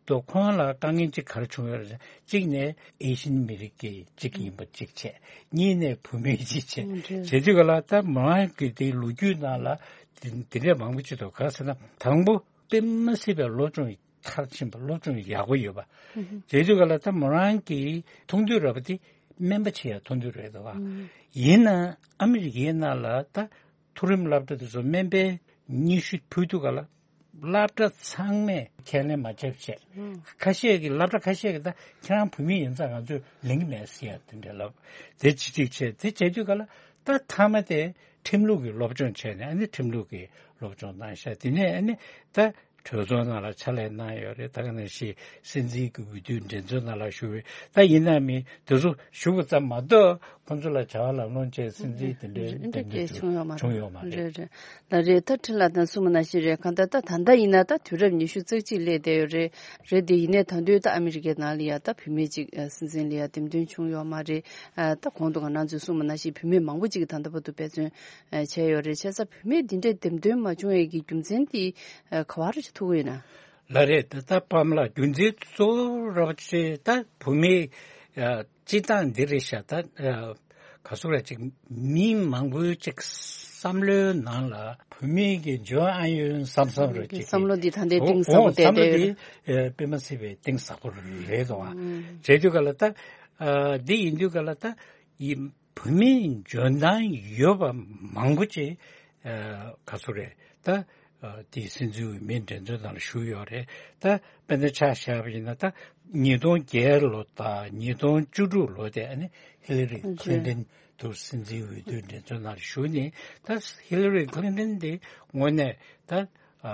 དོ་ཁོང་ལ་དཀའ་ངལ་ཅིག་ག་རེ་བྱུང་ཡོད་རེད། གཅིག་ནས་ཨེ་ཤི་ཡན་མི་རིགས་ཀྱི་གཅིག་ཡིན་པ་གཅིག་བྱས། གཉིས་ནས་བུད་མེད་གཅིག་བྱས། ཨང་། རེད། བྱེད་དུས་ག་ལ་ད་མོ་རང་གི་དེ་ལོ་རྒྱུས་ནང་ལ་དེ་དེ་འདྲས་མང་པོ་ཅིག་འདུག་ག་ཟེར་ན་དང་པོ་དཔེ་མ་སྲིད་པའི་སློབ་སྦྱོང་མཐར་ཕྱིན་པ་སློབ་སྦྱོང་ཡག་པོ་ཡོད་པ། ཨང་། བྱེད་དུས་ག་ལ་ད་མོ་རང་གི་མཐོང་ཐོས་ར་བ་དེ་སྨན་པ་བྱེད་ཡ་མཐོང་ཐོས་རེད་འདུག་ག་ཨང་། ཡིན་ན་ཨ་མི་རི་ཀའི་ནང་ལ་ད་མཐོ་རིམ་སློབ་གྲྭ་དེ་ཚོ་སྨན་པའི་སྙན་ཞུ་ཕུལ་དུས་ག་ལ་སློབ་གྲྭ་ཚང་མས་ཁས་ལེན་མ་བྱས་བྱས། ཨང་། ཁ་ཤས་ཀྱིས་སློབ་གྲྭ་ཁ་ཤས་ཀྱིས་ད་ཁྱེད་རང་བུད་མེད་ཡིན་ཙང་ང་ཚོས་ལེན་གྱི་མེད་ཟེར་ཡ་དེ་འདྲ་ལབ། དེ་ཅི་ཅིག་བྱས་དེ་བྱས་དུས་ག་ལ་ད་མཐའ་མ་དེ་ཁྲིམས་ལུགས་ཀྱི་སློབ་སྦྱོང་བྱས་ནས་ཨ་ནི་ཁྲིམས་ལུགས་ཀྱི་སློབ་སྦྱོང་གནང་ཤག་དེ་ནས་ཨ་ནི་ད་གྲོས་ཚོགས་ནང་ལ་ཕྱག་ལས་གནང་ཡོད་རེད། ད་ག་ནང་བཞིན་སྲིད་འཛིན་གྱི་འོས་བསྡུའི་འགྲན་རྩོད་ནང་ལ་ཞུགས་ཡོད། ད་ཡིན་ན་མིན་དེ་ཚོ་ཞུགས་པ་ཙམ་མ་གཏོགས་ཁོང་ཚོ་ལ་བྱ་བ་ལམ་ལྷོང་བྱས་སྲིད་འཛིན་དེ་འདྲའི་འདེམས་ཐོན་བྱུང་ཡོད་མ་རེད། བྱུང་ཡོད་མ་རེད། རེད་རེད། ལགས་རེད། ད་ཁྲིན་ལགས་དང་གསུངས་པ་ནང་བཞིན་རེད། གང་ལྟར་ད་ད་ལྟ་ཡིན་ན་ད་དུས་རབས་ཉི་ཤུ་རྩ་གཅིག་སླེབས་བསྡད་ཡོད་རེད། རེད་དེ་ཡིན་ནའི་ད་དུང་ད་ཨ་མི་རི་ཀའི་ནང་ལ་ཡ་ད་བུད་མེད་ཅིག་ཨ་སྲིད་འཛིན་ལ་ཡ་འདེམས་ཐོན་བྱུང་ཡོད་མ་རེད། ཨ་ད་གོང་དུ་ང་རང་ཚོས་གསུངས་པ་ནང་བཞིན་བུད་མེད་མང་པོ་ཅིག་གིས་ད་ལྟ་བར་དུ་འབད་བརྩོན་ཨ་བྱས་ཡོད་རེད། བྱས་ཙང་བུད་མེད་འདི་འདྲའི་འདེམས་ཐོན་མ་བྱུང་བའི་གི་རྒྱུ་མཚན་དེ་ཨ་ག་བ་རེ་ཞིག་ཐུག་གི་ཡོད་ན། ལགས་རེད། ད་ལྟ་པཱ་མ་ལགས་རྒྱུ་མཚན་གཙོ་བོ་ར་བ་ཆེ་ད་བུད་མེད་ཨ་སྤྱི་བཏང་འདི་རེད་ཤག་ད་ཨ་ག་ཚོད་རེད་ཅིག་མི་མང་པོའི་ཅིག་བསམ་བློའི་ནང་ལ་བུད་མེད་ཀྱི་འཇོན་ཨ་ཡོན་བསམ་བསམ་རེད་ཅིག་བསམ་བློ་འདི་ད་ལྟའི་གཏིང་ཟབ་པོ་བསྡད་བསྡད་ཡོད་རེད། ཨོ་བསམ་བློ་འདི་ཨ་དཔེ་མ་སྲིད་པའི་གཏིང་ཟབ་པོ་རེད་འདུག་ཨ། ཨང་། བྱས་དུས་ག་ལ་ད་ཨ་འདི་ཡིན་དུས་ག་ལ་ད་ཡིན། བུད་མེད་འཇོན་ཐང་ཡོད་པ་མང་པོ་ཅིག་ཨ་ག་ཚོད་རེད་ད་ཨ་དེ་སྲིད་འཛིན་འོས་མིའི་འགྲན་རྩོད་ནང་ལ་ཞུགས་ཡོད་རེད། ད་དཔེར་ན་ཆ་བཞག་པ་ཡིན་ན་ད་ཉིས་སྟོང་བརྒྱད་ལོ་དང་ཉིས་སྟོང་བཅུ་དྲུག་ལོ་དེ་ཨ་ནི་ཧི་ལ་རི་ཁི་ལིན་ཏན་དུ་སྲིད་འཛིན་འོས་བསྡུའི་འགྲན་རྩོད་ནང་ལ་ཞུགས་ནས་ད་ཧི་ལ་རི་ཁི་ལིན་ཏན་དེ་དངོས་གནས་ད་ཨ་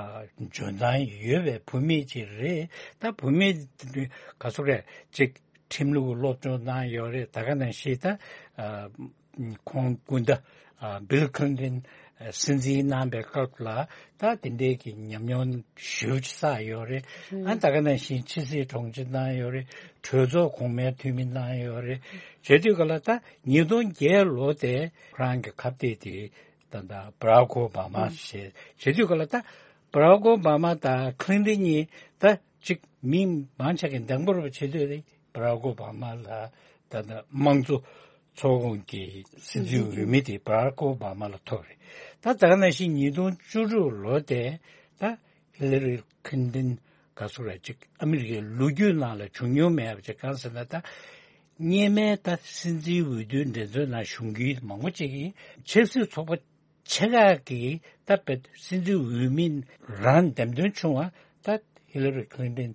འཇོན་ཐང་ཡོད་པའི་བུད་མེད་ཅིག་རེད། ད་བུད་མེད་ག་ཚོད་རེད་ཅིག་ཁྲིམས་ལུགས་སློབ་སྦྱོང་གནང་ཡོད་རེད། ད་ག་ནང་བཞིན་ད་ཨ་ཁོང་སྐུ་ཟླ་ཨ་བིལ་ཁི་ལིན་ཏན་ཨ་སྲིད་འཛིན་གནང་པའི་སྐབས་ལ་ད་དེ་འདྲའི་གི་ཉམས་མྱོང་ཞེ་པོ་ཅིག་བསགས་ཡོད་རེད། ཨ་ད་ག་ནང་བཞིན་ཕྱི་སྲིད་དྲུང་ཆེ་གནང་ཡོད་རེད། གྲོས་ཚོགས་གོང་མའི་འཐུས་མི་གནང་ཡོད་རེད། བྱས་དུས་ག་ལ་ད་ཉིས་སྟོང་བརྒྱད་ལོ་དེ་ཁོ་རང་གི་ཁ་གཏད་དེ་ད་ད་བྷ་རག་ཨོ་བྷ་མ་ཞེས་བྱས་དུས་ག་ལ་ད་བྷ་རག་ཨོ་བྷ་མ་དང་ཁི་ལིན་ཏན་གཉིས་ད་ཅིག་མི་མང་ཆེ་གི་འདང་པོ་རུ་བྱེད་འདོད་རེད། བྷ་རག་ཨོ་བྷ་མ་ལ་ད་ལྟ་དམངས་གཙོ་ཚོགས་ཁོངས་ཀྱི་སྲིད་འཛིན་འོས་མི་དེ་བྷ་རག་ཨོ་བྷ་མ་ལ་ཐོབ་རེད། ད་ད་ག་ནང་བཞིན་ཉིས་སྟོང་བཅུ་དྲུག་ལོ་དེ་ད་ཧི་ལ་རི་ཁི་ལིན་ཏན་ག་ཚོད་རེད་ཅིག་ཨ་མི་རི་ཀའི་ལོ་རྒྱུས་ནང་ལ་བྱུང་མྱོང་མེད་པ་ཅིག་གང་ཟེར་ན་ད་སྔོན་མའི་ད་སྲིད་འཛིན་འོས་བསྡུའི་འགྲན་རྩོད་ནང་ཞུགས་མཁན་མང་པོ་ཅིག་གིས་ཆབ་སྲིད་ཚོགས་པ་ཆེ་ཁག་གིས་ད་བེད་སྲིད་འཛིན་འོས་མི་རང་འདེམས་ཐོན་བྱུང་བ་ད་ཧི་ལ་རི་ཁི་ལིན་ཏན་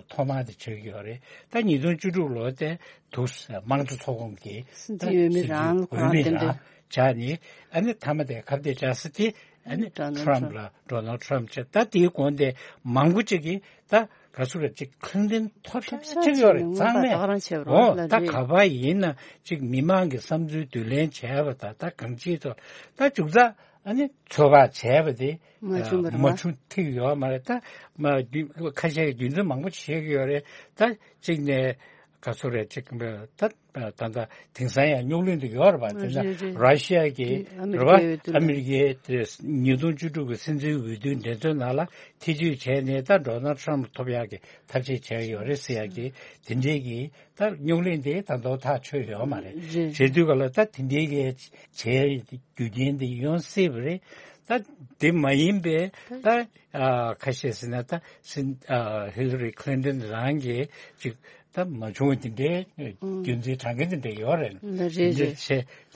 ཐོག་མ་དེ་ཆགས་ཀྱི་ཡོད་རེད། ད་ཉིས་སྟོང་བཅུ་དྲུག་ལོ་དེ་དུ་དམངས་གཙོ་ཚོགས་ཁོངས་ཀྱི་སྲིད་འཛིན་འོས་མི་རང་ཁོ་རང་འདེམས་ཐོན་བྱས་ནས་ཨ་ནི་མཐའ་མ་དེ་ཁ་གཏད་བཅག་ས་དེ་ཨ་ནི་ཌོ་ནལ་ཊམ་ཕ་ལ་ཌོ་ནལ་ཊམ་ཕ་བྱས། ད་དེའི་གོང་དེ་མང་པོ་ཅིག་གིས་ད་ག་ཚོད་རེད་ཅིག་ཁི་ལིན་ཏན་ཐོབ་ཤག་ཅིག་ཡོད་རེད། གཙང་མས་ཨོ་ད་ག་པར་ཡིན་ན་ཅིག་མི་མང་གི་བསམ་ཚུལ་བསྡུ་ལེན་བྱས་པ་དང་ད་གང་ཅིའི་ཐོག་ད་མཇུག་རྫ་ཨ་ནི་ཚོད་དཔག་བྱས་པ་དེ་མ་བྱུང་བ་རེད་མ་བྱུང་ཐིག་ཡོད་མ་རེད། ད་མ་ཁ་ཤས་ཀྱི་རྒྱུ་མཚན་མང་པོ་བཤད་ཀྱི་ཡོད་རེད། ད་གཅིག་ནས་ག་ཚོད་རེད་ཅིག་ད་ད་ད་དེང་སང་ཡང་རྙོག་གླེང་དུ་ཡོད་རེད་པ། དེ་ན་རེད་རེད། ར་ཤི་ཡ་གི་ཨ་མི་རི་རེད་པ་ཀའི་འོས་བསྡུ་ཨ་མི་རི་ཀའི་དེ་ཉིས་སྟོང་བཅུ་དྲུག་གི་སྲིད་འཛིན་འོས་བསྡུའི་འགྲན་རྩོད་ནང་ལ་ཐེ་བྱུས་བྱས་ནས་ད་ཌོ་ནལ་ཊམ་ཕ་ཐོབ་ཡག་གི་ཐབས་ཤེས་བྱས་ཡོད་རེད་ཟེར་ཡག་གི་དེ་འདྲའི་གི་ད་རྙོག་གླེང་དེ་ད་དུང་ཐག་ཆོད་ཡོད་མ་རེད། རེད། བྱེད་དུས་ག་ལ་ད་དེ་འདྲའི་གི་བྱས་རྒྱུ་རྐྱེན་དེ་ཡོང་སྲིད་པ་རེད། ད་དེ་མ་ཡིན་པའི་ད་ཨ་ཁ་ཤས་ཟེར་ན་ད་སྲིད་ཨ་ཧི་ལ་རི་ཁི་ལིན་ཏན་རང་གིས་ཅིག་ད་མ་བྱུང་བ་དེ་འདྲའི་རྒྱུ་མཚན་དྲང་གི་དེ་འདྲ་ཡོད་རེད། ལ་རེད་དེ་འདྲ་རེད། བྱས་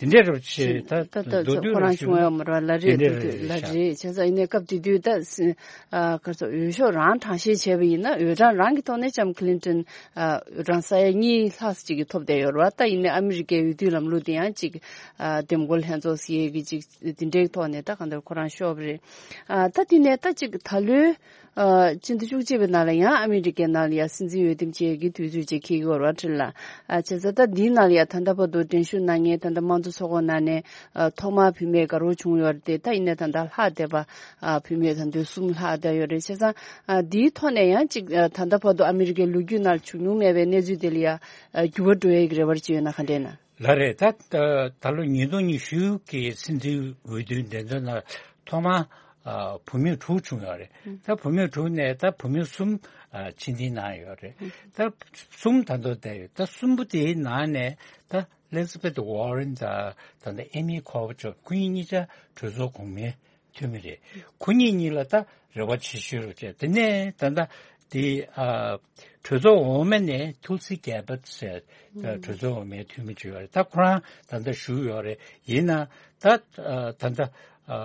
དེ་འདྲ་རུ་བྱས་ད་ད་ད་མདོར་བསྡུས་ཁོ་རང་རུ་བྱུང་བ་ཡོད་མ་རེད་པ། ལ་རེད། དེ་འདྲ་དེ་རུ་ལ་བྱས་རེད། བྱས་ཙང་ཡིན་ནའི་སྐབས་དེ་དུས་ད་སྲིད་ཨ་ག་ཚོད་འོས་ཤོག་རང་གྲངས་བཤེར་བྱས་པ་ཡིན་ན་འོས་གྲངས་རང་གི་ཐོག་ནས་ལྕམ་ཁི་ལིན་ཏན་ཨ་འོས་གྲངས་ས་ཡ་གཉིས་ལྷག་ཙམ་ཅིག་གིས་ཐོབ་བསྡད་ཡོད་རེད་པ། ད་ཡིན་ནའི་ཨ་མི་རི་ཀའི་འོས་བསྡུའི་ལམ་ལུགས་དེ་ཡང་ཅིག་ཨ་འདེམས་བསྐོ་ལྷན་ཚོགས་ཟེར་ཡས་ཀྱི་ཅིག་དེ་འདྲའི་ཐོག་ནས་ད་གང་ལྟར་ཁོ་རང་ཤོར་བ་རེད། ཨ་ད་དེ་ནས་ད་ཅིག་ད་ལོའི་ཨ་སྤྱི་ཟླ་བཅུ་གཅིག་པའི་ནང་ལ་ཡང་ཨ་མི་རི་ཀའི་ནང་ལ་ཡང་སྲིད་འཛིན་འོས་འདེམས་བྱེད་ཀྱི་དུས་ཚོད་ཅིག་འཁེལ་གྱི་ཡོད་རེད་པ། ཁྲིན་ལགས། ཨ་བྱས་ཙང་ད་འདིའི་ནང་ལ་ཡང་ད་ལྟ་བར་དུ་འགྲན་ཞུགས་གནང་མཁན་ད་ལྟ་དམངས་གཙོ་ཚོགས་ཁོངས་ནང་ནས་ཨ་ཐོག་མར་བུད་མེད་དགའ་རོགས་བྱུང་ཡོད་རེད་དེ། ད་ཡིན་ནའི་ད་ལྟ་ལྷག་བསྡད་པ་ཨ་བུད་མེད་ད་དུང་གསུམ་ལྷག་བསྡད་ཡོད་རེད། བྱས་ཙང་ཨ་འདིའི་ཐོག་ནས་ཡང་ཅིག་ཨ་ད་ལྟ་བར་དུ་ཨ་མི་རི་ཀའི་ལོ་རྒྱུས་ནང་བྱུང་མྱོང་མེད་པའི་གནས་ཚུལ་དེ་ལ་ཡང་ཨ་འགྱུར་བ་འགྲོ་ཡས་ཀྱི་རེ་བ་ཅིག་ཡོད་ན་ག་འདྲས་ན། ལགས་རེད། ད་ད་ད་ལོ་ཉིས་སྟོང་ཉི་ཤུ་གི་སྲིད་འཛིན་འོས་བསྡུའི་འགྲན་བསྡུར་ནང་ཐོག་མར་ཨ་བུད་མེད་དྲུག་བྱུང་ཡོད་རེད། ད་བུད་མེད་དྲུག་ནས་ད་བུད་མེད་གསུམ་ཨ་ཕྱིར་འཐེན་གནང་ཡོད་རེད། ད་གསུམ་ད་དུང་བསྡད་ཡོད། ད་གསུམ་པོ་དེའི་ནང་ནས་ད་ཨེ་ལི་ཛ་བེད་ཝོ་རེན་དང་ད་ལྟ་ཨེ་མི་ཁོ་བ་ཅོབ། ཁོ་གཉིས་གཉིས་ཆ་གྲོས་ཚོགས་གོང་མའི་འཐུས་མི་རེད། ཁོ་གཉིས་གཉིས་ལ་ད་རེ་བ་ཆེ་ཤོས་རུ་བྱས། དེ་ནས་ད་ལྟ་དེ་ཨ་གྲོས་ཚོགས་འོག་མ་ནས་ཐུལ་སི་གྷེ་བྷར་ཊི་ཟེར་ད་གྲོས་ཚོགས་འོག་མའི་འཐུས་མི་ཅིག་ཡོད་རེད། ད་ཁོ་རང་ད་ལྟ་བཞུགས་ཡོད་རེད། ཡིན་ན་ད་ཨ་ད་ལྟ་ཨ་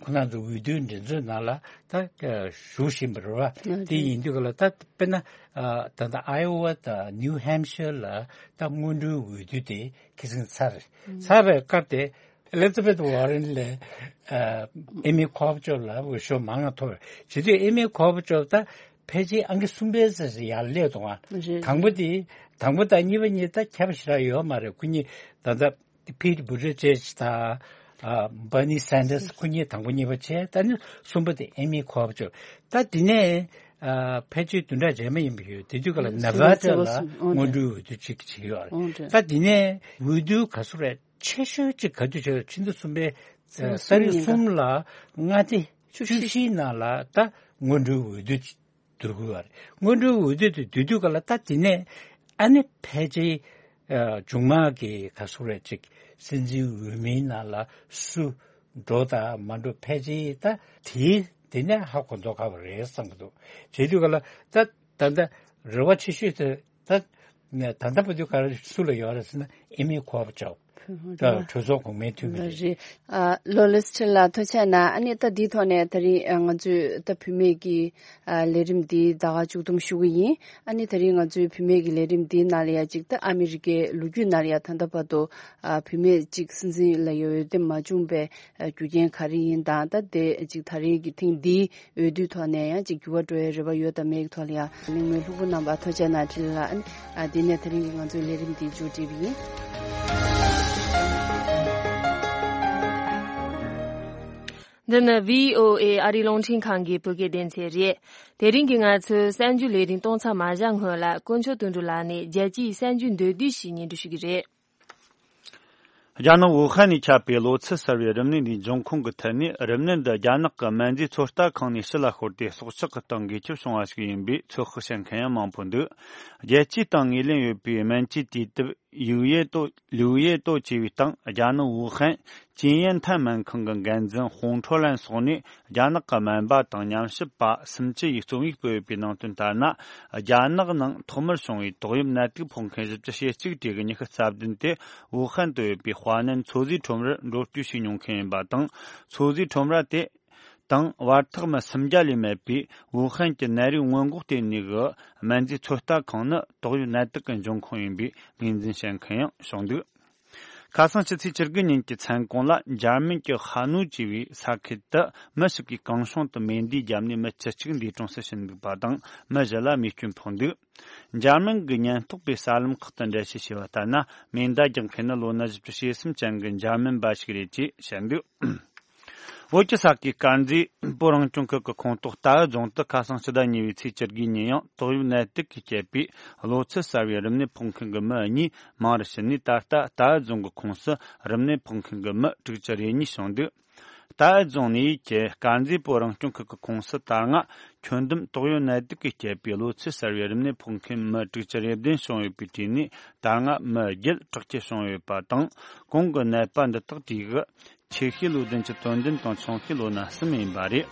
ཁོ་རང་ཚོ་འོས་བསྡུའི་འགྲན་རྩོད་ནང་ལ་ད་ཨ་ཞུགས་བཞིན་པ་རེད་བ། དེ་ཡིན་དུས་ག་ལ་ད་དཔེར་ན་ཨ་ད་ལྟ་ཨའི་ཝ་དང་ནིའུ་ཧེམ་ཤར་ལ་ད་སྔོན་འགྲོའི་འོས་བསྡུ་དེ་ཁེ་སང་ཚར་ཚར་བའི་སྐབས་དེ། ཨེ་ལི་ཛ་བེད་ཝོ་རེན་ལས་ཨ་ཨེ་མི་ཁོ་བ་ཅོབ་ལ་འོས་ཤོག་མང་ང་ཐོབ་རེད། བྱེད་དུས་ཨེ་མི་ཁོ་བ་ཅོབ་ད་ཕལ་ཆེར་ཨང་ཀི་གསུམ་པའི་རྩེ་ཟེར་ཡར་སླེབས་འདུག་ཨ། རེད། དང་པོ་དེ་དང་པོ་དང་གཉིས་པ་གཉིས་ད་ཁྱད་པར་ཞེ་དྲག་ཡོད་མ་རེད། ཁོ་གཉིས་ད་ལྟ་ཕིཊ་བུ་ཏི་ཇེཇ་དང་ཨ་བར་ནི་སན་ཌར་སི། ཁོ་གཉིས་དང་པོ་གཉིས་པ་བྱས། ད་ནི་གསུམ་པ་དེ་ཨེ་མི་ཁོ་བ་ཅོབ། ད་དེ་ནས་ཨ་ཕལ་ཆེར་བདུན་ཕྲག་རྗེས་མ་ཡིན་པ་ཡོད། དེ་དུས་ག་ལ་ཨ་ནེ་བྷ་ཌ་ལ་སྔོན་འགྲོའི་འོས་བསྡུ་གཅིག་བྱས་ཡོད་རེད། ད་དེ་ནས་འོས་བསྡུ་ག་ཚོད་རེད། ཆེ་ཤོས་གཅིག་ག་དུས་བྱས། ཕྱི་ཟླ་གསུམ་པའི་ཨ་ཏ་རིག་གསུམ་ལ་མངའ་སྡེ་བཅུ་བཞིའི་ནང་ལ་ད་སྔོན་འགྲོའི་འོས་བསྡུ་བསྡུ་དགོས་པ་རེད། སྔོན་འགྲོའི་འོས་བསྡུ་དེ་བསྡུ་དུས་ག་ལ་ད་དེ་ནས་ཨ་ནི་ཕལ་ཆེར་ཨ་མཇུག་མ་གི་ག་ཚོད་རེད་ཅིག་སྲིད་འཛིན་འོས་མིའི་ནང་ལ་སུ་འགྲོ་དང་མ་འགྲོ་ཕལ་ཆེར་ད་དེའི་དེ་ནས་ཧ་གོ་མདོག་ཁ་པོ་རེད་བསམ་གྱི་འདུག། བྱེད་དུས་ག་ལ་ད་ད་ལྟ་རེ་བ་ཆེ་ཤོས་དེ་ད་ད་ལྟ་བར་དུ་ག་རེ་སུ་ལ་ཡོད་རེད་ཟེར་ན་ཨེ་མི་ཁོ་བ་ཅོབ་ད་གྲོས་ཚོགས་གོང་མའི་འཐུས་མི་རེད། རེད། ཨ་ལོ་ལིས་ཁྲིན་ལགས་ཐུགས་རྗེ་གནང་། ཨ་ནི་ད་འདིའི་ཐོག་ནས་ད་རིང་ཨ་ང་ཚོས་ད་བུད་མེད་ཀྱི་ཨ་ལས་རིམ་འདི་ད་ག་མཇུག་བསྡོམས་ཞུ་གི་ཡིན། ཨ་ནི་ད་རིང་ང་ཚོའི་བུད་མེད་ཀྱི་ལས་རིམ་འདིའི་ནང་ལ་ཡ་གཅིག་ད་ཨ་མི་རི་ཀའི་ལོ་རྒྱུས་ནང་ལ་ཡ་ད་ལྟ་བར་དུ་ཨ་བུད་མེད་གཅིག་སྲིད་འཛིན་ལ་ཡ་འོས་འདེམས་མ་བྱུང་པའི་ཨ་རྒྱུ་རྐྱེན་ག་རེ་ཡིན་དང་། ད་དེ་གཅིག་ད་རིང་གི་ཐེངས་འདིའི་འོས་བསྡུའི་ཐོག་ནས་ཡང་གཅིག་འགྱུར་བ་འགྲོ་ཡའི་རེ་བ་ཡོད་དམ་མེད་ཀྱི་ཐོག་ལ་ཡང་གླེང་མོལ་ལྷུག་པོ་གནང་བར་ཐུགས་རྗེ་གནང་། འཕྲིན་ལས་ལགས། ཨ་ནི་ཨ་འདི་ནས་ད་རིང་གི་ང་ཚོའི་ལས་རིམ་འདི་མཇུག་སྒྲིལ་བ་ཡིན། འདི་ནི་བྷི་ཨོ་ཨེ་ཨ་རིའི་རླུང་འཕྲིན་ཁང་གི་བོད་སྐད་སྡེ་ཚན་རེད། དེ་རིང་གི་ང་ཚོའི་གསར་འགྱུར་ལས་རིམ་གཏོང་མཚམས་མ་བཞག་སྔོན་ལ་དཀོན་མཆོག་དོན་གྲུབ་ལགས་ནས་རྒྱལ་སྤྱིའི་གསར་འགྱུར་མདོར་བསྡུས་ཤིག་སྙན་སྒྲོན་ཞུ་གི་རེད། རྒྱ་ནག་ཝུ་ཧན་ནས་ཁྱབ་པའི་གློ་ཚད་གསར་བའི་རིམས་ནད་འདིའི་འབྱུང་ཁུངས་ཀྱི་ཐད་ནས། རིམས་ནད་འདི་རྒྱ་ནག་གི་སྨན་རྫས་ཚོད་ལྟ་ཁང་ནས་ཕྱི་ལ་ཤོར་ཏེ་སྲོག་ཆགས་ཀྱི་སྟེང་འགོས་ཁྱབ་བྱུང་བ་ཞིག་ཡིན་པའི་ཚོད་དཔག་བྱེད་མཁན་ཡང་མང་པོ་འདུག། རྒྱལ་སྤྱིའི་སྟེང་ངོས་ལེན་ཡོད་པའི་སྨན་བཅོས་དུས་དེབ་ལིའུ་ཡེ་ཏོ། ལིའུ་ཡེ་ཏོ་ཅེས་པའི་སྟེང་། རྒྱ་ནག་ཝུ་ཧན་ཅིན་ཡན་ཐན་སྨན་ཁང་གི་འགན་འཛིན་ཧོང་ཁྲོ་ལན་སོགས་ནས། རྒྱ་ནག་གི་སྨན་པ་དང་ཉམས་ཞིབ་པ་སུམ་ཅུ་ཡིས་རྩོམ་ཡིག་སྤེལ་ཡོད་པའི་ནང་དོན་ལྟར་ན། རྒྱ་ནག་ནང་ཐོག་མར་བྱུང་བའི་ཏོག་དབྱིབས་ནད་དུག་ཕོག་མཁན་བཞི་བཅུ་ཞེ་གཅིག་གྲས་ཀྱི་ཉི་ཤུ་རྩ་བདུན་དེ་ཝུ་ཧན་དུ་ཡོད་པའི་དཔའ་ནན་མཚོ་ཟས་ཁྲོམ་རར་འགྲོ་སྐྱོད་བྱས་མྱོང་མཁན་ཡིན་པ་དང་། མཚོ་ཟས་ཁྲོམ་ར་དེ་དང་བར་ཐག་མི་སུམ་བརྒྱ་ལས་མེད་པའི་ཝུ་ཧན་གྱི་ནད་རིགས་སྔོན་འགོག་ལྟེ་གནས་ཀྱི་སྨན་རྫས་ཚོད་ལྟ་ཁང་ནི་ཏོག་དབྱིབས་ནད་དུག་གི་འབྱུང་ཁུངས་ཡིན་པའི་ངོས་འཛིན་བྱེད་མཁན་ཡང་བྱུང་འདུག། ཁ་སང་ཕྱི་ཚེས་བཅུ་དགུ་ཉིན་གྱི་མཚན་གུང་ལ། འཇར་མན་གྱི་ཧ་ནོ་ཅེས་པའི་ས་ཁུལ་དུ་མི་ཞིག་གིས་གང་བྱུང་དུ་མེ་མདའི་རྒྱབ་ནས་མི་བཅུ་གཅིག་འདས་གྲོངས་སུ་ཕྱིན་འདུག་པ་དང་། མི་བཞི་ལ་རྨས་སྐྱོན་ཕོག་འདུག། འཇར་མན་གྱི་ཉེན་རྟོག་པས་གསར་ལམ་ཁག་ཏུ་འགྲེལ་བཤད་བྱས་པ་ལྟར་ན། མེ་མདའ་རྒྱག་མཁན་ནི་ལོ་ན་བཞི་བཅུ་ཞེ་གསུམ་ཅན་གྱི་འཇར་མན་པ་ཞིག་རེད་ཅེས་བཤད་འདུག། བོད་ཀྱི་ས་དགུའི་དཀར་མཛེས་བོད་རང་སྐྱོང་ཁུལ་གྱི་ཁོངས་གཏོགས་རྟའུ་རྫོང་དུ་ཁ་སང་ཕྱི་ཟླ་གཉིས་པའི་ཚེས་བཅུ་དགུའི་ཉིན་ཡང་ཏོག་དབྱིབས་ནད་དུག་གིས་བསྐྱེད་པའི་གློ་ཚད་གསར་བའི་རིམས་ནད་ཕོག་མཁན་གྱི་མི་གཉིས་མང་རུ་ཕྱིན་ནས། ད་ལྟ་རྟའུ་རྫོང་གི་ཁོངས་སུ་རིམས་ནད་ཕོག་མཁན་གྱི་མི་དྲུག་ཅུ་རེ་གཉིས་བྱུང་འདུག། རྟའུ་རྫོང་ནས་ཡུལ་གྱི་དཀར་མཛེས་བོད་རང་སྐྱོང་ཁུལ་གྱི་ཁོངས་སུ་ད་སྔ་ཁྱོན་བསྡོམས་ཏོག་དབྱིབས་ནད་དུག་གིས་བསྐྱེད་པའི་གློ་ཚད་གསར་བའི་རིམས་ནད་ཕོག་མཁན་མི་དྲུག་ཅུ་རེ་བདུན་བྱུང་ཡོད་པའི་གྲས་ནས། ད་སྔ་མི་བརྒྱད་དྲག་སྐྱེད་བྱུང་ཡོད་པ་དང་། གོང་གི་ནད་པ་འདི་དག་གྲས་ཀྱི་ཆེ་ཤོས་ལོ་བདུན་ཅུ་དོན་བདུན་དང་ཆུང་ཤོས་ལོ་ན་གསུམ་ཡིན་པ་རེད།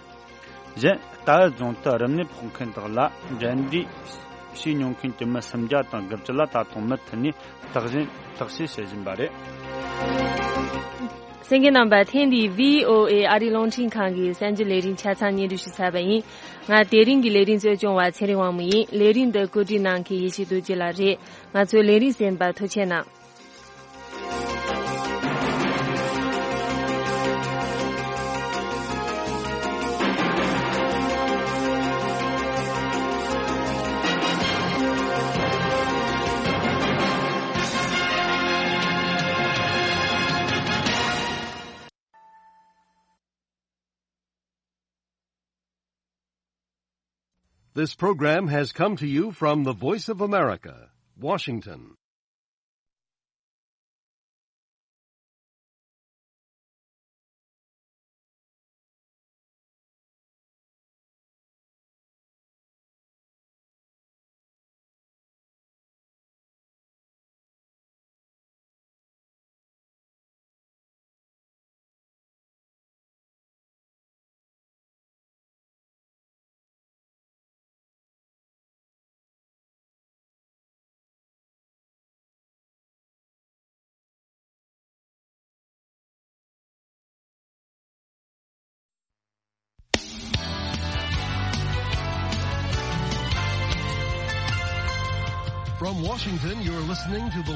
གཞན་རྟའུ་རྫོང་དུ་རིམས་ནད་ཕོག་མཁན་དག་ལ་འབྲེལ་འདྲིས་བྱས་མྱོང་མཁན་གྱི་མི་སུམ་བརྒྱ་དང་དགུ་བཅུ་ལ་ད་དུང་མུ་མཐུད་ནས་བརྟག་ཞིབ་བརྟག་དཔྱད་བྱེད་བཞིན་པ་རེད། གསན་མཁན་རྣམ་པ། ཐེངས་འདིའི་བྷི་ཨོ་ཨེ་ཨ་རིའི་རླུང་འཕྲིན་ཁང་གི་གསར་འགྱུར་ལས་རིམ་ཆ་ཚང་སྙན་སྒྲོན་ཞུས་ཚར་བ་ཡིན། ང་དེ་རིང་གི་ལས་རིམ་གཙོ་སྐྱོང་བ་ཚེ་རིང་དབང་མོ་ཡིན། ལས་རིམ་འདི་གོ་སྒྲིག་གནང་མཁན་ཡེ་ཤེས་རྡོ་རྗེ་ལགས་རེད། ང་ཚོའི་ལས་རིམ་གསན་པར་ཐུགས་རྗེ་གནང་། This program has come to you from the Voice of America, Washington. Washington, you're listening to the